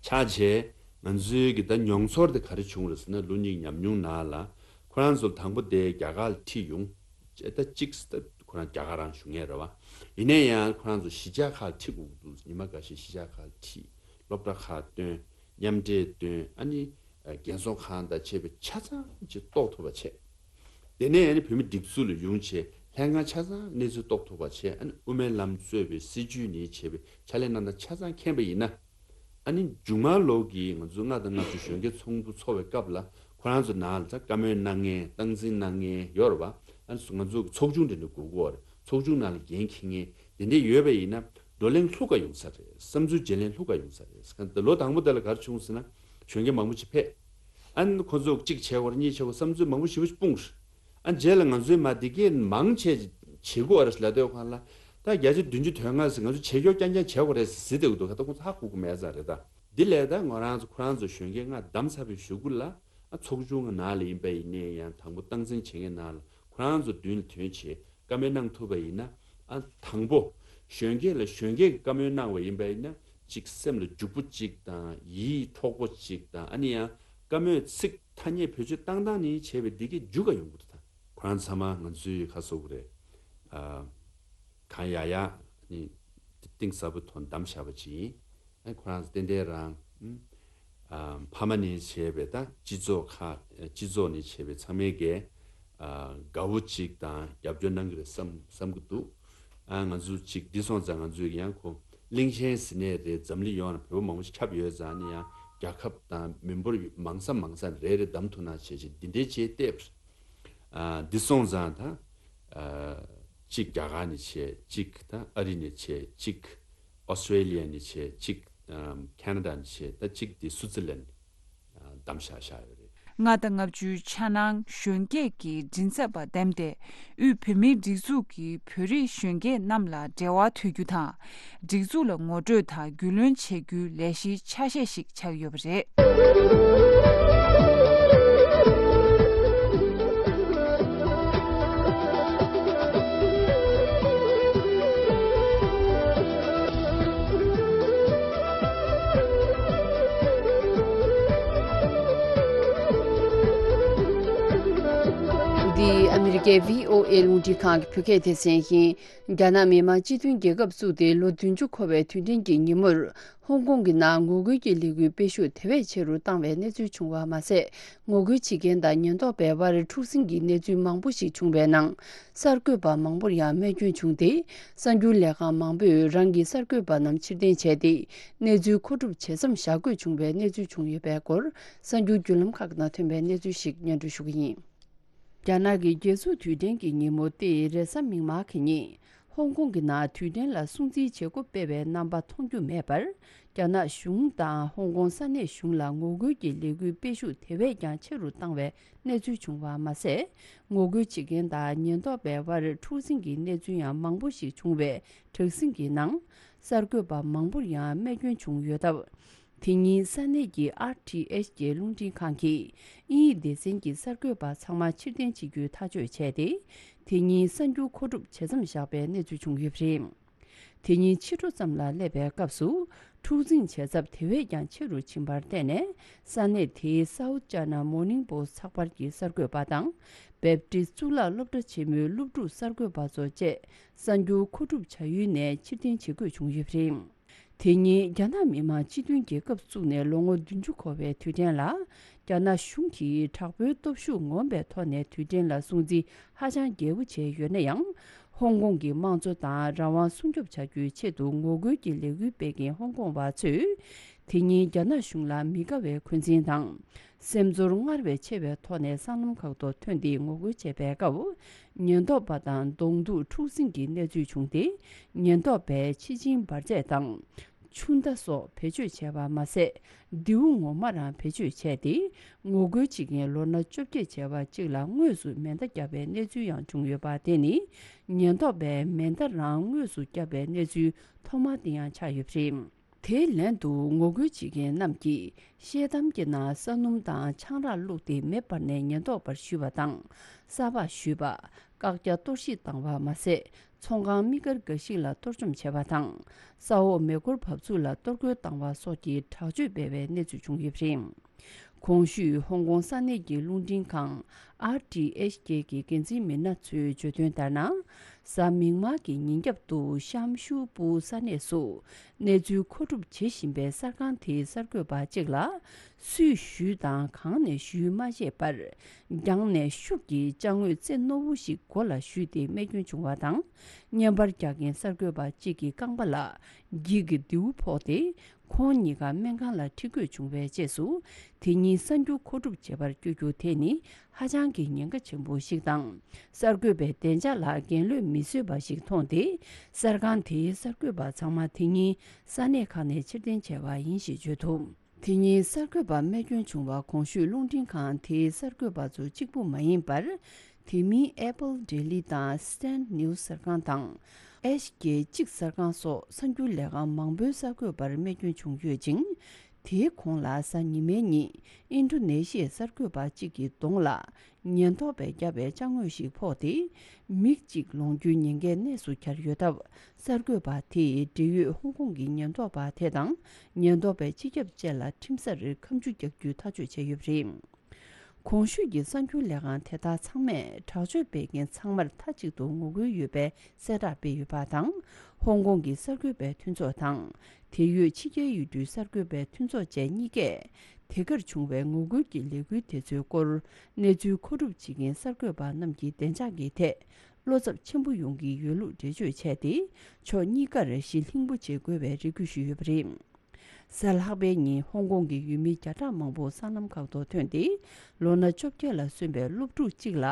ཆགས་རྗེས་ང་ཚོའི་གི་ད་མྱོང་ཚོར་དེ་ག་རེ་བྱུང་རེད་ཟེར་ན། ལོ་གཉིས་ཉམས་མྱོང་ནང་ལ་ཁོ་རང་ཚོ་དང་པོ་དེ་རྒྱ་གར་ལ་ཁྲིད་ཡོང་། ད་གཅིག་ད་ཁོ་རང་རྒྱ་གར་རང་བཞུགས་མཁན་རེད་བ། ཡིན་ན་ཡང་ཁོ་རང་ཚོ་གཞིས་ཆགས་ཁག་ལ་ཁྲིད་དགོས་ཀྱི་འདུག། ཉི་མ་འགའ་ཤས་གཞིས་ཆགས་ཁག་ལ་ཁྲིད། སློབ་གྲྭ་ཁག་བཏོན། མཉམ་འབྲེལ་བཏོན། ཨ་ནི་རྒན་གསོ་ཁང་དང་བཅས་པའི་ཆ་ཚང་ཅིག་རྟོགས་ཐུབ་པ་བྱས། དེ་ནས་ཨ་ནི་བོད་མི་སྒྲིག་འཛུགས་ལ་ཡོང་བྱས་ལྷན་ཁང་ཆ་ཚང་གནས་ཚུལ་རྟོགས་ཐུབ་པ་བྱས། ཨ་ནི་དབུ་མའི་ལམ་གཙོས་པའི་སྲིད་བྱུས་ནས་བྱས་པའི་ཕྱག་ལས་གནང་སྟངས་ཆ་ཚང་མཁྱེན་པ་ཡིན་ན། ཨ་ནི་མཇུག་མ་ལོག་གི་ང་ཚོ་ལྔ་དང་ལྔ་བཅུ་གཞོན་སྐྱེས་ཚོགས་འདུ་འཚོགས་པའི་སྐབས་ལ་ཁོ་རང་ཚོ་ནང་ལ་ད་བཀའ་མོལ་གནང་མཁན། སྟངས་འཛིན་གནང་མཁན་ཡོད་རེད་བ། ཨ་ནི་ང་ཚོ་གི་ཚོགས་ཆུང་འདྲ་འདྲ་དགོས་ཀྱི་ཡོད་རེད། ཚོགས་ཆུང་ནང་ལ་འགན་འཁྱེར་མཁན་དེ་འདྲ་ཡོད་པ་ཡིན་ན། བགྲོ་གླེང་ལྷུག་ག་ཡོང་ས་རེད། བསམ་ཚུལ་བརྗེ་ལེན་ལྷུག་ག་ཡོང་ས་རེད། ལོ་དང་པོ་དེ་ལ་ག་རེ་བྱུང་ཟེར་ན། གཞོན་སྐྱེས་མང་པོ་ཅིག་ཕེབས། ཨ་ནི་ཁོ་ཚོ་གཅིག་བྱེད་དགོས་རེད། གཉིས་བྱེད་དགོས། བསམ་ཚུལ་མང་པོ་ཞེ་པོ་ཅིག་སྤུངས་རེད། ཨ་རྗེས་ལ་ང་ཚོའི་མ་འདི་གས་མང་ཆེ་བྱེད་དགོས་རེད་ལབ་དུས་སྒང་ལ། ད་བརྒྱ་ཆ་བདུན་ཅུ་དོན་ལྔ་ཟེར་ང་ཚོ་བྱེད་ཀྱོག་རྐྱང་རྐྱང་བྱེད་དགོས་རེད་ཟེར་ཟེར་བསྡད་ཀྱི་འདུག་ག། ད་ཁོ་ཚོ་ཧ་གོ་གི་མེད་ས་རེད་ད། འདི་ལས་ད་ང་རང་ཚོ་ཁོ་རང་ཚོ་གཞོན་སྐྱེས་ལྔ་བདམས་ཚར་བའི་གཞུག་གུ་ལ། ཨ་ཚོགས་ཆུང་གི་ནང་ལ་ཡིན་པ་ཡིན་ནའི་ཡང་དང་པོ་སྟངས་འཛིན་བྱེད་མཁན་ནང་ལ་ཁོ་རང་ཚོ་མདུན་ལ་ཐོན་བྱས། བཀའ་མོལ་གནང་ཐུབ་པ་ཡིན་ན། ཨ་དང་པོ་གཞོན་སྐྱེས་ལ་གཞོན་སྐྱེས་ཀྱི་བཀའ་མོལ་གནང་བ་ཡིན་པ་ཡིན་ན། གཅིག་སེམས་ལ་འཇུག་པོ་གཅིག་དང་། ཡིད་འཕྲོག་པོ་གཅིག་དང་། ཨ་ནི་ཡང་བཀའ་མོལ་ཚིག་ ཐ་སྙད་བེད་སྤྱོད་བཏང་སྟངས་ནི་བྱས་པའི་འདི་གའི་རྒྱུ་ག་ཡོང་གི་འདུག་ད། ཁོ་རང་ཚང་མ་ང་ཚོའི་ཁ་སོ་གི་རེད། ཨ། གང་ཡག་ཡག་ནི་གཏིང་ཟབ་པོ་ཐོག་བདམས་བཞག་པ་ཅིག་ཡིན། ཨ། ཁོ་རང་ཏན་ཏན་རང་། ཨ། ཕ་མ་ནས་བྱས་པའི་ད་སྤྱི་ཚོགས་ཁག་སྤྱི་ཚོགས་ནས་བྱས་པའི་ཚང་མས་གས། ཨ། དགའ་བོ་ཅིག་དང་རྒྱབ་སྐྱོར་གནང་གི་རེད་བསམ་བསམ་གི་འདུག། ཨ། ང་ཚོ་ཅིག་འདི་སོང་ཙང་ང་ཚོས་ཡང་ཁོ་གླིང་ཆེན་ཟེར་ནས་རེད། འཛམ་གླིང་ཡོངས་ལ་བོད་པ་མང་པོ་ཞིག་ཁྱབ་ཡོད་ཙང་ནི་ཡང་རྒྱལ་ཁབ་དང་མི་འབོར་མང་ས་མང་ས་རེ་རེ་བདམས་ཐུབ་ན་བྱས་ཅིག་འདི་འདྲའི་ཅིག་བལྟས། ཨ། འདི་སོང་ཙང་ད། ཨ། གཅིག་རྒྱ་གར་ནས་བྱས། གཅིག་ད་ཨ་རི་ནས་བྱས། གཅིག་ཨོ་སི་ཊྲེ་ལི་ཡ་ནས་བྱས། གཅིག་ཨམ། ཁེ་ན་ཌ་ནས་བྱས། ད་གཅིག་དེ་སུའུ་ཙི་ལན། ཨ། བདམས་བཞག་བཞག་ཡོད་རེད། ལྔ་དང་ལྔ་བཅུའི་འཆར་སྣང་གཞོན་སྐྱེས་ཀྱི་མགྲིན་ཚབ་པ་འདེམས་ཏེ། དབུས་བོད་མིའི་སྒྲིག་འཛུགས་ཀྱི་བོད་རིགས་གཞོན་སྐྱེས་རྣམས་ལ་འབྲེལ་བ་མཐུད་རྒྱུ་དང་། སྒྲིག་འཛུགས་ལ་ངོ་སྤྲོད་དང་རྒྱུས་ལོན་བྱེད་རྒྱུའི་ལས་གཞིའི་ཆ་ཤས་ཤིག་ཆགས་ཡོད་པ་རེད། འདི་ཨ་མི་རི་ཀའི་བྷི་ཨོ་ཨེ་རླུང་འཕྲིན་ཁང་གི་བོད་སྐད་སྡེ་ཚན་ཡིན། རྒྱ་ནག་མི་དམངས་སྤྱི་མཐུན་རྒྱལ་ཁབ་བཙུགས་ཏེ་ལོ་བདུན་ཅུ་འཁོར་བའི་དུས་དྲན་གྱི་ཉིན་མོར། ཧོང་ཀོང་གི་ནང་ངོ་རྒོལ་གྱི་ལས་འགུལ་སྤེལ་ཤུགས་དེ་བས་ཆེ་རུ་བཏང་བའི་གནས་ཚུལ་བྱུང་བ་མ་ཟད། ངོ་རྒོལ་བྱེད་མཁན་དང་ཉེན་རྟོག་པའི་དབར་འཁྲུག་ཟིང་གི་གནས་ཚུལ་མང་པོ་ཞིག་བྱུང་བའི་ནང་། གསར་འགོད་པ་མང་པོར་ཡང་རྨས་སྐྱོན་བྱུང་སྟེ། གསར་འགྱུར་ལས་ཁང་མང་པོས་རང་གི་གསར་འགོད་པ་རྣམས་ཕྱིར་འཐེན་བྱས་ཏེ། གནས་ཚུལ་མཁོ་སྒྲུབ་བྱེད་མཚམས་བཞག་དགོས་བྱུང་བའི་གནས་ཚུལ་བྱུང་ཡོད་པའི་སྐོར། གསར་འགྱུར་བརྒྱུད་ལམ་ཁག་ནང་ཐོན་པའི་གནས་ཚུལ་ཞིག་སྙན་སྒྲོན་ཞུ་གི་ཡིན། རྒྱ་ནག་གི་རྒྱལ་གཙུག་དུས་དྲན་གྱི་ཉིན་མོ་སྟེ་རེས་གཟའ་མིག་དམར་གྱི་ཉིན། ཧོང་ཀོང་གི་ནང་དུས་དྲན་ལ་སྲུང་བརྩིའི་བྱེད་སྒོ་སྤེལ་བའི་རྣམ་པ་མཐོང་རྒྱུ་མེད་པར། རྒྱ་ནག་གཞུང་དང་ཧོང་ཀོང་ས་གནས་གཞུང་ལ་ངོ་རྒོལ་གྱི་ལས་འགུལ་སྤེལ་ཤུགས་དེ་བས་ཀྱང་ཆེ་རུ་བཏང་བའི་གནས་ཚུལ་བྱུང་བ་མ་ཟད། ངོ་རྒོལ་བྱེད་མཁན་དང་ཉེན་རྟོག་པའི་དབར་འཁྲུག་ཟིང་གི་གནས་ཚུལ་ཡང་མང་པོ་ཞིག་བྱུང་བའི་དྲག་ཟིང་གི་ནང་། གསར་འགོད་པ་མང་པོར་ཡང་རྨས་སྐྱོན་བྱུང་ཡོད་སྟབས། དེ་ཉིན་ས་གནས་ཀྱི་ཨར་ཊི་ཨེཆ་ཀེ་རླུང་འཕྲིན་ཁང་གིས་དབྱིན་ཡིག་སྡེ་ཚན་གྱི་གསར་འགོད་པ་ཚང་མ་ཕྱིར་འཐེན་བྱེད་རྒྱུའི་ཐག་གཅོད་བྱས་ཏེ། དེ་ཉིན་གསར་འགྱུར་མཁོ་སྒྲུབ་བྱེད་མཚམས་བཞག་པའི་གནས་ཚུལ་བྱུང་ཡོད་པ་རེད། དེ་ཉིན་ཕྱི་དྲོ་ཙམ་ལ་སླེབས་པའི་སྐབས་སུ། འཁྲུག་འཛིང་བྱེད་ཚབས་དེ་བས་ཀྱང་ཆེ་རུ་ཕྱིན་པར་བརྟེན་ནས། ས་གནས་དེའི་South China Morning Post ཚགས་པར་གྱི་གསར་འགོད་པ་དང་། བེབ་ཏི་གཙུག་ལག་སློབ་གྲྭ་ཆེན་མོའི་སློབ་ཕྲུག་གསར་འགོད་པ་ཚོ་བཅས། གསར་འགྱུར་མཁོ་སྒྲུབ་བྱ་ཡུལ་ནས་ཕྱིར་འཐེན་བྱེད་དགོས་བྱུང་ཡོད་པ་རེད། དེ་ཉིན་རྒྱ་ནག་མི་དམངས་སྤྱི་མཐུན་རྒྱལ་ཁབ་བཙུགས་ནས་ལོ་ངོ་བདུན་ཅུ་འཁོར་བའི་དུས་དྲན་ལ། རྒྱ་ནག་གཞུང་གིས་དྲག་པོའི་སྟོབས་ཤུགས་ངོམ་པའི་ཐོག་ནས་དུས་དྲན་ལ་སྲུང་བརྩི་ཧ་ཅང་རྒྱས་པོ་བྱས་ཡོད་ན་ཡང་། ཧོང་ཀོང་གི་དམངས་གཙོ་དང་རང་དབང་སྲུང་སྐྱོབ་བྱ་རྒྱུའི་ཆེད་དུ་ངོ་རྒོལ་གྱི་ལས་འགུལ་སྤེལ་མཁན་ཧོང་ཀོང་བ་ཚོས། དེ་ཉིན་རྒྱ་ནག་གཞུང་ལ་མི་དགའ་བའི་འཁོན་འཛིན་དང་། སེམས་ཚོར་སྔར་བས་ཆེ་བའི་ཐོག་ནས་སྲང་ལམ་ཁག་ཏུ་ཐོན་ཏེ་ངོ་རྒོལ་བྱས་པའི་སྐབས། ཉེན་རྟོག་པ་དང་གདོང་ཐུག་འཁྲུག་ཟིང་གི་གནས་ཚུལ་བྱུང་སྟེ། ཉེན་རྟོག་པས་ཕྱི་ཆིངས་འབར་རྫས་དང་། ཆུ་མདའ་སོགས་བེད་སྤྱོད་བྱས་པ་མ་ཟད། མདེའུ་ངོ་མ་རང་བེད་སྤྱོད་བྱས་ཏེ། ངོ་རྒོལ་བྱེད་མཁན་ལོ་ན་བཅོ་བརྒྱད་བྱས་པ་གཅིག་ལ་དངོས་སུ་མེ་མདའ་བརྒྱབ་པའི་གནས་ཚུལ་ཡང་བྱུང་ཡོད་པ་དེ་ནི། ཉེན་རྟོག་པས་མེ་མདའ་རང་དངོས་སུ་བརྒྱབ་པའི་གནས་ཚུལ་ཐོག་མ་དེ་ཡང་ཆགས་ཡོད་པ་རེད། དེའི་ལན་དུ་ངོ་རྒོལ་བྱེད་མཁན་རྣམས་ཀྱིས་ཤེལ་དམ་གྱི་ནང་ས་སྣུམ་དང་ཆང་རག་བླུགས་ཏེ་མེ་སྤར་ནས་ཉེན་རྟོག་པར་གཞུས་པ་དང་། ས་ཕག་གཞུས་པ། བཀག་རྒྱ་གཏོར་བཤིག་བཏང་བ་མ་ཟད། ཚོང་ཁང་མི་དཀར་འགའ་ཞིག་ལ་གཏོར་བཅོམ་བྱས་པ་དང་། ས་འོག་མེ་འཁོར་བབས་ཚུགས་ལ་གཏོར་རྒོལ་བཏང་བ་སོགས་ཀྱི་དྲག་སྤྱོད་སྤེལ་བའི་གནས་ཚུལ་བྱུང་ཡོད་པ་རེད། གོང་ཞུས་ཧོང་ཀོང་ས་གནས་ཀྱི་རླུང་འཕྲིན་ཁང་ཨར་ཊི་ཨེཆ་ཀེ་གི་འགན་འཛིན་མི་སྣ་ཚོས་བརྗོད་དོན་ལྟར་ན། གཟའ་མིག་དམར་གྱི་ཉིན་རྒྱབ་ཏུ་ཤམ་ཤུ་པུ་ས་གནས་སུ་གནས་ཚུལ་མཁོ་སྒྲུབ་བྱེད་བཞིན་པའི་གསར་ཁང་དེའི་གསར་འགོད་པ་གཅིག་ལ། སུས་གཞུས་དང་གང་ནས་གཞུས་མ་ཤེས་པར། རྒྱང་ནས་ཤུགས་ཀྱིས་ཅ་དངོས་རྩེ་རྣོ་བོ་ཞིག་མགོ་ལ་གཞུས་ཏེ་རྨས་སྐྱོན་བྱུང་བ་དང་། བརྙན་པར་རྒྱག་མཁན་གསར་འགོད་པ་གཅིག་གི་རྐང་པ་ལ་འགྱིག་གི་མདེའུ་ཕོག་སྟེ། ཁོང་གཉིས་ཀ་སྨན་ཁང་ལ་ཁྲིད་དགོས་བྱུང་བའི་རྗེས་སུ། དེ་ཉིན་གསར་འགྱུར་མཁོ་སྒྲུབ་བྱེད་པར་བསྐྱོད་རྒྱུ་དེ་ནི་ཧ་ཅང་གི་ཉེན་ཁ་ཆེན་པོ་ཞིག་དང་། གསར་འགོད་པའི་བདེ་འཇགས་ལ་འགན་ལོས་མི་བཟོད་པ་ཞིག་མཐོང་སྟེ། གསར་ཁང་དེའི་གསར་འགོད་པ་ཚང་མ་དེ་ཉིན་ས་གནས་ཁག་ནས་ཕྱིར་འཐེན་བྱས་པ་ཡིན་ཞེས་བརྗོད་འདུག། དེ་ཉིན་གསར་འགོད་པ་རྨས་སྐྱོན་བྱུང་བ་གོང་ཞུས་རླུང་འཕྲིན་ཁང་དེའི་གསར་འགོད་པ་ཚོ་གཅིག་པུ་མ་ཡིན་པར། དེ་མིན་Apple Daily དང་Stand News གསར་ཁང་དང་། ཨེཆ་ཀེ་གཅིག་གསར་ཁང་སོགས་གསར་འགྱུར་ལས་ཁང་མང་པོའི་གསར་འགོད་པར་རྨས་སྐྱོན་བྱུང་ཡོད་ཅིང་། དེའི་གོང་ལ་གཟའ་ཉི་མའི་ཉིན་ཨིན་ཌོ་ནེ་ཤི་ཡའི་གསར་འགོད་པ་གཅིག་གི་གདོང་ལ་ཉེན་རྟོག་པས་བརྒྱབ་པའི་ཅ་དངོས་ཤིག་ཕོག་སྟེ། མིག་གཅིག་ལོངས་རྒྱུའི་ཉེན་ཁའི་གནས་སུ་གྱར་ཡོད་སྟབས། གསར་འགོད་པ་དེས་འབྲེལ་ཡོད་ཧོང་ཀོང་གི་ཉེན་རྟོག་པ་དེ་དང་ཉེན་རྟོག་པའི་སྤྱི་ཁྱབ་བཅས་ལ་ཁྲིམས་སར་ཁ་མཆུ་རྒྱག་རྒྱུའི་ཐག་གཅོད་བྱས་ཡོད་པ་རེད། གོང་ཞུས་ཀྱི་གསར་འགྱུར་ལས་ཁང་དེ་དག་ཚང་མས་དྲག་སྤྱོད་སྤེལ་མཁན་ཚང་མར་མཐའ་གཅིག་ཏུ་ངོ་རྒོལ་ཡོད་པའི་གསལ་བསྒྲགས་སྤེལ་ཡོད་པ་དང་། ཧོང་ཀོང་གི་གསར་འགོད་པའི་མཐུན་ཚོགས་དང་། དེ་ཡོད་ཕྱི་རྒྱལ་ཡུལ་གྲུའི་གསར་འགོད་པའི་མཐུན་ཚོགས་བཅས་གཉིས་ཀས། དེ་གར་བྱུང་བའི་ངོ་རྒོལ་གྱི་ལས་འགུལ་དེ་ཚོའི་སྐོར་གནས་ཚུལ་མཁོ་སྒྲུབ་བྱེད་མཁན་གསར་འགོད་པ་རྣམས་ཀྱི་བདེ་འཇགས་ཀྱི་ཐད། བློ་འཚབ་ཆེན་པོ་ཡོང་གི་ཡོད་ལུགས་འགྲེལ་བརྗོད་བྱས་ཏེ། ཕྱོགས་གཉིས་ཀར་ཞི་ལྷིང་པོ་བྱེད་དགོས་པའི་རེ་སྐུལ་ཞུས་ཡོད་པ་རེད། གཟའ་ལྷག་པའི་ཉིན་ཧོང་ཀོང་གི་ཡུལ་མི་བརྒྱ་ཕྲག་མང་པོ་སྲང་ལམ་ཁག་ཏུ་ཐོན་ཏེ། ལོ་ན་བཅོ་བརྒྱད་ལ་སོན་པའི་སློབ་ཕྲུག་གཅིག་ལ།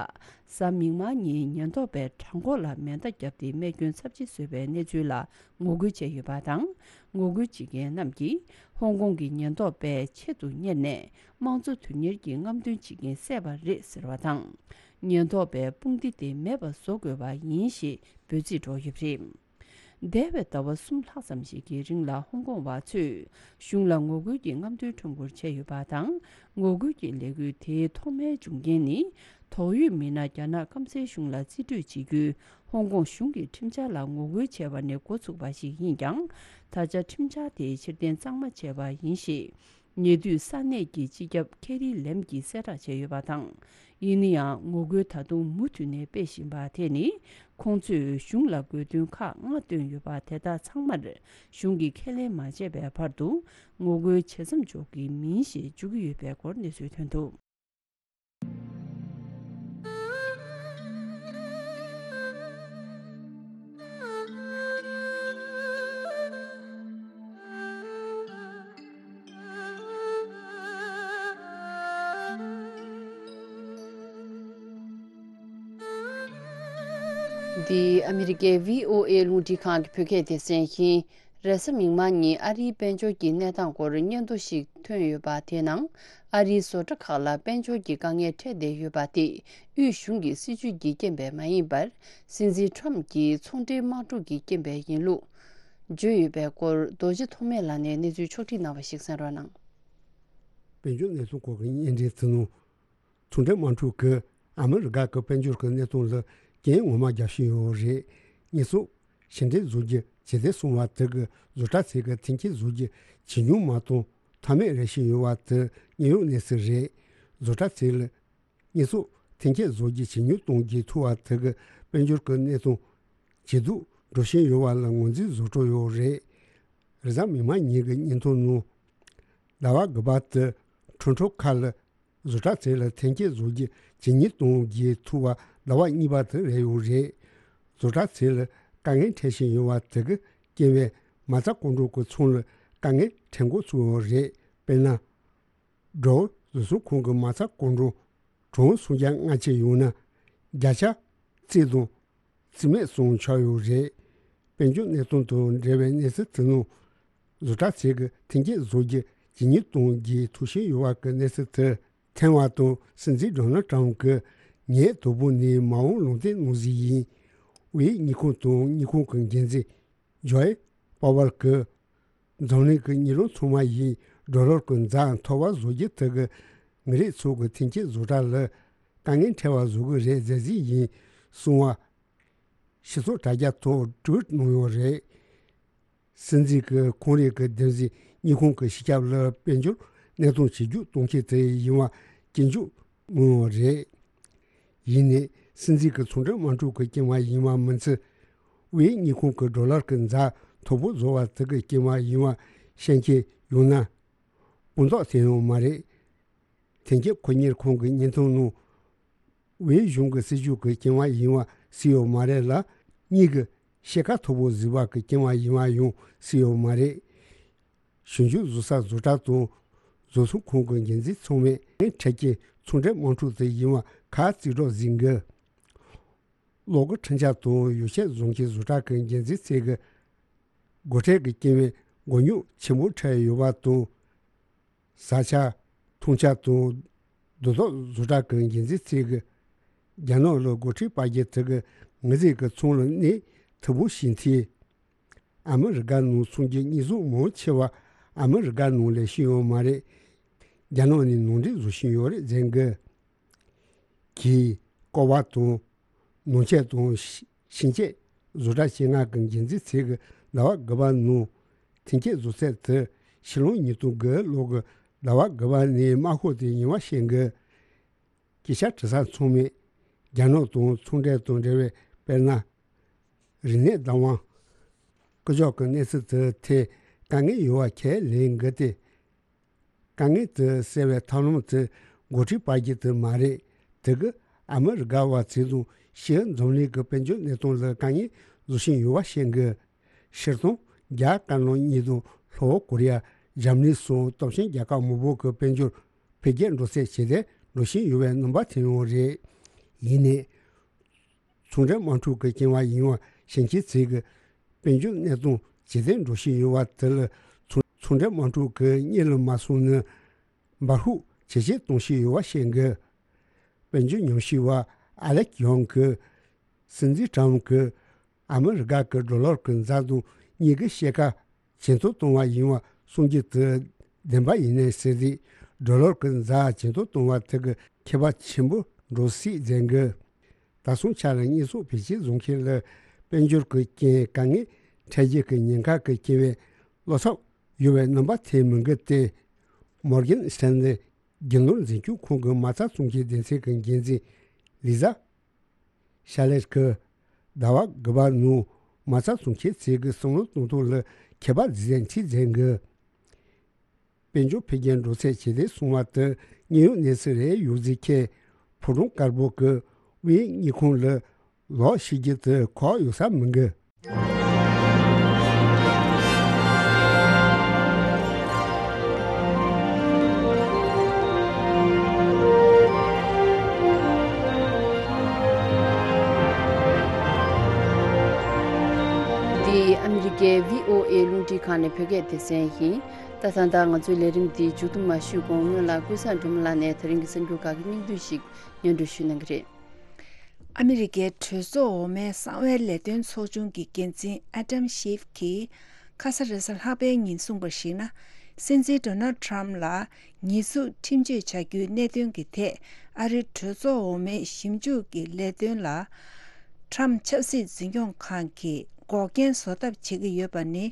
གཟའ་མིག་དམར་ཉིན་ཉེན་རྟོག་པས་བྲང་ཁོག་ལ་མེ་མདའ་བརྒྱབ་སྟེ་རྨས་སྐྱོན་ཚབས་ཆེ་བཟོས་པའི་གནས་ཚུལ་ལ་ངོ་རྒོལ་བྱས་ཡོད་པ་དང་། ངོ་རྒོལ་བྱེད་མཁན་རྣམས་ཀྱིས་ཧོང་ཀོང་གི་ཉེན་རྟོག་པས་ཆེད་དུ་གཉེར་ནས། དམངས་གཙོ་དོན་གཉེར་གྱི་རྔམ་སྟོན་བྱེད་མཁན་བསད་པ་རེད་ཟེར་བ་དང་། ཉེན་རྟོག་པས་དཔུང་སྡེ་དེ་མེད་པ་བཟོ་དགོས་པ་ཡིན་ཞེས་འབོད་ཚིག་སྒྲོག་ཡོད་པ་རེད། འདས་པའི་ཟླ་བ་གསུམ་ལྷག་ཙམ་ཞིག་གི་རིང་ལ་ཧོང་ཀོང་བ་ཚོས་གཞུང་ལ་ངོ་རྒོལ་གྱི་རྔམ་སྟོན་ཁྲོམ་སྐོར་བྱས་ཡོད་པ་དང་། ངོ་རྒོལ་གྱི་ལས་འགུལ་དེའི་ཐོག་མའི་འབྱུང་རྐྱེན་ནི། དོགས་ཡོད་མི་སྣ་རྒྱ་ནག་སྐམ་སའི་གཞུང་ལ་རྩིས་སྤྲོད་བྱེད་རྒྱུའི་ཧོང་ཀོང་གཞུང་གི་ཁྲིམས་འཆར་ལ་ངོ་རྒོལ་བྱས་པ་ནས་འགོ་ཚུགས་པ་ཞིག་ཡིན་ཀྱང་། ད་ཆ་ཁྲིམས་འཆར་དེ་ཕྱིར་འཐེན་གཙང་མ་བྱས་པ་ཡིན་ཞེས། ཉེ་དུས་ས་གནས་ཀྱི་སྤྱི་ཁྱབ་ཁེ་རི་ལེམ་གྱིས་གསལ་བསྒྲགས་བྱས་ཡོད་པ་དང་། ཡིན་ན་ཡང་ངོ་རྒོལ་ད་དུང་མུ་མཐུད་ནས་སྤེལ་བཞིན་པ་དེ་ནི། ཁོང་ཚོས་གཞུང་ལ་དགོས་འདུན་ཁག་ལྔ་བཏོན་ཡོད་པ་དེ་དག་ཚང་མར་གཞུང་གིས་ཁས་ལེན་མ་བྱས་པའི་བར་དུ་ངོ་རྒོལ་བྱེད་མཚམས་འཇོག་གི་མིན་ཞེས་བརྗོད་ཀྱི་ཡོད་པའི་སྐོར་གནས་ཚུལ་ཐོན་འདུག། འདི་ཨ་མི་རི་ཀའི་བྷི་ཨོ་ཨེ་རླུང་འཕྲིན་ཁང་གི་བོད་སྐད་སྡེ་ཚན་ཡིན། རེས་གཟའ་མིག་དམར་ཉིན་ཨ་རིའི་དཔལ་འབྱོར་གྱི་གནས་སྟངས་སྐོར་སྙན་ཐོ་ཞིག་ཐོན་ཡོད་པ། དེའི་ནང་ཨ་རིའི་བཟོ་གྲྭ་ཁག་ལ་དཔལ་འབྱོར་གྱི་དཀའ་ངལ་འཕྲད་བསྡད་ཡོད་པ་དེ་དབུས་གཞུང་གི་སྲིད་ཇུས་ཀྱི་རྐྱེན་པས་མ་ཡིན་པར། སྲིད་འཛིན་ཊམ་གྱི་ཚོང་འབྲེལ་དམག་འཁྲུག་གི་རྐྱེན་པས་ཡིན་ལུགས་བརྗོད་ཡོད་པའི་སྐོར། རྡོ་རྗེ་ཐོགས་མེད་ལགས་ནས་གནས་ཚུལ་ཕྱོགས་སྒྲིག་གནང་བ་ཞིག་གསན་རོགས་གནང་། དཔལ་འབྱོར་གནས་ཚུལ་སྐོར་གྱི་སྙན་འགྲེལ་ཚུལ་ནང་། ཚོང་འབྲེལ་དམག་འཁྲུག་གིས་ཨ་མི་རི་ཀ་གི་དཔལ་འབྱོར་གྱི་གནས་སྟངས་ལ་རྐྱེན་ངོ་མ་རྒྱག་བཞིན་ཡོད་རེད། ཉེས་གསོག་ཕྱིར་འཐེན་བཟོ་རྒྱུ་ཇེ་བདེ་སོང་བ་དེ་གིས་བཟོ་གྲྭ་ཚོས་ཀྱི་ཐོན་སྐྱེད་བཟོ་རྒྱུ་ཇེ་ཉུང་མ་གཏོང་ཐབས་མེད་རེད་བཞིན་ཡོད་པ་དེ་དངོས་ཡོད་གནས་ཚུལ་རེད། བཟོ་གྲྭ་ཚོས་ལ་ཉེས་གསོག་ཐོན་སྐྱེད་བཟོ་རྒྱུ་ཇེ་ཉུང་གཏོང་རྒྱུ་ཐུབ་པ་དེ་གིས་དཔལ་འབྱོར་གྱི་གནས་སྟངས་ཇེ་སྡུག་འགྲོ་བཞིན་ཡོད་པ་ལ་ངོས་འཛིན་བཟོ་འདྲ་ཡོད་རེད། རེས་གཟའ་མིག་དམར་ཉིན་གྱི་སྙན་ཐོ་ནང་། ཟླ་བ་དགུ་པ་དེ་ཁྲོམ་ཁྲོམ་ཁག་ལ་བཟོ་གྲྭ་ཚོས་ལ་ཐོན་སྐྱེད་བཟོ་རྒྱུ་ཇེ་ཉུང་གཏོང་རྒྱུ་ཐུབ་པ་ཟླ་བ་གཉིས་པ་དེ་རེད་ཡོད་རེད། བཟོ་གྲྭ་ཚོས་ལ་དཀའ་ངལ་འཕྲད་བཞིན་ཡོད་པ་དེ་གི་རྐྱེན་པས་མ་རྩ་སྐོར་འགྲོ་གི་ཚོང་ལ་དཀའ་ངལ་འཕྲད་འགོ་ཚུགས་ཡོད་རེད། དཔེར་ན། སྦྲ་བཟོ་ཚོང་ཁང་གི་མ་རྩ་སྐོར་འགྲོ་གྲངས་སུམ་བརྒྱ་ལྔ་བཅུ་ཡོད་ན་བརྒྱ་ཆ་རྩིས་དང་རྩིས་མེད་སོང་ཆགས་ཡོད་རེད། དཔལ་འབྱོར་གནས་སྟངས་དང་འབྲེལ་བའི་གནས་ཚུལ་དེ་ནང་། བཟོ་གྲྭ་ཚོས་ཀྱི་ཐོན་སྐྱེད་བཟོ་རྒྱུ་ཇེ་ཉུང་གཏོང་རྒྱུའི་ཐུགས་བཞེད་ཡོད་པ་གི་གནས་ཚུལ་དེ་ཐོན་པ་དང་། སྲིད་འཛིན་ཌོ་ནལ་ཊམ་གྱིས་ངས་དང་པོ་ནས་མ་འོངས་ལུང་བསྟན་གནང་རྩིས་ཡིན། དབུས་དངུལ་ཁང་དང་དངུལ་ཁང་གི་འགན་འཛིན་ཇོའེ་པ་ཝལ་གྱིས། འཛམ་གླིང་གི་དངུལ་རང་ཚང་མ་ཡིས་ཌོ་ལར་གྱི་འཛའ་མཐོ་བ་བཟོ་རྒྱུ་དེ་གིས་མི་རིགས་ཚོ་གི་ཐོན་སྐྱེད་བཟོ་གྲྭ་ལ་དཀའ་ངལ་འཕྲད་པ་བཟོ་གི་རེད་ཟེར་རྩིས་ཡིན་གསུངས་པ། སྤྱི་ཚོགས་དྲ་རྒྱ་ཐོག་ཊུ་ཝིཊ་གནང་ཡོད་རེད། སྲིད་འཛིན་གྱིས་ཁོང་རང་གི་འདེམས་སྲིད་དངུལ་ཁང་གི་སྤྱི་ཁྱབ་ལ་དཔལ་འབྱོར་གནས་སྟངས་ཇེ་སྡུག་གཏོང་མཁན་དེ་ཡིན་པ་སྐྱོན་བརྗོད་གནང་ཡོད་རེད། ཡིན་ནའི་སྲིད་འཛིན་གྱི་ཚོང་འབྲེལ་དམག་འཁྲུག་གི་རྐྱེན་པ་ཡིན་པ་མིན་ཚད། དབུས་དངུལ་ཁང་གི་ཌོ་ལར་གྱི་འཛའ་མཐོ་པོ་བཟོ་བ་དེ་གི་རྐྱེན་པ་ཡིན་པ་བཤད་མཁན་ཡོད་ན། དཔང་རྟགས་དེ་ཡང་མ་རེད། ཐོན་སྐྱེད་ཁོ་གཉེར་ཁང་གི་སྙན་ཐོ་ནང་། དབུས་གཞུང་གི་སྲིད་ཇུས་ཀྱི་རྐྱེན་པ་ཡིན་པ་སྲིད་ཡོད་མ་རེད་ལ། གཉིས་ཀྱི་ཤེལ་ཁ་མཐོ་པོ་བཟོས་པ་གི་རྐྱེན་པ་ཡིན་པ་ཡང་སྲིད་ཡོད་མ་རེད། ཞིང་ཆུ་བཟོ་ས་བཟོ་གྲྭ་དང་བཟོ་ཚོང་ཁང་གི་འགན་འཛིན་ཚང་མས་ངན་འཕྲད་ཀྱི་ཚོང་འབྲེལ་དམག་འཁྲུག་དེ་ཡིན་པ་ཁ་རྩིས་སྒྲོག་ཟིན་གི། གློག་གི་འཕྲུལ་ཆས་དང་ཡོ་བྱད་བཟོ་མཁན་བཟོ་གྲྭ་གི་འགན་འཛིན་ཚོས་ཀྱི་སྒོ་ཁྲལ་གྱི་རྐྱེན་པས་མགོ་རྙོག་ཆེན་པོ་འཕྲད་ཡོད་པ་དང་། བཟའ་ཆས། འཐུང་ཆས་དང་། རྡོ་ཐོག་བཟོ་གྲྭ་གི་འགན་འཛིན་ཚོས་ཀྱི། རྒྱ་ནག་ལ་སྒོ་ཁྲལ་སྤར་རྒྱུ་དེ་གིས་ང་ཚོའི་གི་ཚོང་ལ་གནོད་ཐུབ་པོ་ཞིག་འཐེན། ཨ་མི་རི་ཀ་ནང་ཚོང་གི་དངོས་ཟོག་མང་ཆེ་བ་ཨ་མི་རི་ཀ་ནང་ལས་ཤེས་ཡོད་མ་རེད། རྒྱ་ནག་ནས་ནང་འདྲེན་བཟོ་བཞིན་ཡོད་རེད་ཟེར་གི། གིས་ཀོ་བ་དང་། ནང་ཆས་དང་། ཤིང་ཆས་བཟོ་གྲྭ་ཆེ་ལྔ་གི་འགན་འཛིན་ཚོས་ཀྱི་ཟླ་བ་དགུ་པ་ནང་ཐོན་སྐྱེད་བཟོ་ཚད་དེ་ཕྱི་ལོ་ཉིས་སྟོང་དགུ་ལོ་གི་ཟླ་བ་དགུ་པ་ནས་དམའ་ཤོས་དེ་ཡིན་པ་བཤད་གི། སྐད་ཆ་དྲི་ས་ཚང་མས་རྒྱ་ནག་དང་ཚོང་འབྲེལ་དང་འབྲེལ་བའི་དཔེར་ན། རིག་གནས་བདག་དབང་། སྐུ་ཞབས་ཀྱི་གནས་ཚུལ་དེ་ཐད་དཀའ་ངལ་ཡོད་པ་ཁས་ལེན་དགོས་ཏེ། དཀའ་ངལ་དེ་སེལ་བའི་ཐབས་ལམ་དེ་འགོ་ཁྲིད་པ་གཅིག་དེ་མ་རེད། དེ་གི་ཨ་མི་རི་ཀ་བ་ཚོ་དང་ཕྱིའི་འཛམ་གླིང་གི་དཔལ་འབྱོར་གནས་སྟངས་ལ་དཀའ་ངལ་བཟོ་བཞིན་ཡོད་པ་ཤེས་དགོས། སྤྱིར་བཏང་རྒྱ་དཀར་ནག་གཉིས་དང་ལྷོ་ཀོ་རི་ཡ། འཇར་མ་ནི་སོགས་སྟོབས་ཆེན་རྒྱལ་ཁབ་མང་པོ་གི་དཔལ་འབྱོར་འཕེལ་རྒྱས་འགྲོ་ཚད་ཇེ་བདེ་འགྲོ་བཞིན་ཡོད་པའི་རྣམ་པ་དེ་ཡང་རེད། ཡིན་ནའི། ཚོང་འབྲེལ་དམག་འཁྲུག་གི་རྐྱེན་པས་ཡིན་པ་ཞིག་ཕྱིན་ཆད་ཚིག་གི་དཔལ་འབྱོར་གནས་སྟངས་ཇེ་བདེ་འགྲོ་བཞིན་ཡོད་པ་དེ་ལ་ཚོང་ཚོང་འབྲེལ་དམག་འཁྲུག་གི་གཉེན་ལ་མ་སོང་ནས་འབར་ཤུགས་ཇེ་ཆེ་གཏོང་བཞིན་ཡོད་པ་ཤེས་དགོས། དཔལ་འབྱོར་ཉམས་ཞིབ་པ་ཨ་ལེག་ཡོང་གིས་སྲིད་འཛིན་ཀྲམ་གྱིས་ཨ་མི་རི་ཀ་གི་ཌོ་ལར་གྱི་འཛའ་གདུང་གཉིས་ཀྱི་ཕྱེད་ཀ་ཇེ་མཐོར་གཏོང་བ་ཡིན་པ་གསུང་རྒྱུ་དེ་བདེན་པ་ཡིན་ནའི་ཟེར་ཏེ། ཌོ་ལར་གྱི་འཛའ་ཇེ་མཐོར་གཏོང་བ་དེ་གི་ཁྱད་པར་ཆེན་པོ་འགྲོ་སྲིད་ཟེར་གི། ད་སོང་ཆ་ལ་དངོས་ཟོག་བེད་སྤྱོད་བཟོ་མཁན་ལ་དཔལ་འབྱོར་གྱི་རྐྱེན་དཀའ་ངལ་འཕྲད་རྒྱུ་གི་ཉེན་ཁ་གི་སྐྱེ་བའི་བློ་འཚབ་ཡོད་པའི་རྣམ་པ་དེ་མི་འགལ་ཏེ། མོར་གན་སི་ཊན་ལི་རྒྱུ་ནོར་འཛིན་སྐྱོང་ཁང་གི་མ་རྩ་ཚོང་ཁྱེར་སྡེ་ཚན་གྱི་འགན་འཛིན་ལི་ཛ་ཤ་ལེར་གྱིས་ཟླ་བ་དགུ་པ་ནང་མ་རྩ་ཚོང་ཁྱེར་ཚིག་གི་བསམ་བློ་གཏོང་ཐོག་ལ་ཁྱད་པར་འཛིན་ཚིག་འཛིན་གི། དཔལ་འབྱོར་འཕེལ་རྒྱས་འགྲོ་ཚད་ཇེ་བདེ་སོང་བ་དེ་དངོས་ཡོད་གནས་ཚུལ་རེད་ཡོད་ཟེར་ཁྱེད་ཕོ་བྲང་དཀར་པོ་གི་དབུས་དངུལ་ཁང་ལ་ལོག་ཤེས་རྒྱུ་དེ་ཁག་ཡོད་ས་མི་འགི། འདི་ཨ་མི་རི་ཀའི་བྷི་ཨོ་ཨེ་རླུང་འཕྲིན་ཁང་ནས་བོད་སྐད་སྡེ་ཚན་ཡིན། ད་ཐེངས་ད་ང་ཚོའི་ལས་རིམ་འདི་མཇུག་བསྡོམས་མ་ཞུས་གོང་སྔོན་ལ་ཀུན་བཟང་སྒྲོལ་མ་ལགས་ནས་དེ་རིང་གི་གསར་འགྱུར་ཁག་གི་སྙིང་བསྡུས་ཤིག་སྙན་སྒྲོན་ཞུ་གནང་གི་རེད། ཨ་མི་རི་ཀའི་གྲོས་ཚོགས་འོག་མའི་གསང་བའི་ལས་དོན་ཚོགས་ཆུང་གི་འགན་འཛིན་ཨ་ཌམ་ཤིབ་ཀྱིས་ཁ་ས་རེས་གཟའ་ལྷག་པའི་ཉིན་གསུངས་པར་གཞིགས་ན། སྲིད་འཛིན་ཌོ་ནལ་ཊམ་ལ་ཉེས་འཛུགས་ཁྲིམས་གཅོད་བྱ་རྒྱུའི་གནད་དོན་གྱི་ཐད་ཨ་རིའི་གྲོས་ཚོགས་འོག་མའི་ཞིབ་འཇུག་གི་ལས་དོན་ལ། ཊམ་ཆབ་སྲིད་འཛིན་སྐྱོང་ཁང་གིས་འགོག་རྐྱེན་བཟོ་ཐབས་བྱེད་ཀྱི་ཡོད་པ་ནི།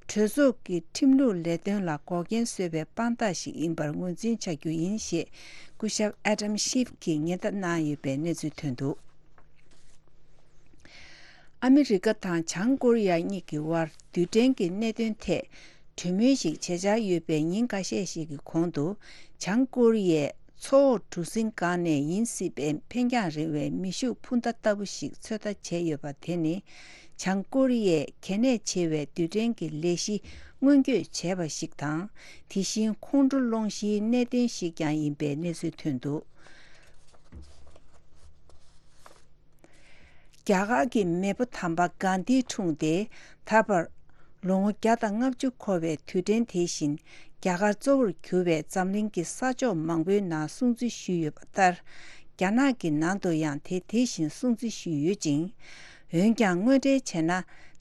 གྲོས་ཚོགས་ཀྱི་ཁྲིམས་ལུགས་ལས་དོན་ལ་འགོག་རྐྱེན་བཟོས་པའི་དཔང་རྟགས་ཤིག་ཡིན་པར་ངོས་འཛིན་བྱ་རྒྱུ་ཡིན་ཞེས་སྐུ་ཞབས་ཨ་ཌམ་ཤིབ་ཀྱིས་ཉེན་བརྡ་གནང་ཡོད་པའི་གནས་ཚུལ་ཐོན་འདུག་ཨ་མི་རི་ཀ་དང་བྱང་ཀོ་རི་ཡ་གཉིས་ཀྱི་དབར་རྡུལ་ཕྲན་གྱི་གནད་དོན་ཐད་གྲོས་མོལ་ཞིག་བྱེད་འཆར་ཡོད་པའི་ཉིན་འགའ་ཤས་ཤིག་གི་གོང་དུ། བྱང་ཀོ་རི་ཡས་མཚོ་འོག་གྲུ་གཟིངས་སྒང་ནས་ཡིན་སྲིད་པའི་འཕེན་རྒྱང་རིང་བའི་མེ་ཤུགས་འཕུར་མདའ་ལྟ་བུ་ཞིག་ཚོད་ལྟ་བྱས་ཡོད་པ་དེ་ནི། བྱང་ཀོ་རི་ཡས་གལ་གནད་ཆེ་བའི་རྡུལ་ཕྲན་གྱི་ལས་གཞི་སྔོན་སྐྱོད་བྱས་པ་ཞིག་དང་། དེ་བཞིན་ཁོང་ཁྲོ་སློང་གཞིའི་གནད་དོན་ཞིག་ཀྱང་ཡིན་པའི་གནས་ཚུལ་ཐོན་འདུག་རྒྱ་གར་གྱི་མེས་པོ་དམ་པ་གྷན་དྷིའི་འཁྲུངས་ཏེ་ད་བར་ལོ་ངོ་བརྒྱ་དང་ལྔ་བཅུ་འཁོར་བའི་དུས་དྲན་དེ་བཞིན་རྒྱ་གར་གཙོ་བོར་གྱུར་བའི་འཛམ་གླིང་གི་ས་ཕྱོགས་མང་པོའི་ནང་སྲུང་བརྩི་ཞུས་ཡོད་པ་ལྟར། རྒྱ་ནག་གི་ནང་དུ་ཡང་དེ་དེ་བཞིན་སྲུང་བརྩི་ཞུས་ཡོད་ཅིང་། འོན་ཀྱང་དངོས་འབྲེལ་བྱས་ན་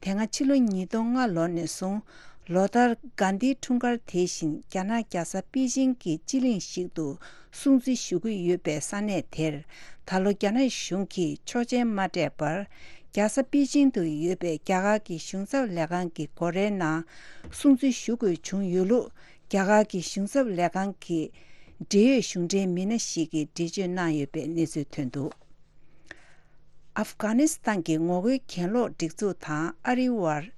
དེ་སྔ་ཕྱི་ལོ་ཉིས་སྟོང་ལྔ་ལོ་ནས་བཟུང་ལོ་ལྟར་གྷན་དྷིའི་འཁྲུངས་སྐར་དེ་བཞིན་རྒྱ་ནག་རྒྱལ་ས་པེ་ཅིང་གི་སྤྱི་གླིང་ཞིག་ཏུ་སྲུང་བརྩི་ཞུ་གི་ཡོད་པའི་ས་གནས་དེར་ད་ལོ་རྒྱ་ནག་གཞུང་གིས་ཆོག་མཆན་མ་སྤྲད་པར་རྒྱལ་ས་པེ་ཅིང་དུ་ཡོད་པའི་རྒྱ་གར་གྱི་གཞུང་ཚབ་ལས་ཁང་གི་སྒོ་རའི་ནང་སྲུང་བརྩི་ཞུ་དགོས་བྱུང་ཡོད་ལུགས་རྒྱ་གར་གྱི་གཞུང་ཚབ་ལས་ཁང་གི་འབྲེལ་ཡོད་གཞུང་འབྲེལ་མི་སྣ་ཞིག་གིས་འགྲེལ་བརྗོད་གནང་ཡོད་པའི་གནས་ཚུལ་ཐོན་འདུག་ཨབ་གྷ་ནི་སི་ཐན་གྱི་ངོ་རྒོལ་གྱེན་ལོག་སྒྲིག་འཛུགས་དང་ཨ་རིའི་དབར་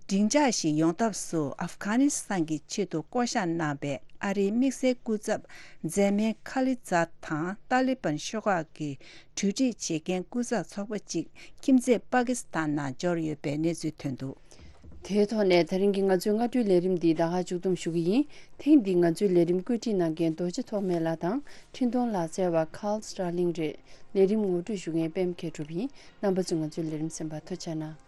འགྲིག་འཇགས་ཤིག་ཡོང་ཐབས་སུ་ཨབ་གྷ་ནི་སི་ཐན་གྱི་ཆེད་དུ་བསྐོ་གཞག་གནང་པའི་ཨ་རིའི་དམིགས་བསལ་སྐུ་ཚབ་མཛད་མེད་ཁ་ལི་ཛཱད་དང་ཏཱ་ལི་བན་ཤོག་ཁག་གི་གྲོས་སྒྲིག་བྱེད་མཁན་སྐུ་ཚབ་ཚོགས་པ་གཅིག་ཁྱིམ་མཚེས་པ་ཀི་སི་ཐན་ནང་འབྱོར་ཡོད་པའི་གནས་ཚུལ་ཐོན་འདུག་དེའི་ཐོག་ནས་ད་རིང་གི་ང་ཚོའི་སྔ་དྲོའི་ལས་རིམ་འདི་ད་ག་མཇུག་བསྡོམས་ཞུ་གི་ཡིན། ཐེངས་འདིའི་ང་ཚོའི་ལས་རིམ་བཀོད་སྒྲིག་གནང་མཁན་རྡོ་རྗེ་ཐོགས་མེད་ལགས་དང་འཕྲིན་གཏོང་ལག་རྩལ་བ་ཁཱལ་སི་ཊར་ལིང་རེད། ལས་རིམ་ངོ་སྤྲོད་ཞུ་མཁན་པད་མ་མཁས་གྲུབ་ཡིན། རྣམ་པ་ཚོས་ང་ཚོའི་ལས་རིམ་གསན་པར་ཐུགས་རྗེ་གནང་།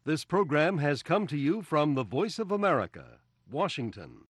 This program has come to you from the Voice of America, Washington.